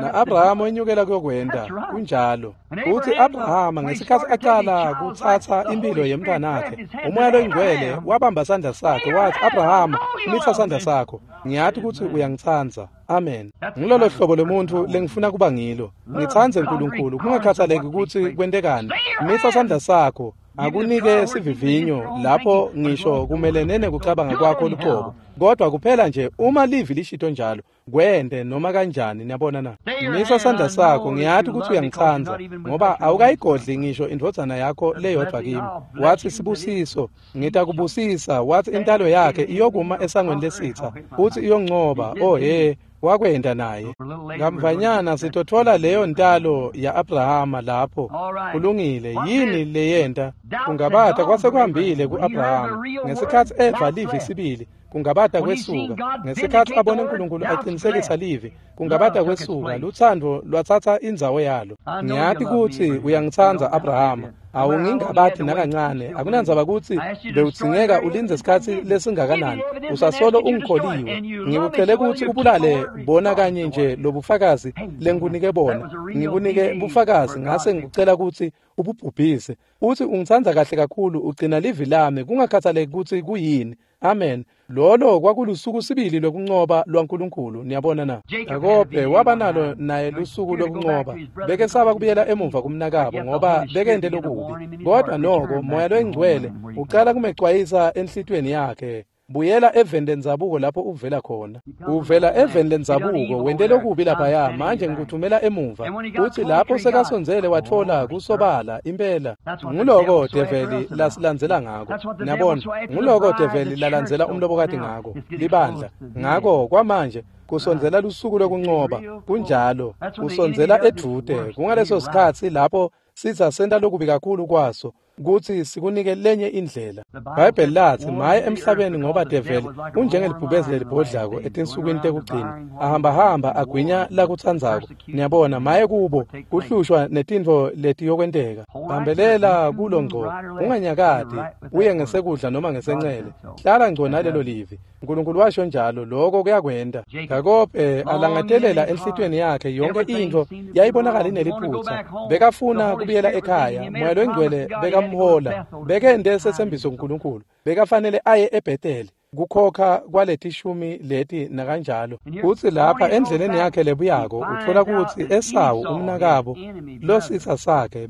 Na-Abrahama wenyukela kuyokwenta, kunjalo. Uthi Abrahama ngesikhatsi aqala kutsatsa impilo yemntwanakhe, uMoya loyiNgcwele wabamba sandla sakhe wathi, Abrahama, mitsa sandla sakho, ngiyati kutsi uyangitsandza. Amen. Ngilolo hlobo lomuntfu lengifuna kuba ngilo. Ngitsandze uNkulunkulu, kungakhathaleki kutsi kwentekani. Mitsa sandla sakho, akunike sivivinyo lapho ngisho kumelene nekucabanga kwakho luqobo. Kodwa kuphela nje uma livi lishito njalo, kwente noma kanjani, niyabona na? Misa sandla sakho, ngiyati kutsi uyangitsandza, ngoba awukayigodli ngisho indvodzana yakho leyodvwa kimi. Wathi sibusiso, ngitakubusisa. Wathi intalo yakhe iyokuma esangweni lesitha, uthi iyoncoba. Oh he, Wakwenta naye. Kamvanyana sitotfola leyo ntalo ya-Abrahama lapho. Kulungile, yini leyenta? Kungabata kwase kuhambile ku-Abrahama. Ngesikhatsi eva livi sibili, kungabata kwesuka. Ngesikhatsi abone uNkulunkulu aqinisekisa livi, kungabata kwesuka. Lutsandvo lwatsatsa indzawo yalo. Ngiyati kutsi uyangitsandza Abrahama. Awungingabati nakancane. Akunandzaba kutsi bewudzingeka ulindze sikhatsi lesingakanani. Usasolo ungikholiwe. Ngikucele kutsi ubulale bona kanye nje lobufakazi lengikunike bona. Ngikunike bufakazi ngase ngikucela kutsi ububhubhise. Uthi ungitsandza kahle kakhulu, ugcina livi lami kungakhathaleki kutsi kuyini. Amen. Lolo kwakulusuku sibili lokuncoba lwaNkulunkulu, niyabona na? Jakobe waba nalo naye lusuku lokuncoba. Bekesaba kubuyela emuva kumnakabo ngoba bekente lokubi. Kodwa noko Moya loyiNgcwele ucala kumecwayisa enhlitiyweni yakhe. Buyela eveni lendzabuko lapho uvela khona. Uvela eveni lendzabuko, wente lokubi laphaya, manje ngikuthumela emuva. Uthi lapho sekasondzele watfola kusobala impela. Nguloko develi lasilandzela ngako. Niyabona, nguloko develi lalandzela umlobokati ngako, libandla. Ngako kwamanje kusondzela lusuku lokuncoba, kunjalo, kusondzela edvute. Kungaleso sikhatsi lapho sitsa senta lokubi kakhulu kwaso, kutsi sikunike lenye indlela. Bhayibheli latsi maye emhlabeni ngoba develi unjengelibhubezi lelibhodlako etinsukwini tekugcina, ahambahamba agwinya lakutsandzako. Niyabona, maye kubo kuhlushwa netintfo letiyokwenteka. Bambelela kulo ngco, unganyakati uye ngesekudla noma ngesencele. Hlala ngco nalelo livi. Nkulunkulu washo njalo, lokho kuyakwenta. Jakobe alangatelela enhlitiyweni yakhe yonke intfo yayibonakala ineliphutsa. Bekafuna kubuyela ekhaya. Moya loyiNgcwele bekamhola. Bekente setsembiso kuNkulunkulu. Bekafanele aye eBethel kukhokha kwaletishumi leti nakanjalo. Utsi lapha endleleni yakhe lebuyako utfola kutsi Esawu umnakabo lositsa sakhe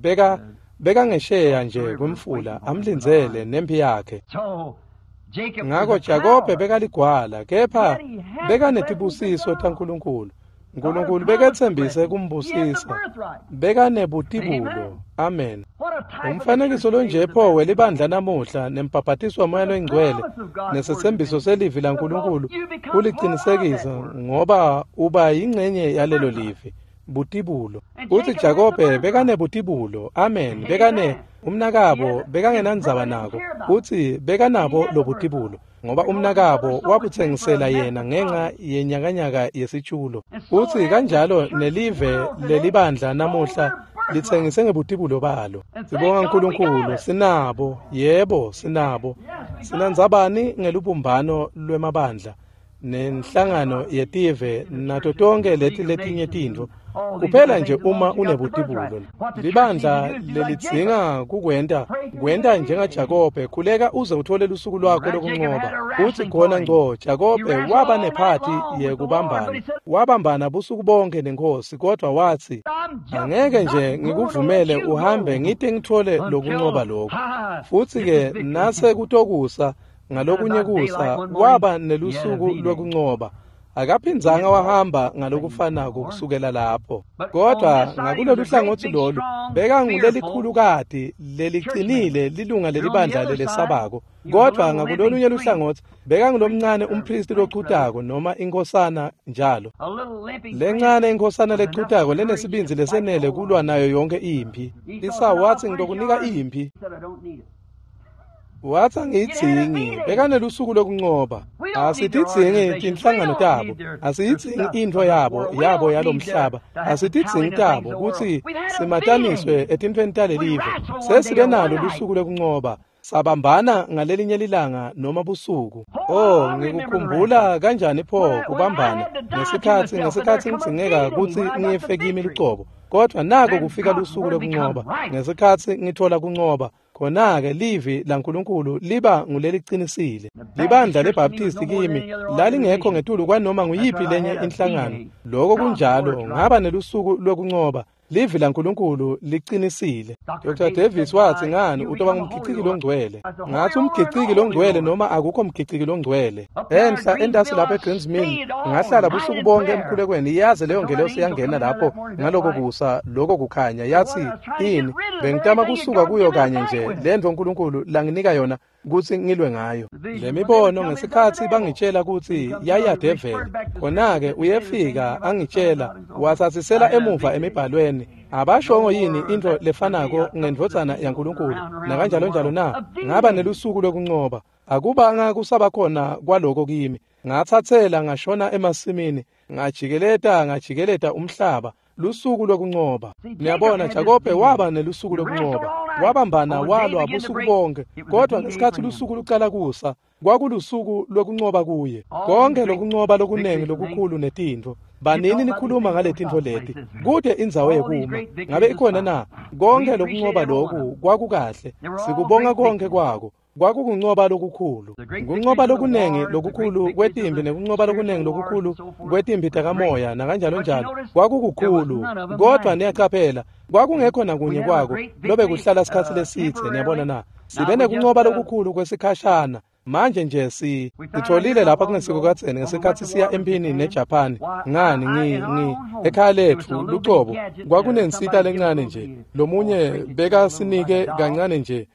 bekangesheya nje kwemfula amlindzele nemphi yakhe. Ngako Jakobe bekaligwala, kepha bekanetibusiso taNkulunkulu. Nkulunkulu beketsembise kumbusisa. Bekanebutibulo. Amen. Umfanekiso lonje pho welibandla namuhla nembhabhatiso waMoya loyiNgcwele nesetsembiso selivi laNkulunkulu kulicinisekisa ngoba uba yingcenye yalelo livi. Butibulo. Uthi Jakobe bekanebutibulo. Amen. Bekane umnakabo bekangenandzaba nako. Uthi bekanabo lobutibulo ngoba umnakabo wabutsengisela yena ngenxa yenyakanyaka yesitshulo. Uthi kanjalo nelive lelibandla namuhla litsengise ngebutibulo balo. Sibonga uNkulunkulu, sinabo, yebo sinabo. Sinandzabani ngelubumbano lwemabandla nenhlangano yetive nato tonke leti letinye tintfo. Kuphela nje uma unebutibulo. Libandla lelidzinga kukwenta, kwenta njengaJakobe, khuleka uze uthole lusuku lwakho lokuncoba. Uthi khona ngco, Jakobe waba nephathi yekubambana. Wabambana busuku bonke nenkosi, kodwa wathi, angeke nje ngikuvumele uhambe ngite ngithole lokuncoba lokho. Futhi-ke nase kutokusa, ngalokunye kusa, waba nelusuku lwekuncoba. Akaphindzanga wahamba ngalokufanako kusukela lapho. Kodwa ngakulolu hlangothi lolu bekangulelikhulukati leliqinile lilunga lelibandla lelesabako. Kodwa ngakulolunye luhlangothi bekangulomncane umpristi lochutako noma inkosana njalo. Lencane inkosana lechutako lenesibindzi lesenele kulwa nayo yonke imphi. Isawu watsi ngitokunika imphi. Watsi angiyidzingi, bekanelusuku lokuncoba. Asitidzingi tinhlangano tabo, asiyidzingi intfo yabo yalomhlaba, asitidzingi tabo kutsi simataniswe etintfweni talelive. Sesibe nalo lusuku lokuncoba, sabambana ngalelinye lilanga noma busuku. Oh, ngikukhumbula kanjani pho kubambana ngesikhatsi ngidzingeka kutsi ngife kimi lucobo. Kodwa nako kufika lusuku lokuncoba, ngesikhatsi ngithola kuncoba. Khona-ke livi laNkulunkulu liba nguleliqinisile. Libandla leBaptist kimi lalingekho ngetulu kwanoma nguyiphi lenye inhlangano. Lokho kunjalo, ngaba nelusuku lwekuncoba. Livi laNkulunkulu liqinisile. Dr. Davis watsi ngani utoba ngumgiciki longcwele. Ngathi umgiciki longcwele noma akukho mgiciki longcwele. Enhla entasi lapha eGreens Mill ngahlala busuku bonke emkhulekweni, yaze leyo ngelosi yangena lapho ngaloko kusa lokho kukhanya yathi ini bengitama kusuka kuyo kanye nje lento uNkulunkulu langinika yona. kutsi ngilwe ngayo. Le mibono ngesikhatsi bangitshela kutsi yayadeveli, khona-ke uyefika angitshela, watsatsisela emuva emibhalweni, abashongo yini intfo lefanako ngendvodzana yaNkulunkulu nakanjalonjalo na? Ngaba nelusuku lokuncoba, akubanga kusabakhona kwaloko kimi. Ngatsatsela ngashona emasimini, ngajikeleta umhlaba, lusuku lokuncoba. Niyabona, Jakobe waba nelusuku lokuncoba, wabambana walwa busuku bonke, kodwa ngesikhatsi lusuku lucala kusa, kwakulusuku lokuncoba kuye. Konke lokuncoba lokunengi lokukhulu netintfo. Banini nikhuluma ngaletintfo leti, kude indzawo yekuma. Ngabe ikhona na? Konke lokuncoba loku kwakukahle, sikubonga konke kwako. Kwakukuncoba lokukhulu, kuncoba lokunengi lokukhulu kwetimbi nekuncoba lokunengi lokukhulu kwetimbi takamoya nakanjalonjalo, kwakukukhulu. Kodwa niyacaphela, kwakungekho nakunye kwako lobe kuhlala sikhatsi lesitse. Niyabona na? Sibe nekuncoba lokukhulu kwesikhashana. Manje nje sitholile lapha kungesiko kadzeni ngesikhatsi siya emphini neJapan. Ngani ekhaya letfu lucobo kwakunensita lencane nje, lomunye bekasinike kancane nje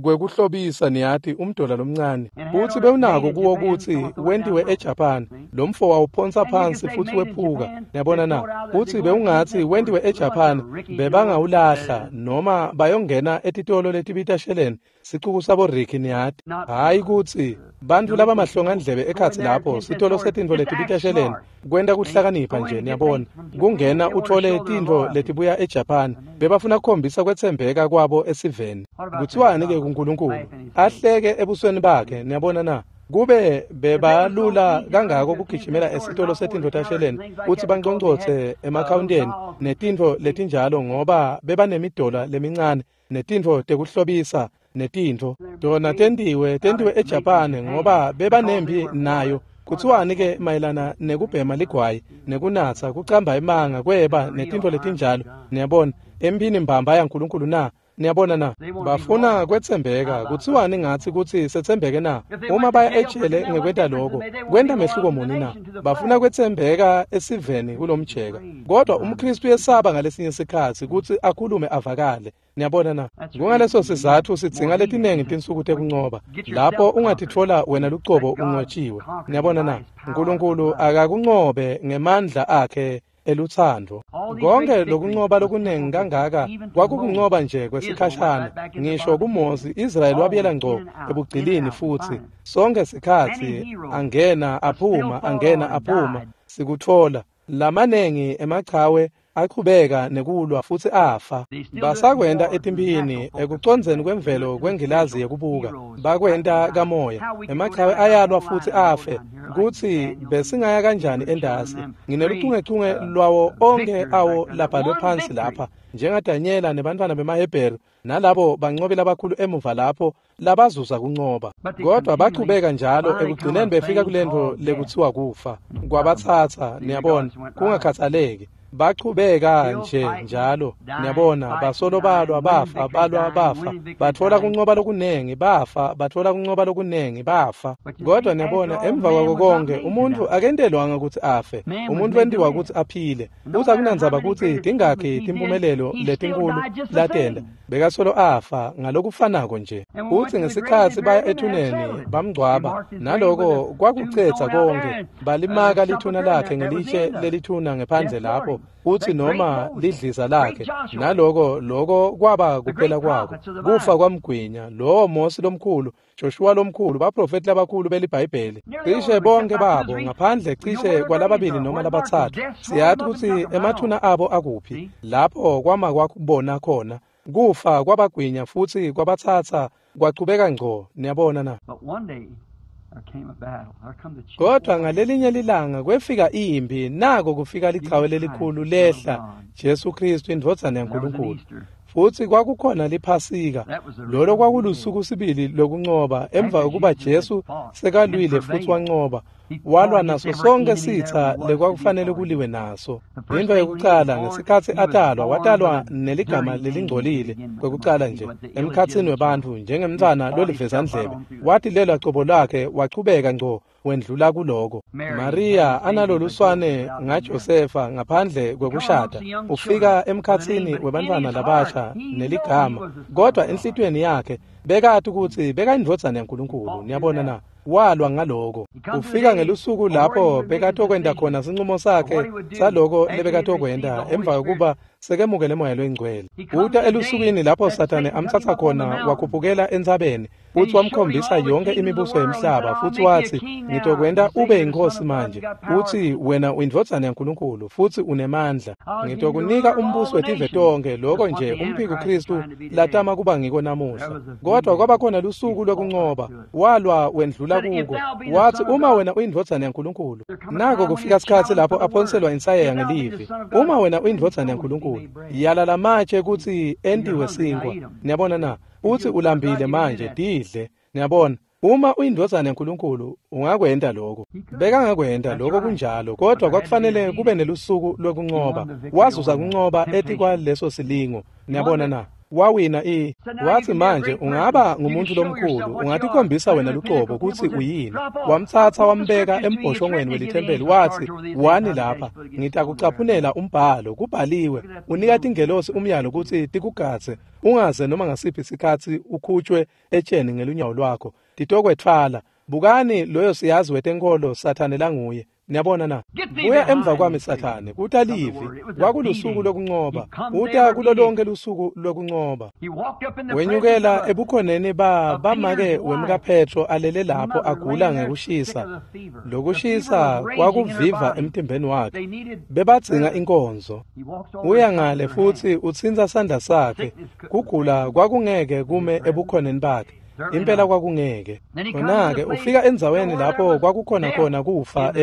kwekuhlobisa, niyati, umdola lomncane, futsi bewunako kuwo kutsi wentiwe eJapan. Lo mfo wawuphonsa phansi futsi wephuka. Niyabona na? Futsi bewungatsi wentiwe eJapan, bebangawulahla noma bayongena etitolo letibita sheleni, sicuku sabo Ricky, niyati. Hhayi kutsi bantfu labamahlongandlebe ekhatsi lapho, sitolo setintfo letibita sheleni, kwenta kuhlakanipha nje, niyabona, kungena utfole tintfo letibuya eJapan. Bebafuna kukhombisa kwetsembeka kwabo esiveni. Kuthiwani-ke kuNkulunkulu? Ahleke ebusweni bakhe. Niyabona na? Kube bebalula kangako kugijimela esitolo setintfo tasheleni kutsi banconcotse emakhawunteni netintfo letinjalo, ngoba bebanemidola lemincane netintfo tekuhlobisa netintfo tona tentiwe eJapan, ngoba bebanembi nayo. Kuthiwani-ke mayelana nekubhema ligwayi, nekunatsa, kucamba emanga, kweba netintfo letinjalo? Niyabona, emphini mbamba yaNkulunkulu na? Niyabona na? Bafuna kwetsembeka. Kuthiwani ngatsi kutsi setsembeke na? Uma baya ejele ngekwenta loko, kwenta mehluko muni na? Bafuna kwetsembeka esiveni kulomjeka. Kodwa umKhristu uyesaba ngalesinye sikhatsi kutsi akhulume avakale. Niyabona na? Kungaleso sizatfu sidzinga letinengi tinsuku tekuncoba, lapho ungatitfola wena lucobo unqotshiwe. Niyabona na? Nkulunkulu akakuncobe ngemandla akhe elutsandvo. Konke lokuncoba lokunengi kangaka kwakukuncoba nje kwesikhashana. Ngisho kuMosi, Israyeli wabuyela ngco ebugcilini futsi sonke sikhatsi angena aphuma, angena aphuma, sikutfola. Lamanengi emachawe achubeka nekulwa futsi afa. Basakwenta etimphini ekucondzeni kwemvelo kwengilazi yekubuka, bakwenta kamoya. Emachawe ayalwa futsi afe. Kutsi besingaya kanjani endasi? Ngineluchungechunge lwawo onke awo labhalwe phansi lapha, njengaDanyela nebantfwana bemaHebheru nalabo bancobi labakhulu emuva lapho labazuza kuncoba. Kodwa bachubeka njalo, ekugcineni befika kulentfo lekuthiwa kufa. Kwabatsatsa, niyabona, kungakhathaleki. Bachubeka nje njalo, niyabona, basolo balwa bafa, balwa bafa, batfola kuncoba lokunengi, bafa, batfola kuncoba lokunengi, bafa. Kodwa niyabona, emva kwako konke, umuntfu akentelwanga kutsi afe, umuntfu wentiwa kutsi aphile. Futsi akunandzaba kutsi tingakhi timpumelelo letinkulu latenta, bekasolo afa ngalokufanako nje. Futsi ngesikhatsi baya ethuneni bamngcwaba, naloko kwakucedza konke. Balimaka lithuna lakhe ngelitshe lelithuna ngephandle lapho, futsi noma lidliza lakhe, naloko loko kwaba kuphela kwako. Kufa kwamgwinya lowo Mosi lomkhulu, Joshua lomkhulu, baprofeti labakhulu beliBhayibheli, cishe bonke babo ngaphandle cishe kwalababili noma labatsatfu. Siyati kutsi emathuna abo akuphi, lapho kwama kwakubona khona. Kufa kwabagwinya futsi kwabatsatsa kwachubeka ngco. Niyabona na? Kodwa ngalelinye lilanga kwefika impi, nako kufika lichawe lelikhulu lehla, Jesu Kristu indvodzana yaNkulunkulu. Futsi kwakukhona liPhasika, lolo kwakulusuku sibili lokuncoba, emva kokuba Jesu sekalwile futsi wancoba, walwa naso sonke sitsa lekwakufanele kuliwe naso. Into yekucala, ngesikhatsi atalwa, watalwa neligama lelingcolile kwekucala nje emkhatsini webantfu njengemntfwana lolivezandlebe. Watilelwa cobo lwakhe, wachubeka ngco wendlula kuloko. Maria analoluswane ngaJosefa ngaphandle kwekushada, ufika emkhatsini webantfwana labasha neligama, kodwa enhlitiyweni yakhe Bekati kutsi bekayindvodzana yaNkulunkulu. Niyabona na? Walwa ngaloko. Ufika ngelusuku lapho bekatokwenta khona sincumo sakhe saloko lebekatokwenta emva kokuba sekemukele Moya loyiNgcwele. Uta elusukwini lapho Sathane amtsatsa khona wakhuphukela entsabeni futsi wamkhombisa yonke imibuso yemhlaba futsi watsi, ngitokwenta ube inkosi manje, utsi wena uyindvodzana yaNkulunkulu futsi unemandla. Ngitokunika umbuso wetive tonke, loko nje umphiko Kristu latama kuba ngiko namuhla. Kodwa kwaba khona lusuku lokuncoba, walwa wendlula kuko. Wathi, uma wena uyindvodzana yaNkulunkulu. Nako kufika sikhatsi lapho aphonselwa insayeya ngelivi. Uma wena uyindvodzana yaNkulunkulu, yala lamatshe kutsi entiwe sinkwa. Niyabona na? Uthi ulambile manje, didle. Niyabona? Uma uyindvodzana yaNkulunkulu, ungakwenta lokho. Bekangakwenta lokho kunjalo, kodwa kwakufanele kube nelusuku lokuncoba. Wazuza kuncoba etikwaleso silingo. Niyabona na? Wawina wathi manje ungaba ngumuntu lomkhulu, ungatikhombisa wena lucobo kutsi uyini. Wamtsatsa wambeka embhoshongweni welithempeli wathi, wani lapha, ngitakucaphunela umbhalo, kubhaliwe, unika tingelosi umyalo kutsi tikugadze, ungaze noma ngasiphi sikhatsi ukhutshwe etsheni ngelunyawo lwakho, titokwetfwala. Bukani loyo siyazi wetenkholo Sathane languye. Niyabona na? Buya emva kwami Sathane, kuta livi. Kwakulusuku lokuncoba. Uta kulo lonke lusuku lokuncoba. Wenyukela ebukhoneni bamake wemkaPetro alele lapho agula ngekushisa. Lokushisa kwakuviva emtimbeni wakhe. Bebadzinga inkonzo. Uya ngale futsi utsintsa sandla sakhe. Kugula kwakungeke kume ebukhoneni bakhe. Impela kwakungeke. Khona-ke ufika endzaweni lapho kwakukhona khona kufa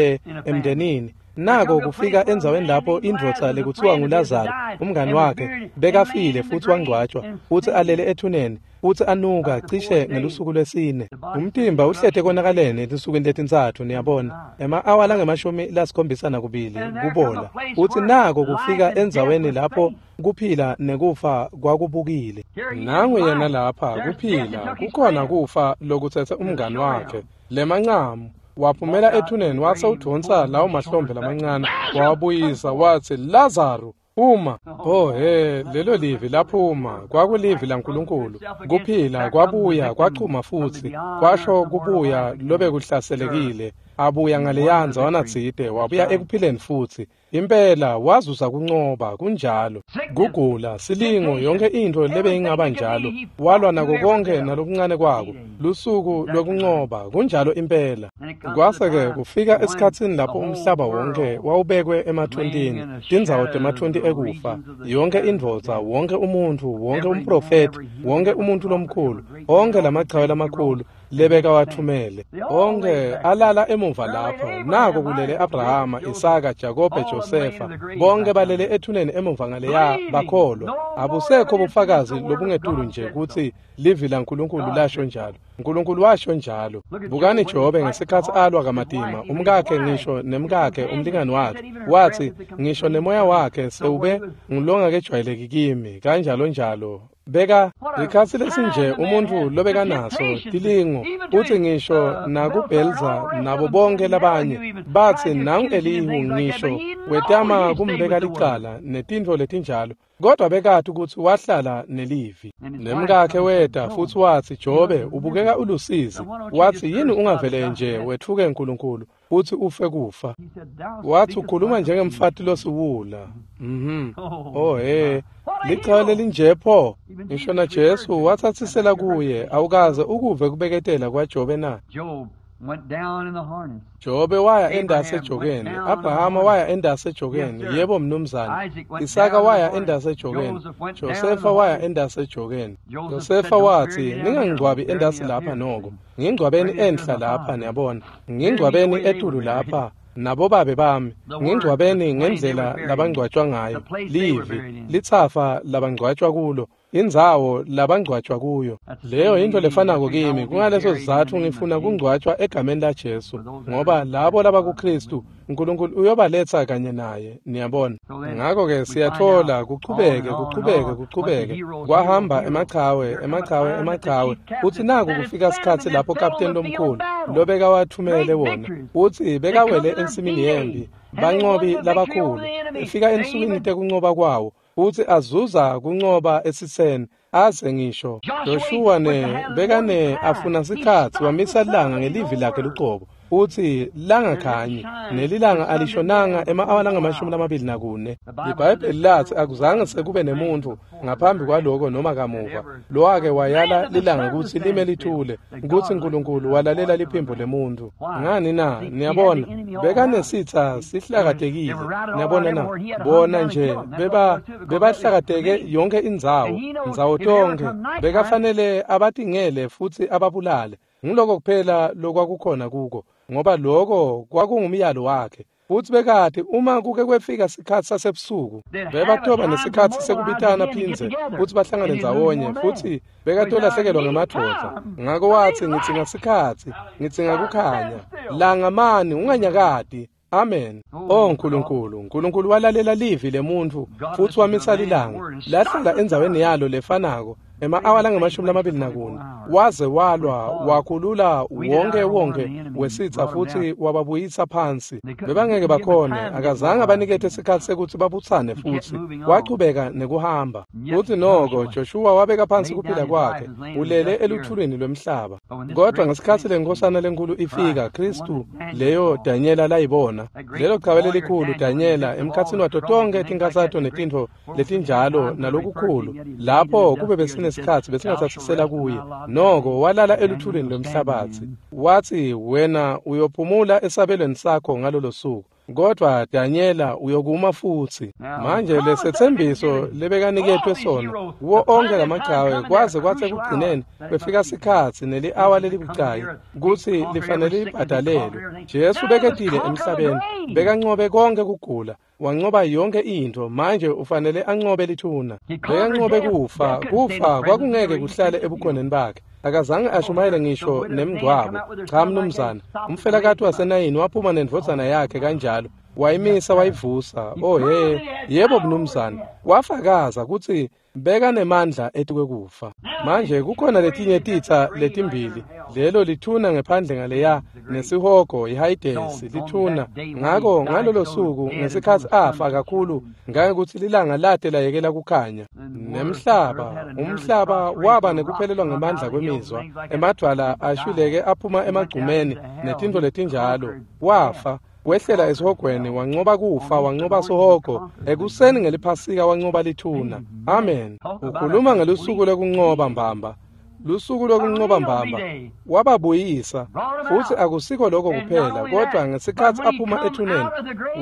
emndenini. Nako kufika endzaweni lapho indvodza lekuthiwa nguLazaro, umngani wakhe, bekafile futsi wangcwatjwa, futsi alele ethuneni, futsi anuka cishe ngelusuku lwesine. Umtimba uhlete konakaleni etinsukwini letintsatfu, niyabona, ema-awa lange-72 kubola. Futsi nako kufika endzaweni lapho kuphila nekufa kwakubukile. Nangu yena lapha kuphila, kukhona kufa lokutsetse umngani wakhe. Lemancamu waphumela ethuneni wase udvonsa lawo mahlombe lamancane wawabuyisa wathi, Lazaro, phuma. Oh he, lelo livi laphuma, kwakulivi laNkulunkulu. Kuphila kwabuya kwachuma futsi, kwasho kubuya lobekuhlaselekile. Abuya ngaleya ndzawana tsite, wabuya ekuphileni futsi. Impela wazuza kuncoba, kunjalo. Kugula, silingo, yonke intfo lebeyingaba njalo. Walwa nako konke nalokuncane kwako. Lusuku lokuncoba, kunjalo impela. Kwase-ke kufika esikhatsini lapho umhlaba wonke wawubekwe emathuntini, tindzawo temathunti ekufa. Yonke indvodza, wonke umuntfu, wonke umprofethi, wonke umuntfu lomkhulu, onke lamachawe lamakhulu lebekawathumele, onke alala emuva lapho. Nako kulele Abrahama, Isaka, Jakobe, Josefa, bonke balele ethuneni emuva ngaleya bakholwa. Abusekho bufakazi lobungetulu nje kutsi livi laNkulunkulu lasho njalo. Nkulunkulu washo njalo. Bukani Jobe ngesikhatsi alwa kamatima, umkakhe ngisho nemkakhe umlingani wakhe, wathi ngisho nemoya wakhe sewube ngulongakejwayeleki kimi, kanjalo njalo. Beka likhatsi lesinje umuntfu lobekanaso tilingo, uthi ngisho nakuBelza nabo bonke labanye bathi nangu Elihu ngisho wetama kumbeka licala netintfo letinjalo, kodwa bekati ukuthi wahlala nelivi. Nemkakhe weta futsi watsi, Jobe ubukeka ulusizi. Wathi, yini ungavele nje wetfuke uNkulunkulu futsi ufe kufa? Wathi, ukhuluma njengemfati losiwula. Oh he, lichawe lelinje pho. Ngisho na Jesu watsatsisela kuye, awukaze ukuve kubeketela kwaJobe na? Jobe waya endase ejokeni, Abrahama waya endase ejokeni, yebo mnumzane. Isaka waya endase ejokeni, Josefa waya endase ejokeni. Josefa wathi, ningangcwabi endase lapha noko, ngingcwabeni enhla lapha, niyabona, ngingcwabeni etulu lapha, nabo babe bami, ngingcwabeni ngendlela labangcwatshwa ngayo, livi, litsafa labangcwatshwa kulo, indzawo labangcwatshwa kuyo. Leyo into lefanako kimi, kungaleso sizatfu ngifuna kungcwatshwa egameni laJesu, ngoba labo labakuKristu uNkulunkulu uyobaletsa kanye naye, niyabona. Ngakho-ke siyatfola kuchubeke kuchubeke kuchubeke, kwahamba emachawe emachawe emachawe, utsi naku kufika sikhatsi lapho kapteni lomkhulu lobekawathumele wona, utsi bekawele ensimini yempi, bancobi labakhulu, efika ensukwini tekuncoba kwawo, utsi azuza kuncoba esitseni, Aze ngisho Joshua ne bekane afuna sikhatsi wamisa langa ngelivi lakhe lucobo uthi langakhanyi nelilanga alishonanga ema-awa langamashumi 24. Libhayibheli lathi akuzange sekube nemuntfu ngaphambi kwaloko noma kamuva lowake wayala lilanga kutsi lime lithule, kutsi Nkulunkulu walalela liphimbo lemuntfu. Ngani na? Niyabona, bekanesitsa sihlakatekile. Niyabona na? Bona nje bebahlakateke yonke indzawo, ndzawo tonke. Bekafanele abatingele futsi ababulale. Ngiloko kuphela lokwakukhona kuko, ngoba lokho kwakungumyalo wakhe. Futsi bekati uma kuke kwefika sikhatsi sasebusuku bebatoba nesikhatsi sekubitana phindze futsi bahlangane ndzawonye, futsi bekatolahlekelwa ngemadvodza. Ngako watsi, ngidzinga sikhatsi, ngidzinga kukhanya. Langa mani, unganyakati. Amen. Oh Nkulunkulu, Nkulunkulu walalela livi lemuntfu futsi wamisa lilanga lahlala endzaweni yalo lefanako ema-awa langamashumi 24, waze walwa wakhulula wonke wonke wesitsa futsi wababuyisa phansi. Bebangeke bakhone, akazange abanikete sikhatsi sekutsi babutsane futsi wachubeka nekuhamba. Futsi noko Joshua wabeka phansi kuphila kwakhe ulele eluthulwini lwemhlaba. Kodwa ngesikhatsi lenkosana lenkulu ifika, Kristu leyo Danyela layibona, lelo chawe lelikhulu Danyela emkhatsini wato tonke tinkhatsato netintfo letinjalo nalokukhulu, lapho kube besinesikhatsi besingatsatsisela kuye, noko walala eluthulwini lwemhlabatsi. Wathi, wena uyophumula esabelweni sakho ngalolo suku, kodwa Danyela uyokuma futsi. Manje lesetsembiso lebekaniketwe sona kuwo onke lamachawe, kwaze kwatsi ekugcineni kwefika sikhatsi neli-awa lelibucayi kutsi lifanele libhadalelwe. Jesu beketile emhlabeni, bekancobe konke kugula, wancoba yonke intfo. Manje ufanele ancobe lithuna. Bekancobe kufa, kufa kwakungeke kuhlale ebukhoneni bakhe. Akazange ashumayele ngisho nemngcwabo. Cha mnumzana. Umfelakati waseNayini waphuma nendvodzana yakhe kanjalo, wayimisa wayivusa. Oh he, yebo mnumzana. Wafakaza kutsi bekanemandla etikwekufa. Manje kukhona letinye titsa letimbili, lelo lithuna ngephandle ngaleya nesihogo iHayidesi lithuna. Ngako ngalolo suku ngesikhatsi afa kakhulu ngangekuthi lilanga late layekela kukhanya, nemhlaba umhlaba waba nekuphelelwa ngemandla kwemizwa, emadvwala ashwileke aphuma emagcumeni netintfo letinjalo. Wafa wehlela esihogweni, wancoba kufa, wancoba sihogo. Ekuseni ngeliphasika wancoba lithuna. Amen. Ukhuluma ngelusuku lwekuncoba mbamba, lusuku lwekuncoba mbamba. Wababuyisa futsi akusiko lokho kuphela, kodwa ngesikhatsi aphuma ethuneni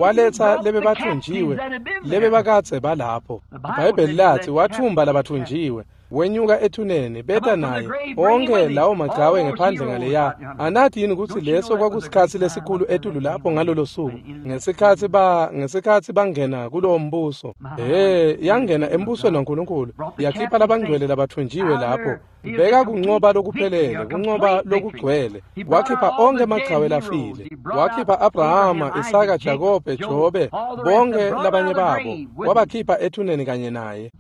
waletsa lebebathunjiwe lebebakadze balapho. IBhayibheli lathi wathumba labathunjiwe, wenyuka ethuneni beta naye onke lawo machawe ngephandle ngaleya. Anathi yini kutsi leso kwakusikhatsi lesikhulu etulu lapho ngalolo suku ngesikhatsi bangena kulowo mbuso? He, yangena embusweni waNkulunkulu, yakhipha labangcwele labathunjiwe lapho. Beka kuncoba lokuphelele, kuncoba lokugcwele. Wakhipha onke emachawe lafile, wakhipha Abrahama, Isaka, Jakobe, Jobe, bonke labanye babo wabakhipha ethuneni kanye naye.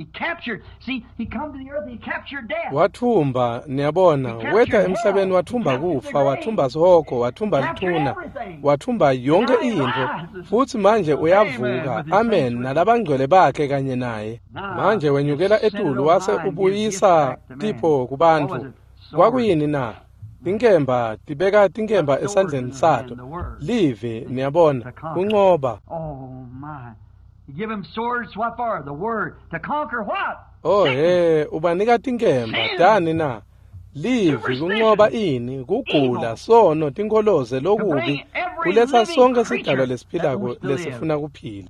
Wathumba, niyabona, weta emhlabeni wathumba kufa, wathumba sihogo, wathumba lithuna, wathumba yonke intfo. Futsi manje uyavuka, amen, nalabangcwele bakhe kanye naye. Manje wenyukela etulu wase ubuyisa tipho kubantfu. Kwakuyini na? Tinkemba, tibeka tinkemba esandleni sato. Livi, niyabona, kuncoba. Oh he, ubanika tinkemba tani na? Livi, kuncoba ini? Kugula, sono, tinkholoze, lokubi, kuletsa sonke sidalwa lesiphilako lesifuna kuphila.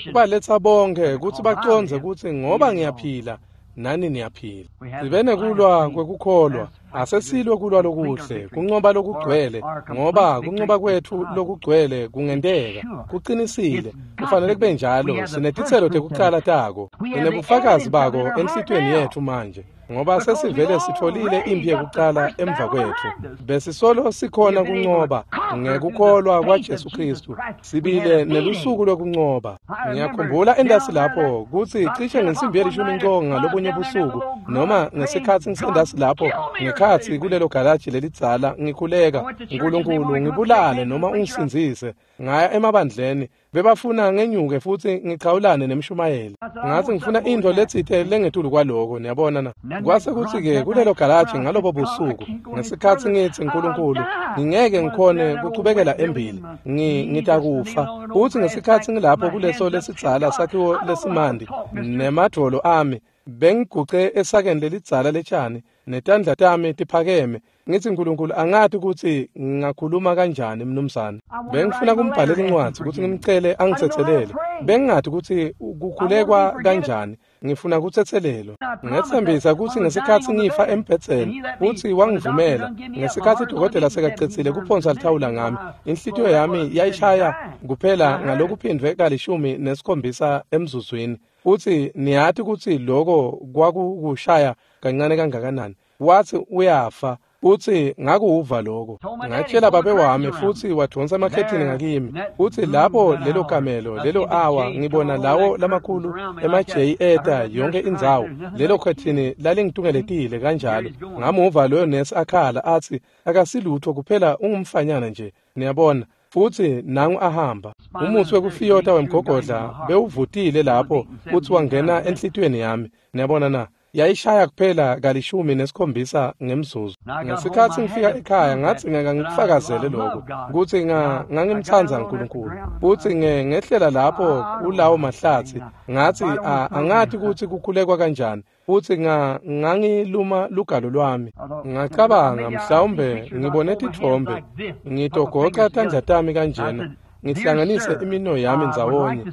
Kubaletsa bonke kutsi bacondze kutsi ngoba ngiyaphila nani niyaphila. Sibe nekulwa kwekukholwa, asesilwe kulwa lokuhle, kuncoba lokugcwele, ngoba kuncoba kwetfu lokugcwele kungenteka, kuqinisile, kufanele kube njalo. Sinetitselo tekucala tako, sinebufakazi bako enhlitiyweni yetfu manje, ngoba sesivele sitfolile imphi yekucala emva kwetfu. Besisolo sikhona kuncoba. Ngekukholwa kwaJesu Kristu sibile nelusuku lokuncoba. Ngiyakhumbula endasi lapho kutsi cishe ngensimbi yelishumi nco ngalobunye busuku, noma ngesikhatsi ngisendasi lapho ngekhatsi kulelo galaji lelidzala ngikhuleka, Nkulunkulu ngibulale noma ungisindzise. Ngaya emabandleni, bebafuna ngenyuke futsi ngichawulane nemshumayeli. Ngathi ngifuna intfo letsite lengetulu kwaloko, niyabona na. Kwase kutsi-ke kulelo galaji ngalobo busuku, ngesikhatsi ngitsi Nkulunkulu, ngingeke ngikhone kuchubekela embili, ngitakufa. Futsi ngesikhatsi ngilapho kuleso lesidzala sakhiwo lesimandi nemadvolo ami, bengiguce esakeni lelidzala letshani, netandla tami tiphakeme. Ngithi Nkulunkulu, angati kutsi ngingakhuluma kanjani mnumzane. Bengifuna kumbhalela incwadzi kutsi ngimcele angitsetselele. Bengingati kutsi kukhulekwa kanjani. Ngifuna kutsetselelwa. Ngetsembisa kutsi ngesikhatsi ngifa embhedzeni futsi wangivumela, ngesikhatsi dokotela sekacedzile kuphonsa lithawula ngami, inhlitiyo yami yayishaya kuphela ngalokuphindvwe ka-17 emzuzwini. Futsi niyati kutsi loko kwakukushaya kancane kangakanani. Watsi uyafa. Futsi ngakuva lokho. Ngatshela babe wami futsi wadonsa emakhethini ngakimi. Futsi lapho lelo kamelo, lelo awa, ngibona lawo lamakhulu ema-J eta yonke indzawo. Lelo khethini lalingitungeletile kanjalo. Ngamuva loyo nesi akhala atsi akasilutho kuphela ungumfanyana nje. Niyabona. Futsi nangu ahamba. Umusi wekufiyota wemgogodla bewuvutile lapho futsi wangena enhlitiyweni yami. Niyabona na. Yayishaya kuphela ka-17 ngemzuzu. Ngesikhatsi ngifika ekhaya ngathi ngeke ngikufakazele lokho kutsi ngangimtsandza Nkulunkulu. Futsi ngehlela lapho kulawo mahlatsi ngathi angati kutsi kukhulekwa kanjani. Futsi ngangiluma lugalo lwami. Ngacabanga mhlawumbe ngibone titfombe, ngitogoca tandla tami kanjena, ngihlanganise imino yami ndzawonye.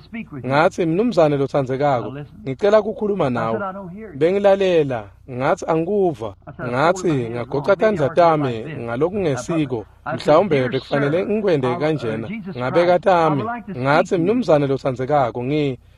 Ngathi, mnumzane lotsandzekako, ngicela kukhuluma nawe. Bengilalela, ngathi angikuva. Ngathi ngagoca tandla tami ngalokungesiko, mhlawumbe bekufanele ngikwende kanjena. Ngabeka tami, ngathi, mnumzane lotsandzekako,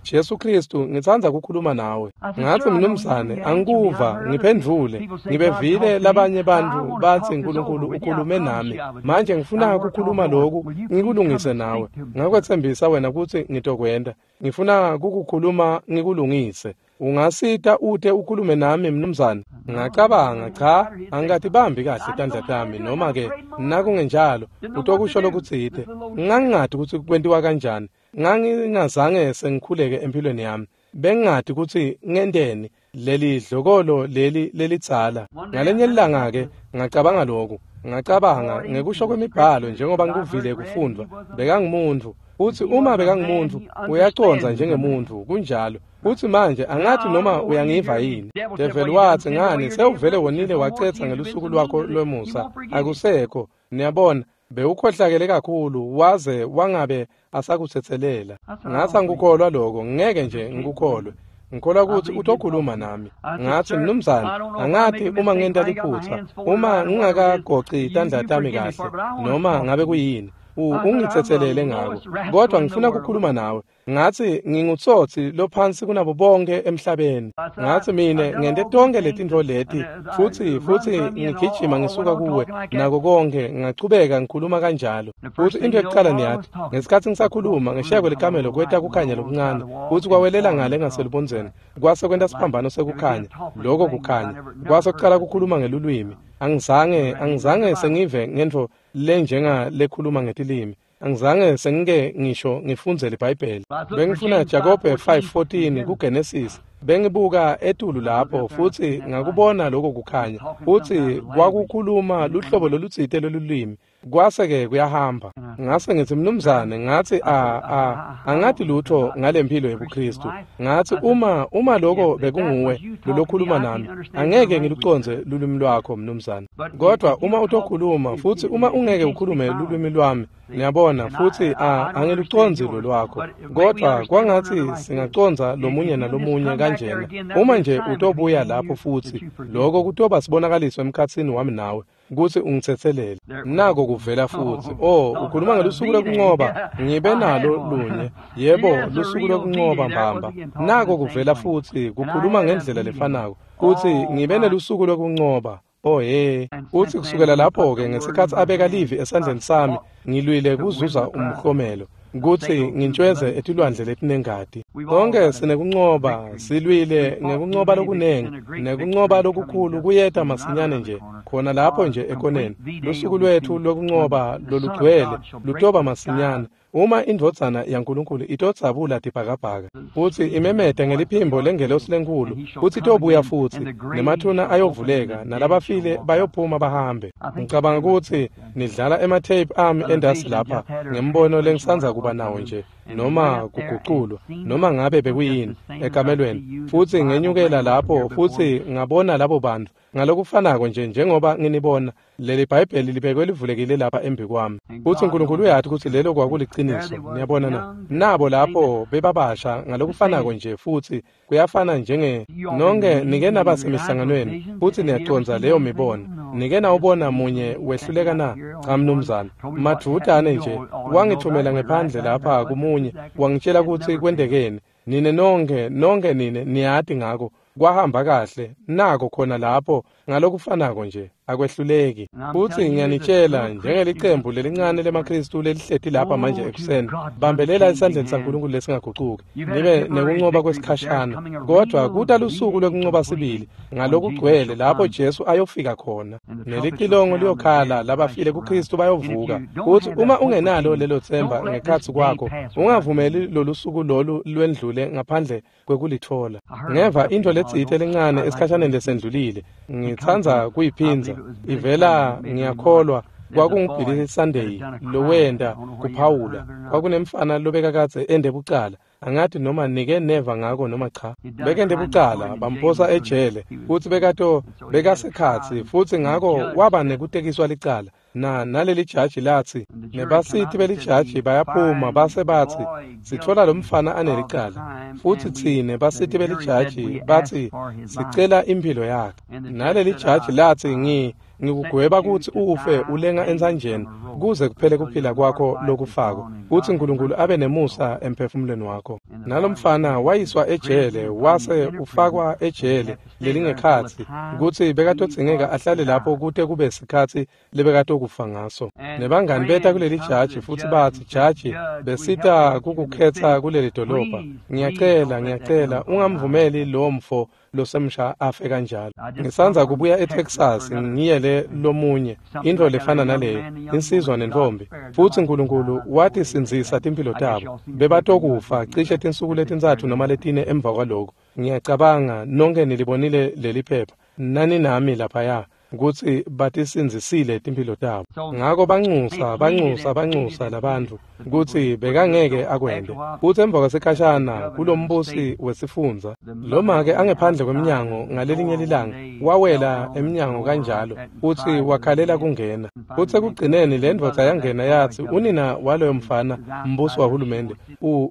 Jesu Kristu, ngitsandza kukhuluma nawe. Ngathi, mnumzane, angikuva, ngiphendvule. Ngibevile labanye bantfu batsi Nkulunkulu ukhulume nami. Manje ngifuna kukhuluma loku, ngikulungise nawe. Ngakwetsembisa wena kutsi ngitokwenta. Ngifuna kukukhuluma ngikulungise. Ungasita ute ukhulume nami mnumzane? Ngacabanga, cha, angikatibambi kahle tandla tami, noma ke nakungenjalo utokusho lokutsite. Ngangingati kutsi kwentiwa kanjani. Ngangingazange sengikhuleke empilweni yami. Bengingati kutsi ngenteni leli dlokolo leli lelidzala. Ngalenye ilanga ke ngacabanga lokhu. Ngacabanga ngekusho kwemibhalo njengoba ngikuvile kufundvwa, bekangumuntu. Futsi uma bekangumuntu, uyacondza njengemuntu, kunjalo. Futsi manje angathi noma uyangiva yini. Devil watsi, ngani sewuvele wonile wacetsa ngelusuku lwakho lwemusa. Akusekho. Niyabona, bewukhohlakele kakhulu waze wangabe asakutsetselela. Ngathi angikukholwa lokho, ngeke nje ngikukholwe. Ngikholwa kutsi utokhuluma nami. Ngathi, mnumzane, angathi uma ngenta liphutsa, uma ngingakagoci tandla tami kahle, noma ngabe kuyini, ungitsetselele ngako. Kodwa ngifuna ukukhuluma nawe. Ngathi ngingutsotsi lophansi kunabo bonke emhlabeni. Ngathi mina ngente tonke letintfo leti futsi ngigijima ngisuka kuwe nako konke, ngachubeka ngikhuluma kanjalo. Futsi into yokuqala niyati, ngesikhatsi ngisakhuluma ngeshiya kwelikamelo kweta kukhanya lokuncane, futsi kwawelela ngale ngaselubondzeni, kwase kwenta siphambano sekukhanya, loko kukhanya. Kwase kuqala kukhuluma ngelulwimi. Angizange sengive ngentfo lenjenga lekhuluma ngetilimi. Angizange sengike ngisho ngifundzele iBhayibheli. Bengifuna Jakobe 5:14 kuGenesis. Bengibuka etulu lapho futsi ngakubona lokho kukhanya. Futsi kwakukhuluma luhlobo lolutsite lolulwimi. Kwase-ke kuyahamba. Ngase ngithi, mnumzane, ngathi angathi lutho ngalempilo yebuKristu. Ngathi uma lokho bekunguwe lolokhuluma nami, angeke ngilucondze lulwimi lwakho mnumzane. Kodwa uma utokhuluma futhi uma ungeke ukhulume lulwimi lwami, niyabona, futhi angilucondzi lolwakho. Kodwa kwangathi singacondza lomunye nalomunye kanjena. Uma nje utobuya lapho futhi, lokho kutoba sibonakaliso emkhatsini wami nawe kutsi ungitsetselele. Nako kuvela futsi. Oh, ukhuluma ngelusuku lokuncoba. Ngibe nalo lunye. Yebo, lusuku lokuncoba mbamba. Nako kuvela futsi kukhuluma ngendlela lefanako. Kutsi ngibe nelusuku lokuncoba. Oh he, uthi kusukela lapho-ke ngesikhathi abeka livi esandleni sami, ngilwile kuzuza umklomelo, kutsi ngintshweze etilwandle letinengati. Konke sinekuncoba, silwile ngekuncoba lokunengi, nekuncoba lokukhulu kuyeta masinyane nje, khona lapho nje ekoneni. Lusuku lwethu lokuncoba lolugcwele lutoba masinyane. Uma indvodzana yaNkulunkulu itodzabula tibhakabhaka, futsi imemete ngeliphimbo lengelosi lenkhulu, futsi itobuya futsi, nemathuna ayovuleka, nalabafile bayophuma bahambe. Ngicabanga kutsi nidlala ematheyiphu ami endasi lapha ngembono lengisandza kuba nawo nje, noma kuguculwa, noma ngabe bekuyini, ekamelweni. Futsi ngenyukela lapho, futsi ngabona labo bantu ngalokufanako nje njengoba nginibona. Leli Bhayibheli libekwe livulekile lapha embi kwami. Futsi uNkulunkulu uyati kutsi lelo kwakuliciniso. Niyabona na? Nabo lapho bebabasha ngalokufanako nje, futsi kuyafana njenge nonke nike naba semihlanganweni futsi niyacondza leyo mibono. Nike nawubona munye wehluleka na? Cha mnumzane. Madvutane nje wangithumela ngephandle lapha kumunye, wangitshela kutsi kwentekeni. Nine nonke nine niyati ngako. Kwahamba kahle, nako khona lapho ngalokufanako nje, akwehluleki. Futsi ngiyanitshela njengelicembu lelincane lemaKhristu lelihleti lapha manje ekuseni, bambelela esandleni saNkulunkulu lesingagucuki, nibe nekuncoba kwesikhashana, kodwa kuta lusuku lwekuncoba sibili ngalokugcwele lapho Jesu ayofika khona, nelicilongo liyokhala, labafile kuKhristu bayovuka. Futsi uma ungenalo lelo themba ngekhatsi kwakho, ungavumeli lolu suku lolu lwendlule ngaphandle kwekulitfola. Ngeva intfo letsite lencane esikhashaneni lesendlulile, ngitsandza kuyiphindza. Ivela, ngiyakholwa, kwakunguBilly Sunday lowenta kuphawula. Kwakunemfana lobekakadze ende bucala. Angati noma nike neva ngako noma cha. Bekende bucala, bamphosa ejele, futsi bekasekhatsi, futsi ngako waba nekutekiswa licala. Naleli jaji latsi, nebasiti belijaji bayaphuma base batsi, sitfola lo mfana anelicala, futsi tsine basiti belijaji batsi sicela imphilo yakhe. Naleli jaji latsi, ngikugweba kutsi ufe ulenga entsanjeni kuze kuphele kuphila kwakho lokufako, kutsi uNkulunkulu abe nemusa emphefumulweni wakho. Nalomfana wayiswa ejele, wase ufakwa ejele lelingekhatsi, kutsi bekatodzingeka ahlale lapho kute kube sikhatsi lebekatokufa ngaso. Nebangani beta kuleli jaji futsi batsi, jaji, besita kukukhetsa kuleli dolobha, ngiyacela ungamvumeli lo mfo losemsha afe kanjalo. Ngisandza kubuya eTexas ngiyele lomunye intfo lefana naleyo, insizwa nentombi, futsi uNkulunkulu watisindzisa timphilo tabo. Bebatokufa cishe tinsuku letintsatfu noma letine emva kwaloko. Ngiyacabanga nonke nilibonile leli phepha, nani nami laphaya, kutsi batisindzisile timphilo tabo. Ngako bancusa labantfu kutsi bekangeke akwente. Futsi emva kwesikhashana kulombusi wesifundza, loma-ke angephandle kwemnyango ngalelinye lilanga, wawela emnyango kanjalo, futsi wakhalela kungena. Futsi ekugcineni le ndvodza yangena yatsi, unina waloyo mfana, mbusi wahulumende,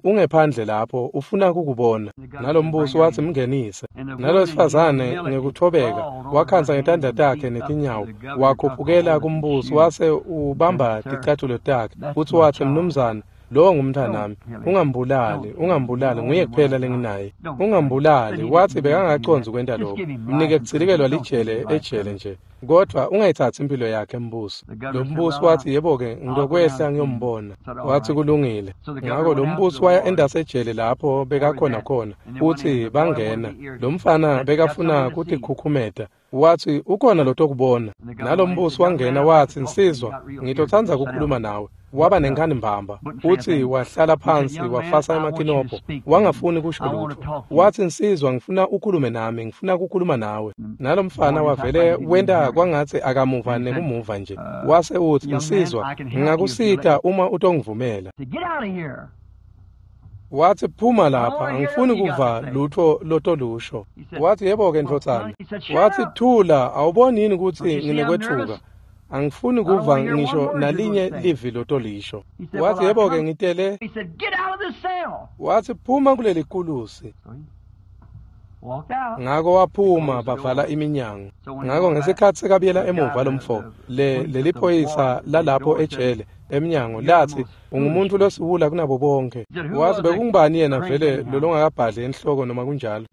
ungephandle lapho, ufuna kukubona. Nalombusi watsi mngenise. Nalowesifazane ngekuthobeka wakhansa ngetandla takhe netinyawo, wakhuphukela kumbusi, wase ubamba ticathulo takhe, futsi watsi, mnumzane, lowo ngumntwanami, ungambulali, nguye kuphela lenginaye, ungambulali. Watsi bekangacondzi kwenta lokho, mnike kutsilikelwa lijele ejele nje, kodwa ungayitsatsi impilo yakhe mbusi. Lo mbusi watsi, yebo-ke, ngitokwehla ngiyombona. Watsi kulungile. Ngako lo mbusi waya endasejele lapho bekakhona khona, futsi bangena. Lo mfana bekafuna kutikhukhumeta. Watsi ukhona lotokubona. Nalombusi wangena watsi, nsizwa, ngitotsandza kukhuluma nawe. Waba nenkhani mbamba, futsi wahlala phansi wafasa emakinobho, wangafuni kusho lutfo. Watsi, nsizwa, ngifuna ukhulume nami, ngifuna kukhuluma nawe. Nalomfana wavele wenta kwangatsi akamuva nekumuva nje. Wase utsi, nsizwa, ngingakusita uma utongivumela. Watsi, phuma lapha, angifuni kuva lutfo lotolusho. Watsi, yebo-ke ndvodzana. Watsi, thula, awuboni yini kutsi nginekwetfuka? Angifuni kuva ngisho nalinye livi lotolisho. Watsi, yebo-ke ngitele. Watsi, phuma kuleli kulusi. Ngako waphuma, bavala iminyango. Ngako ngesikhatsi sekabuyela emuva lomfo, leli phoyisa lalapho ejele emnyango latsi, ungumuntu losiwula kunabo bonke. Watsi, bekungubani yena vele lolongakabhadli enhloko noma kunjalo?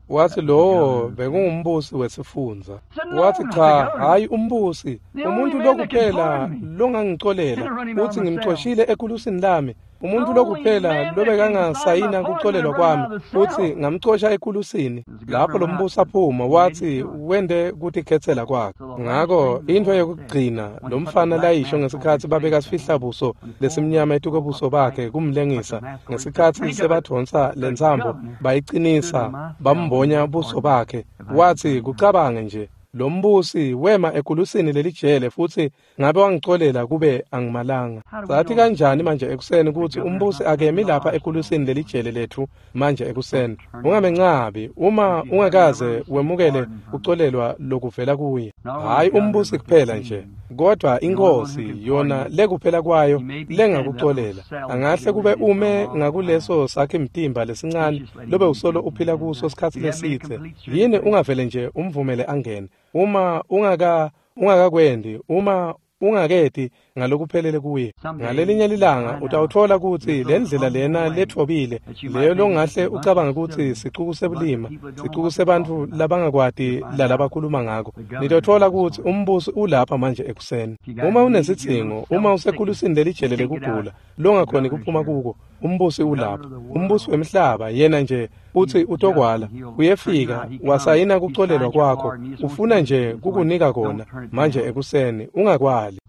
Wathi lowo bekungumbusi wesifundza. Wathi cha, hayi umbusi, umuntu lokuphela longangicolela uthi ngimcoshile ekulusini lami. Umuntu lokuphela lobekangasayina kucolelwa kwami uthi ngamcosha ekulusini. Lapho lo mbusi aphuma wathi wende kutikhetsela kwakhe. Ngako into yokugcina lo mfana layisho ngesikhathi babeka sifihlabuso lesimnyama etukobuso bakhe kumlengisa, ngesikhathi sebadonsa lentsambo bayiqinisa bambonya buso bakhe, wathi kucabange nje lo mbusi wema ekulusini lelijele futhi ngabe wangicolela kube angimalanga. Sathi kanjani manje ekuseni ukuthi umbusi akemi lapha ekulusini lelijele lethu manje ekuseni? Ungamencabi uma ungakaze wemukele kucolelwa lokuvela kuye. Hayi umbusi kuphela nje, kodwa inkosi yona lekuphela kwayo lengakucolela. Angahle kube ume ngakuleso sakhe mtimba lesincane lobe usolo uphila kuso sikhathi lesithe. Yini ungavele nje umvumele angene? Uma ungakakwendi, uma ungaketi ngalokuphelele kuye, ngalelinye lilanga utawuthola ukuthi le ndlela lena lethobile leyo longahle ucabange ukuthi sicuku sebulima, sicuku sebantfu labangakwati lalabakhuluma ngako, nitothola ukuthi umbusi ulapha manje ekuseni. Uma unesidzingo, uma usekulusini lelijele lekugula longakhoni kuphuma kuko, umbusi ulapha. Umbusi wemhlaba yena nje uthi utokwala, uyefika wasayina kucolelwa kwakho, ufuna nje kukunika kona manje ekuseni, ungakwali.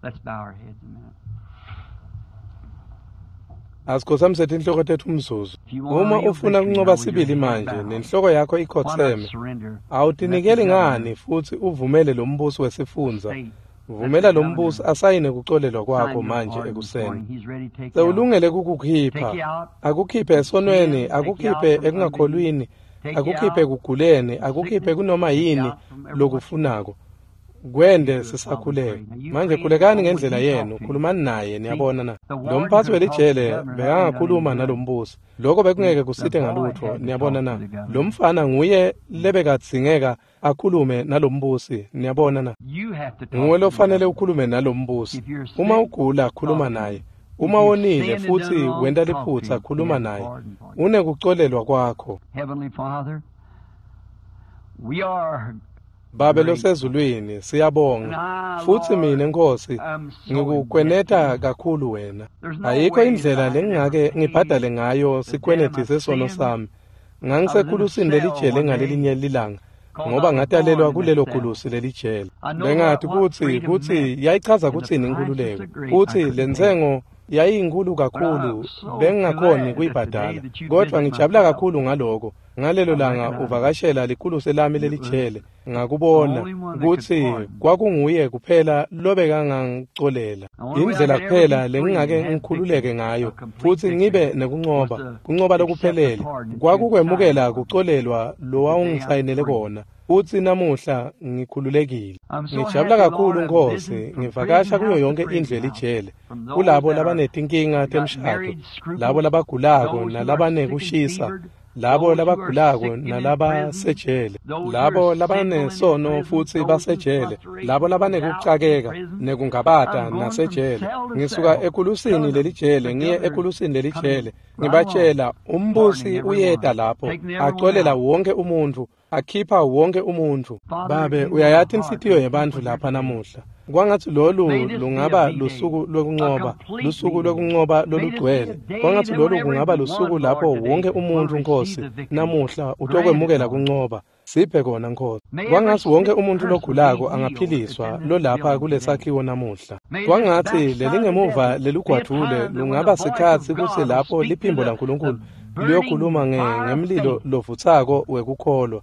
Asikhothamise tinhloko tethu umzuzu. Uma ufuna kuncoba sibili manje nenhloko yakho ikhotheme, awutinikeli ngani futhi uvumele lo mbusi wesifundza, vumela lo mbusi asayine kucolelwa kwakho manje ekuseni. Sewulungele kukukhipha, akukhiphe esonweni, akukhiphe ekungakholwini, akukhiphe ekuguleni, akukhiphe kunoma yini lokufunako. Kwende sisakhuleka manje. Khulekani ngendlela yenu, khulumani naye. Niyabona na, lo mphathi welijele bekangakhuluma nalombusi, lokho bekungeke kusite ngalutho. Niyabona na, lo mfana nguye lebekadzingeka akhulume nalombusi. Niyabona na, nguwe lofanele ukhulume nalombusi. Uma ugula, khuluma naye. Uma wonile futhi wenta liphutha, khuluma naye. Unekucolelwa kwakho. Babe losezulwini, siyabonga futhi mina Nkosi ngikukweneta kakhulu wena. Ayikho indlela lengingake ngibhadale ngayo sikweneti sesono sami. Ngangisekulusini lelijele ngalelinye lilanga, ngoba ngatalelwa kulelo kulusi lelijele. Bengathi kuthi yayichaza kuthini inkululeko, kuthi lentsengo yayinkulu kakhulu, bengingakhoni kuyibhadala. Kodwa ngijabula kakhulu ngaloko. Ngalelo langa uvakashela likhulusi lami lelijele, ngakubona ukuthi kwakunguye kuphela lobekangangicolela. Indlela kuphela lengingake ngikhululeke ngayo futhi ngibe nekuncoba, kuncoba lokuphelele, kwakukwemukela kucolelwa lowawungisayinele kona. Futhi namuhla ngikhululekile. Ngijabula kakhulu Nkosi, ngivakasha kuyo yonke indlu elijele, kulabo labanetinkinga temshado, labo labagulako nalabanekushisa, labo labagulako nalabasejele, labo labanesono futhi basejele, labo labanekucakeka nekungabata nasejele. Ngisuka ekulusini lelijele ngiye ekulusini lelijele, ngibatshela umbusi uyeta lapho acolela wonke umuntu, akhipha wonke umuntu. Babe, uyayathi inhlitiyo yebantfu lapha namuhla. Kwangathi lolu lungaba lusuku lwekuncoba, lusuku lwekuncoba lolugcwele. Kwangathi lolu kungaba lusuku lapho wonke umuntu Nkosi namuhla utokwemukela kuncoba. Siphe kona Nkosi. Kwangathi wonke umuntu logulako angaphiliswa lolapha kulesakhiwo namuhla. Kwangathi lelingemuva lelugwadvule lungaba sikhatsi kutsi lapho liphimbo laNkulunkulu liyokhuluma ngemlilo lovutsako wekukholwa.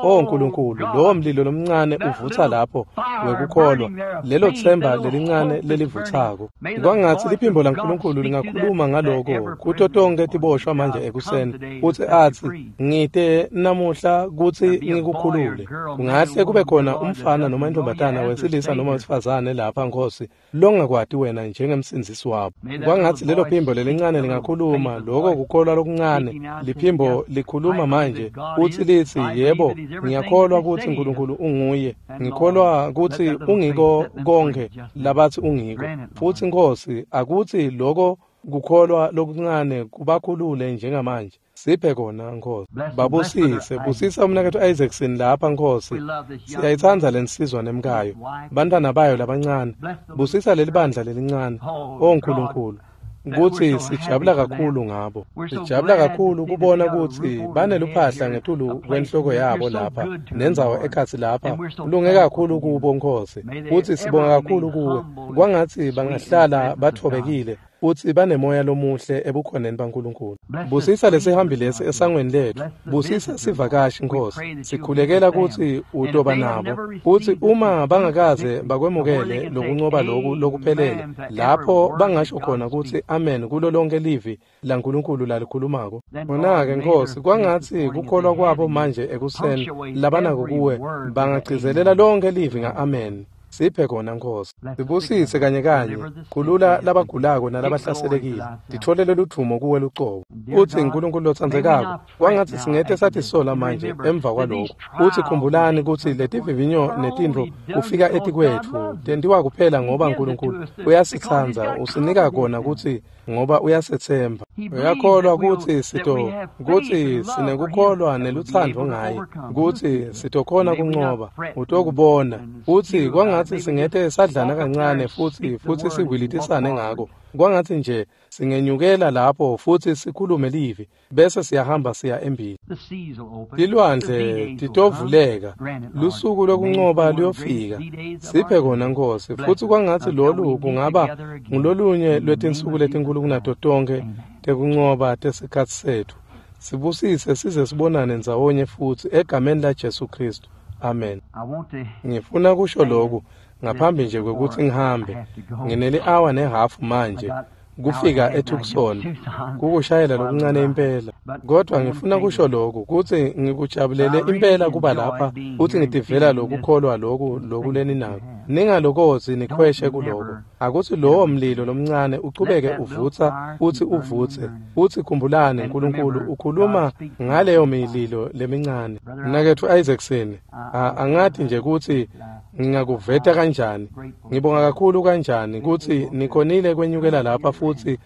Oh Nkulunkulu, lowo mlilo lomncane uvutha lapho wekukholwa, lelo themba lelincane lelivuthako. Kwangathi liphimbo laNkulunkulu lingakhuluma ngaloko kuto tonke tiboshwa manje ekuseni, futhi athi ngite namuhla kutsi ngikukhulule. Kungahle kube khona umfana noma intombatana, wesilisa noma wesifazane lapha Nkosi, longakwati wena njengemsindzisi wabo. Kwangathi lelo phimbo lelincane lingakhuluma lokho kukholwa lokuncane. Liphimbo likhuluma manje uthi lithi, yebo, ngiyakholwa ukuthi uNkulunkulu unguye, ngikholwa ukuthi ungiko konke labathi ungiko. Futhi Nkosi, akuthi lokho kukholwa lokuncane kubakhulule njengamanje. Siphe kona, Nkosi. Babusise, busisa umnaketfu Isaacson lapha, Nkosi. Siyayitsandza lensizwa nemkayo, bantwana bayo labancane. Busisa leli bandla lelincane. O Nkulunkulu, kutsi sijabula kakhulu ngabo. Sijabula kakhulu kubona kutsi baneluphahla ngetulu kwenhloko yabo lapha, nendzawo ekhatsi lapha. Kulunge kakhulu kubo, Nkosi. Futsi sibonga kakhulu kuwe. Kwangatsi bangahlala bathobekile futsi banemoya lomuhle ebukhoneni baNkulunkulu. Busisa lesihambi lesi esangweni letfu. Busisa sivakashi, Nkosi. Sikhulekela kutsi utoba nabo. Futsi uma bangakaze bakwemukele lokuncoba loku lokuphelele, lapho bangasho khona kutsi amen kulo lonke livi laNkulunkulu lalikhulumako. Khona-ke, Nkosi, kwangatsi kukholwa kwabo manje ekuseni labanako kuwe bangagcizelela lonke livi nga-amen. Siphe kona, Nkosi. Sibusise kanye kanye. Khulula labagulako nalabahlaselekile. Titfolele ludvumo kuwe lucobo. Utsi Nkulunkulu lotsandzekako, kwangatsi singete satisola manje emva kwalokho. Utsi khumbulani kutsi letivivinyo netintfo kufika etikwetfu tentiwa kuphela ngoba Nkulunkulu uyasitsandza, usinika kona kutsi ngoba uyasethemba. Uyakholwa kutsi kutsi sinekukholwa nelutsandvo ngaye, kutsi sitokhona kuncoba, utokubona. Utsi kwangatsi singete sadlana kancane futsi siwilitisane ngako. Kwangatsi nje singenyukela lapho futsi sikhulume livi, bese siyahamba siya embili. Tilwandle titovuleka, lusuku lokuncoba luyofika. Siphe kona, Nkosi, futsi kwangatsi lolu kungaba ngulolunye lwetinsuku letinkulu kunato tonkhe tekuncoba tesikhatsi setfu. Sibusise size sibonane ndzawonye futsi egameni laJesu Kristu. Amen. Ngifuna kusho loku ngaphambi nje kwekutsi ngihambe. Ngineli-awa nehafu manje kufika eTucson, kukushayela lokuncane impela. Kodwa ngifuna kusho loku kutsi ngikujabulele impela kuba lapha futsi ngitivela lokukholwa loku lokuleninako. Ningalokozi nikhweshe kuloko. Akutsi lowo mlilo lomncane uchubeke uvutsa futsi uvutse. Futsi khumbulani, Nkulunkulu ukhuluma ngaleyo mililo lemincane. Mnaketfu Isaacson, angati nje kutsi ngingakuveta kanjani. Ngibonga kakhulu kanjani kutsi nikhonile kwenyukela lapha futsi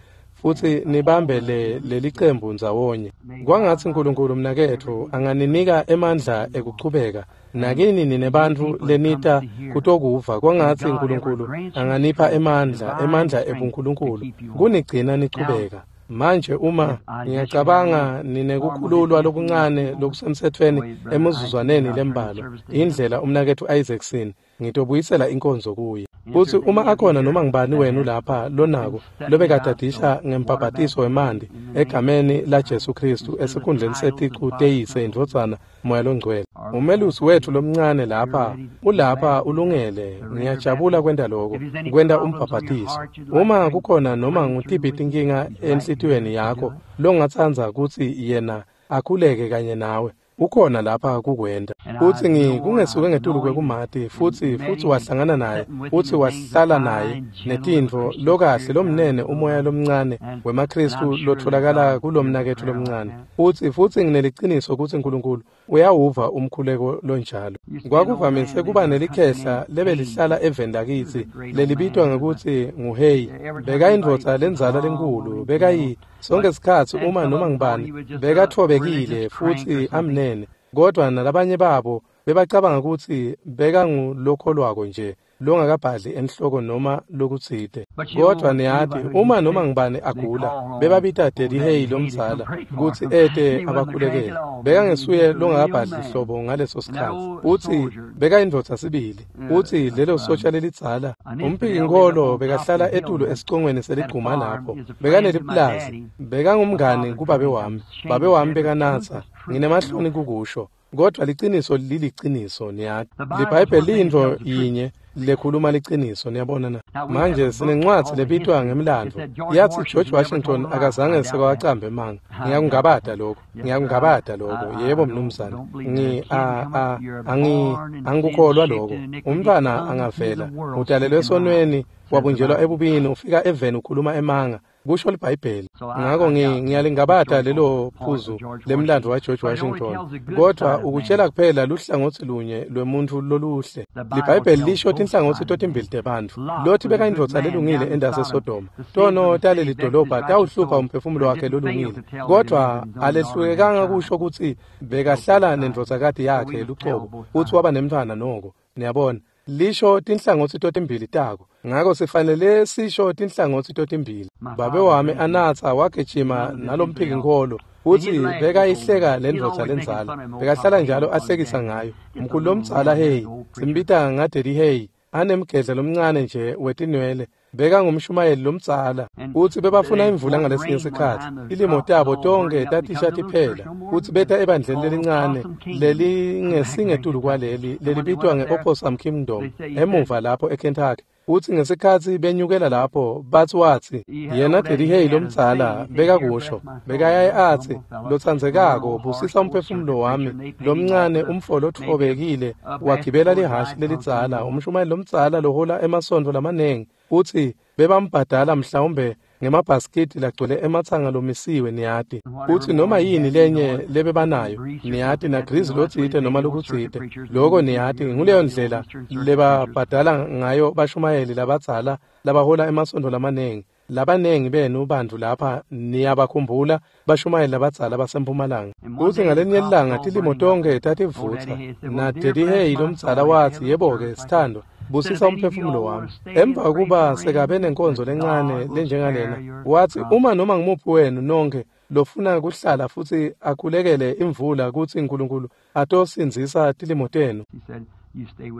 nibambe lelicembu ndzawonye. Kwangatsi Nkulunkulu mnaketfu anganinika emandla ekuchubeka. Nakini ninebantfu lenita kutokuva. Kwangatsi Nkulunkulu anganipha emandla ebuNkulunkulu kunigcina nichubeka. Manje uma ngiyacabanga ninekukhululwa lokuncane lokusemtsetfweni emizuzwaneni lembalwa, indlela umnaketfu Isaacson ngitobuyisela inkonzo kuye. Futsi uma akhona noma ngibani wenu lapha lonako lobekadadisha ngembhabhatiso wemanti egameni laJesu Kristu esikhundleni seticu teyise, indvodzana, Moya loNgcwele, umelusi wetfu lomncane lapha ulapha ulungele. Ngiyajabula kwenta lokho, kwenta umbhabhatiso. Uma kukhona noma ngutiphi tinkinga enhlitiyweni yakho longatsandza kutsi yena akhuleke kanye nawe, ukhona lapha kukwenta. Futsi kungesuke ngetulu kwekumati futsi wahlangana naye, futsi wahlala naye netintfo lokahle lomnene umoya lomncane wemaKristu lotholakala kulomnaketfu lomncane. Futsi ngineliciniso kutsi Nkulunkulu uyawuva umkhuleko lonjalo. Kwakuvamise kuba nelikhehla lebelihlala eveni lakitsi lelibitwa ngekutsi nguHeyi. Bekayindvodza lendzala lenkulu, bekayi sonke sikhatsi uma noma ngibani bekathobekile futsi amnene, kodwa nalabanye babo bebacabanga kutsi bekangulokholwako nje longakabhadli enhloko noma lokutsite. Kodwa niyati, uma noma ngibani agula, bebabita Daddy Hey lomdzala kutsi ete abakhulekele. Bekangesuye longakabhadli hlobo ngaleso sikhatsi. Utsi bekayindvodza sibili. Utsi lelo sotsha lelidzala, umphikinkholo bekahlala etulu esicongweni seligcuma lapho. Bekaneliplazi, bekangumngani kubabe wami. Babe wami bekanatsa. Nginemahloni kukusho, kodwa liciniso liliciniso, niyati. LiBhayibheli liyintfo yinye lekhuluma liciniso, niyabona na. Manje sinencwadzi lebitwa ngemlandvo. Yatsi George Washington akazange sekawacambe emanga. Ngiyakungabata lokho. Yebo mnumzane. Angikukholwa lokho. Umntwana angavela, udalelwe esonweni, wabunjelwa ebubini, ufika eveni ukhuluma emanga. kusho liBhayibheli. Ngako ngiyalingabata lelo phuzu lemlandvo waGeorge Washington, kodwa ukutshela kuphela luhlangotsi lunye lwemuntfu loluhle. LiBhayibheli lisho tinhlangotsi totimbili tebantfu. Lothi bekayindvodza lelungile endase Sodoma. Tono taleli dolobha tawuhlupha umphefumulo wakhe lolungile, kodwa alehlulekanga kusho kutsi bekahlala nendvodzakati yakhe lucobo futsi waba nemntfwana noko. Niyabona, lisho tinhlangotsi totimbili tako. Ngako sifanele sisho tinhlangotsi totimbili. Babe wami anatsa wagijima nalomphiki-nkholo futsi bekayihleka lendvodza lendzala. Bekahlala njalo ahlekisa ngayo. Mkhulu lomdzala Hey, simbita ngaDaddy Hey, anemgedla lomncane nje wetinwele. Bekangumshumayeli lomdzala futsi bebafuna imvula ngalesinye sikhatsi. Tilimo tabo tonke tatisha tiphela futsi beta ebandleni lelincane lelingesingetulu kwaleli lelibitwa nge-Opossum Kingdom emuva lapho eKentucky. Futsi ngesikhatsi benyukela lapho batsi watsi yena Daddy Hey lomdzala bekakusho bekayaye atsi lotsandzekako busisa umphefumulo wami lomncane umfo lotfobekile wagibela lihhashi lelidzala umshumayeli lomdzala lohola emasontfo lamanengi futsi bebambhadala mhlawumbe ngemabhasikidi lagcwele ematsanga lomisiwe niyati futsi noma yini lenye lebebanayo niyati nagrizi lotsite noma lokutsite loko niyati nguleyo ndlela lebabhadala ngayo bashumayeli labadzala labahola emasontfo lamanengi. Labanengi benu bantfu lapha niyabakhumbula bashumayeli labadzala basempumalanga. Kutsi ngalenye ilanga tilimo tonke tativutsa naDaddy Hey lomdzala watsi yebo-ke sithandwa busisa umphefumulo wami. Emva kokuba sekabe nenkonzo lencane lenjengalena watsi uma noma ngumuphi wenu nonke lofuna kuhlala futsi akhulekele imvula kutsi uNkulunkulu atosindzisa tilimo tenu.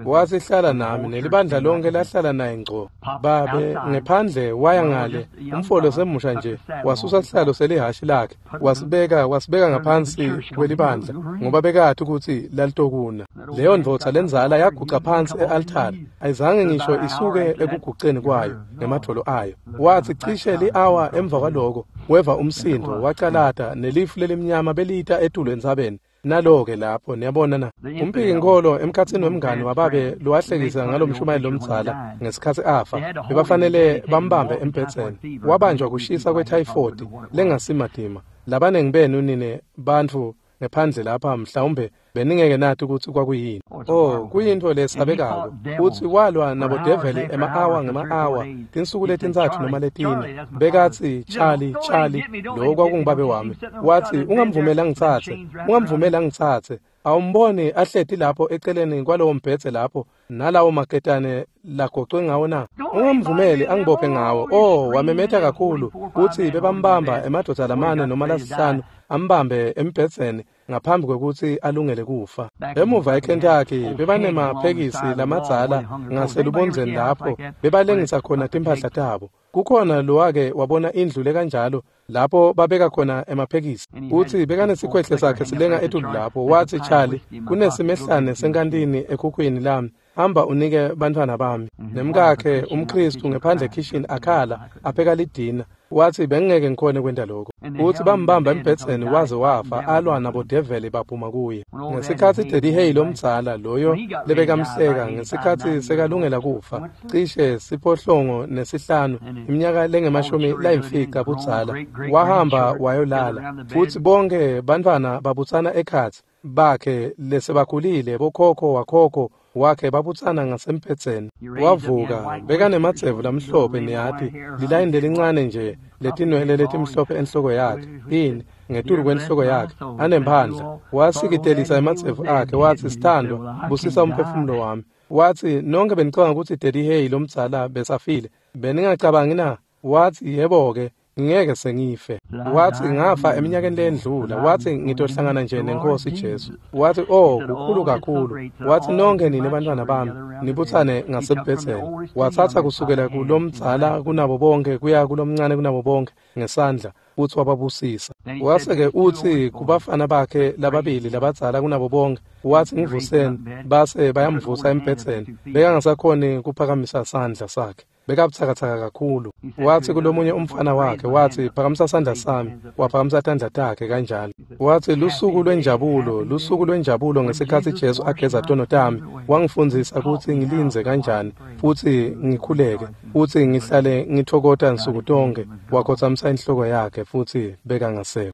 Watsi hlala nami nelibandla lonke lahlala naye ngco. Babe ngephandle waya ngale umfolo semusha nje wasusa sihlalo selihhashi lakhe wasibeka ngaphansi kwelibandla ngoba bekathi ukuthi lalitokuna. Leyo ndvodza lendzala yaguca phansi e-altari ayizange ngisho isuke ekuguceni kwayo ngemadvolo ayo. Watsi cishe li-awa emva kwaloko weva umsindo wacalata nelifu lelimnyama belita etulu entsabeni. Nalo-ke lapho niyabona na umphiki-nkholo emkhatsini wemngani wababe lowahlekisa ngalomshumayeli lomdzala ngesikhatsi afa bebafanele bambambe embhedzeni. Wabanjwa kushisa kwethayifodi lengasimatima. Labanengi benu nine bantfu ngephandle lapha mhlawumbe beningeke nathi ukuthi kwakuyini. Oh, kuyintfo lesabekako. Futsi walwa nabodeveli ema-awa ngema-awa tinsuku letintsatfu noma letine. Bekatsi Charlie, Charlie, lo kwakungubabe wami. Watsi ungamvumeli angitsatse, ungamvumeli angitsatse. Awumboni ahleti lapho eceleni kwalowo mbhedze lapho nalawo maketane lagocwe ngawo na? Ungamvumeli angibophe ngawo. Oh, wamemeta kakhulu kutsi bebambamba emadvodza lamane noma lasihlanu ambambe embhedzeni ngaphambi kwekutsi alungele kufa. Emuva eKentucky bebanemaphekisi lamadzala ngaselubondzeni lapho bebalengisa khona timphahla tabo. Kukhona lowake wabona indlu lekanjalo lapho babeka khona emaphekisi. Utsi bekanesikhwehle sakhe silenga etulu lapho. Watsi Charlie, kunesimehlane senkantini ekhukhwini lami. Hamba unike bantfwana bami. Nemkakhe umKristu ngephandle ekhishini akhala apheka lidina. Watsi bengeke ngikhone kwenta lokho. Utsi bambamba embhedzeni waze wafa alwa nabodeveli baphuma kuye. Ngesikhatsi Daddy Hey lomdzala loyo lebekamhleka ngesikhatsi sekalungela kufa cishe 605 iminyaka lengemashumi layimfica budzala wahamba wayolala futsi bonke bantfwana babutsana ekhatsi bakhe lesebakhulile bokhokho wakhokho wakhe babutsana ngasembhedzeni. Wavuka bekanemadzevu lamhlophe niyati lilayini lelincane nje letinwele letimhlophe enhloko yakhe ini ngetulu kwenhloko yakhe anemphandla. Wasikitelisa emadzevu akhe watsi sithandwa busisa umphefumulo wami. Watsi nonke benicabanga kutsi Daddy Hey lomdzala besafile beningacabangi na? Watsi yebo-ke ngeke sengife. Watsi ngafa eminyakeni lendlula. Watsi ngitohlangana nje nenkosi Jesu. Watsi oh kukhulu kakhulu. Watsi nonke nine bantwana bami nibutsane ngasembhedzeni. Watsatsa kusukela kulomdzala kunabo bonke kuya kulomncane kunabo bonke ngesandla futsi wababusisa. Wase-ke utsi kubafana bakhe lababili labadzala kunabo bonke watsi ngivuseni base bayamvusa embhedzeni. Bekangasakhoni kuphakamisa sandla sakhe. Bekabutsakatsaka kakhulu. Wathi kulomunye umfana wakhe, wathi, phakamisa sandla sami. Waphakamisa tandla takhe kanjalo. Wathi, lusuku lwenjabulo, lusuku lwenjabulo ngesikhathi Jesu ageza tono tami. Wangifundzisa kutsi ngilindze kanjani, futhi ngikhuleke, futhi ngihlale ngithokota nsuku tonke. Wakhotsamisa inhloko yakhe futhi bekangasekho.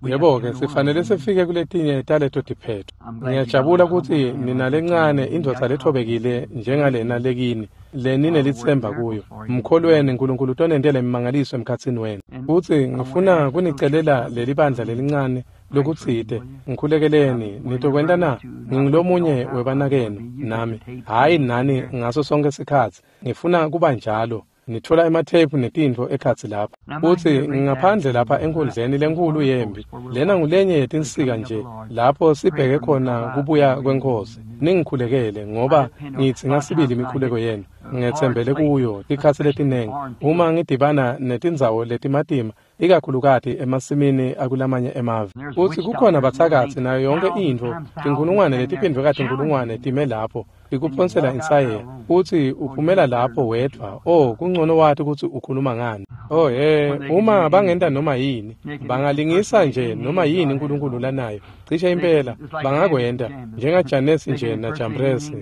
Yebo-ke, sifanele sifike kuletinye taleto tiphetho. Ngiyajabula ukuthi ninalencane indvodza lethobekile njengalena lekini, leninelitsemba kuyo. Mkholweni uNkulunkulu utonentela imimangaliso emkhatsini wenu. Futhi ngifuna kunicelela leli bandla lelincane lokutsite, ngikhulekeleni, nitokwenta na? Ngingulomunye webanakenu nami, hhayi nani ngaso sonke sikhatsi. Ngifuna kuba njalo. Nithola emathephu netintfo ekhatsi lapha. Futsi ngaphandle lapha enkundleni lenkulu yempi, lena ngulenye yetinsika nje lapho sibheke khona kubuya kweNkhosi. Ningikhulekele ngoba ngidzinga sibili imikhuleko yenu. Ngetsembele kuyo tikhatsi letinengi uma ngidibana netindzawo letimatima, ikakhulukati emasimini akulamanye emave. Futsi kukhona batsakatsi nayo yonke intfo, tinkhulungwane letiphindvwe katinkhulungwane time lapho tikuphonsela insayeya, futsi uphumela lapho wedvwa. Oh, kungcono wati kutsi ukhuluma ngani. Oh he, uma bangenta noma yini, bangalingisa nje noma yini uNkulunkulu lanayo. Cishe impela bangakwenta njengaJanesi nje naJambresi.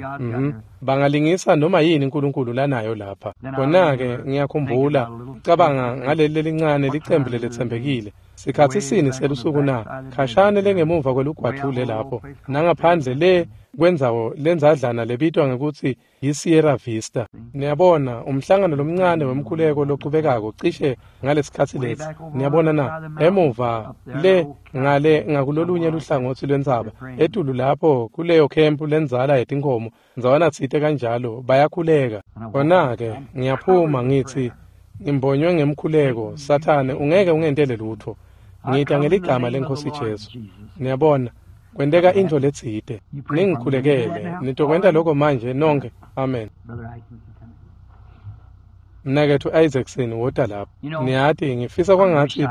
Bangalingisa noma yini uNkulunkulu lanayo lapha. Kona-ke ngiyakhumbula cabanga ngaleli lelincane licembu leletsembekile. Sikhatsi sini selusuku na? Khashane lengemuva kwelugwadvule lapho, nangaphandle le kwendzawo lenzadlana lebitwa ngekutsi yi-Sierra Vista. Niyabona, umhlangano lomncane wemkhuleko lochubekako cishe ngalesikhatsi lesi. Niyabona na? Emuva le ngale ngakulolunye luhlangotsi lwentsaba, etulu lapho kuleyo khempu lendzala yetinkhomo, ndzawana tsite kanjalo, bayakhuleka. Kona-ke ngiyaphuma ngitsi, ngimbonywe ngemkhuleko, Sathane ungeke ungentele lutho. Ngita ngeligama leNkhosi Jesu. Niyabona, kwenteka intfo letsite. Ningikhulekele, nitokwenta lokho manje nonke. Amen. Mnaketfu Isaacson wota lapha. Niyati, ngifisa kwangatsi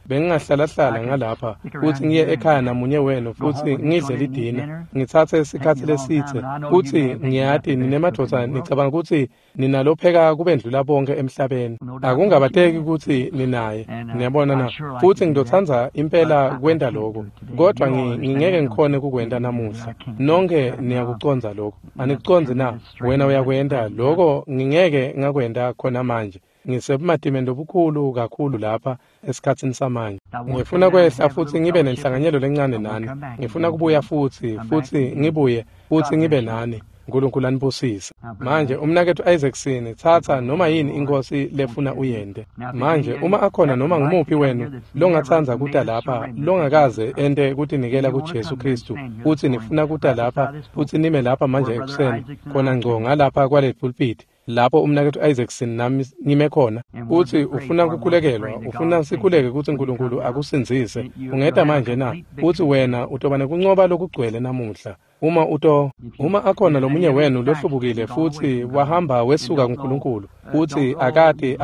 bengingahlalahlala ngalapha futsi ngiye ekhaya namunye wenu futsi ngidle lidina, ngitsatse sikhatsi lesitse. Futsi ngiyati ninemadvodza nicabanga kutsi ninalopheka kubendlula bonke emhlabeni. Akungabateki kutsi ninaye. Niyabona na? Futsi ngitotsandza impela kwenta lokho, kodvwa ngingeke ngikhone kukwenta namuhla. Nonke niyakucondza lokho. Anikucondzi na? Wena uyakwenta lokho, ngingeke ngakwenta khona manje. Ngisebumatimeni lobukhulu kakhulu lapha esikhatsini samanje. Ngifuna kwehla futsi ngibe nenhlanganyelo lencane nani. Ngifuna kubuya futsi ngibuye futsi ngibe nani. uNkulunkulu anibusise. Manje umnaketfu Isaacson, tsatsa noma yini iNkhosi lefuna uyente. Manje uma akhona noma ngumuphi wenu longatsandza kuta lapha, longakaze ente kutinikela kuJesu Kristu, futsi nifuna kuta lapha futsi nime lapha manje ekuseni, khona ngco ngalapha kwale pulpit, lapho umnaketfu Isaacson nami ngime khona, utsi ufuna kukhulekelwa, ufuna sikhuleke kutsi uNkulunkulu akusindzise, ungeta manje na? Utsi wena utoba nekuncoba lokugcwele namuhla. Uma akhona lomunye wenu lohlubukile futsi wahamba wesuka kuNkulunkulu, utsi akati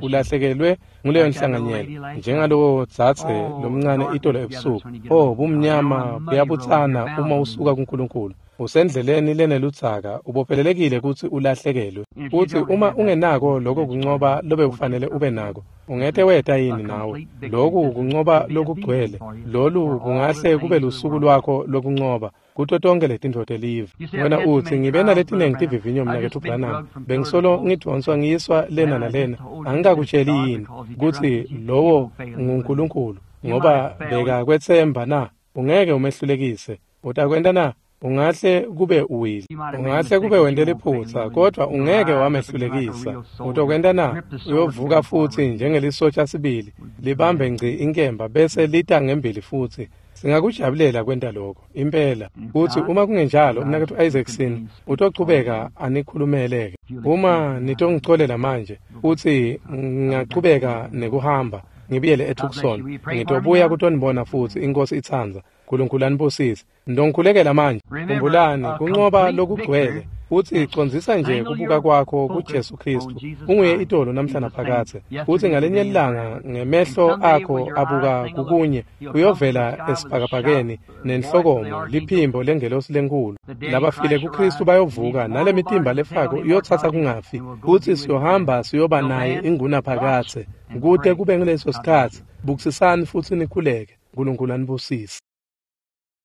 ulahlekelwe nguleyo nhlanganyelo, njengalowo dzadze lomncane itolo ebusuku. Oh, bumnyama buyabutsana uma usuka kuNkulunkulu. Usendleleni leneludzaka, ubophelelekile kutsi ulahlekelwe. Utsi uma ungenako lokho kuncoba lobe ufanele ube nako, ungete weta yini nawe? Lokhu kuncoba lokugcwele, lolu kungahle kube lusuku lwakho lokuncoba kuto tonke letintfo telive. Wena utsi, ngibe naletinengi tivivinyo mnaketfu Branham, bengisolo ngidvonswa ngiyiswa lena nalena. Angikakutsheli yini kutsi lowo nguNkulunkulu, ngoba bekakwetsemba na? Ungeke umehlulekise. Utakwenta na? Ungahle kube uwile, ungahle kube wente liphutsa, kodvwa ungeke wamehlulekisa. Utokwenta na? Uyovuka futsi njengelisotsha sibili, libambe ngci inkemba bese lita ngembili futsi. Singakujabulela kwenta lokho impela. Futsi uma kungenjalo, umnaketfu Isaacson utochubeka anikhulumeleke. Uma nitongicolela manje, futsi ngingachubeka nekuhamba ngibuyele eTucson, ngitobuya kutonibona futsi, iNkhosi itsandza. uNkulunkulu anibusise. Ndongikhulekela manje. Khumbulani, kuncoba lokugcwele Futsi condzisa nje kubuka kwakho kuJesu Khristu. Unguye itolo namhla naphakadze. Futsi ngalenye ilanga ngemehlo akho abuka kukunye uyovela esibhakabhakeni nenhlokomo liphimbo lengelosi lenkhulu. Labafile kuKhristu bayovuka nalemitimba lefako iyotsatsa kungafi. Futsi siyohamba siyoba naye ingunaphakadze. Kute kube nguleso sikhatsi, bukisisani futsi nikhuleke. Nkulunkulu anibusise.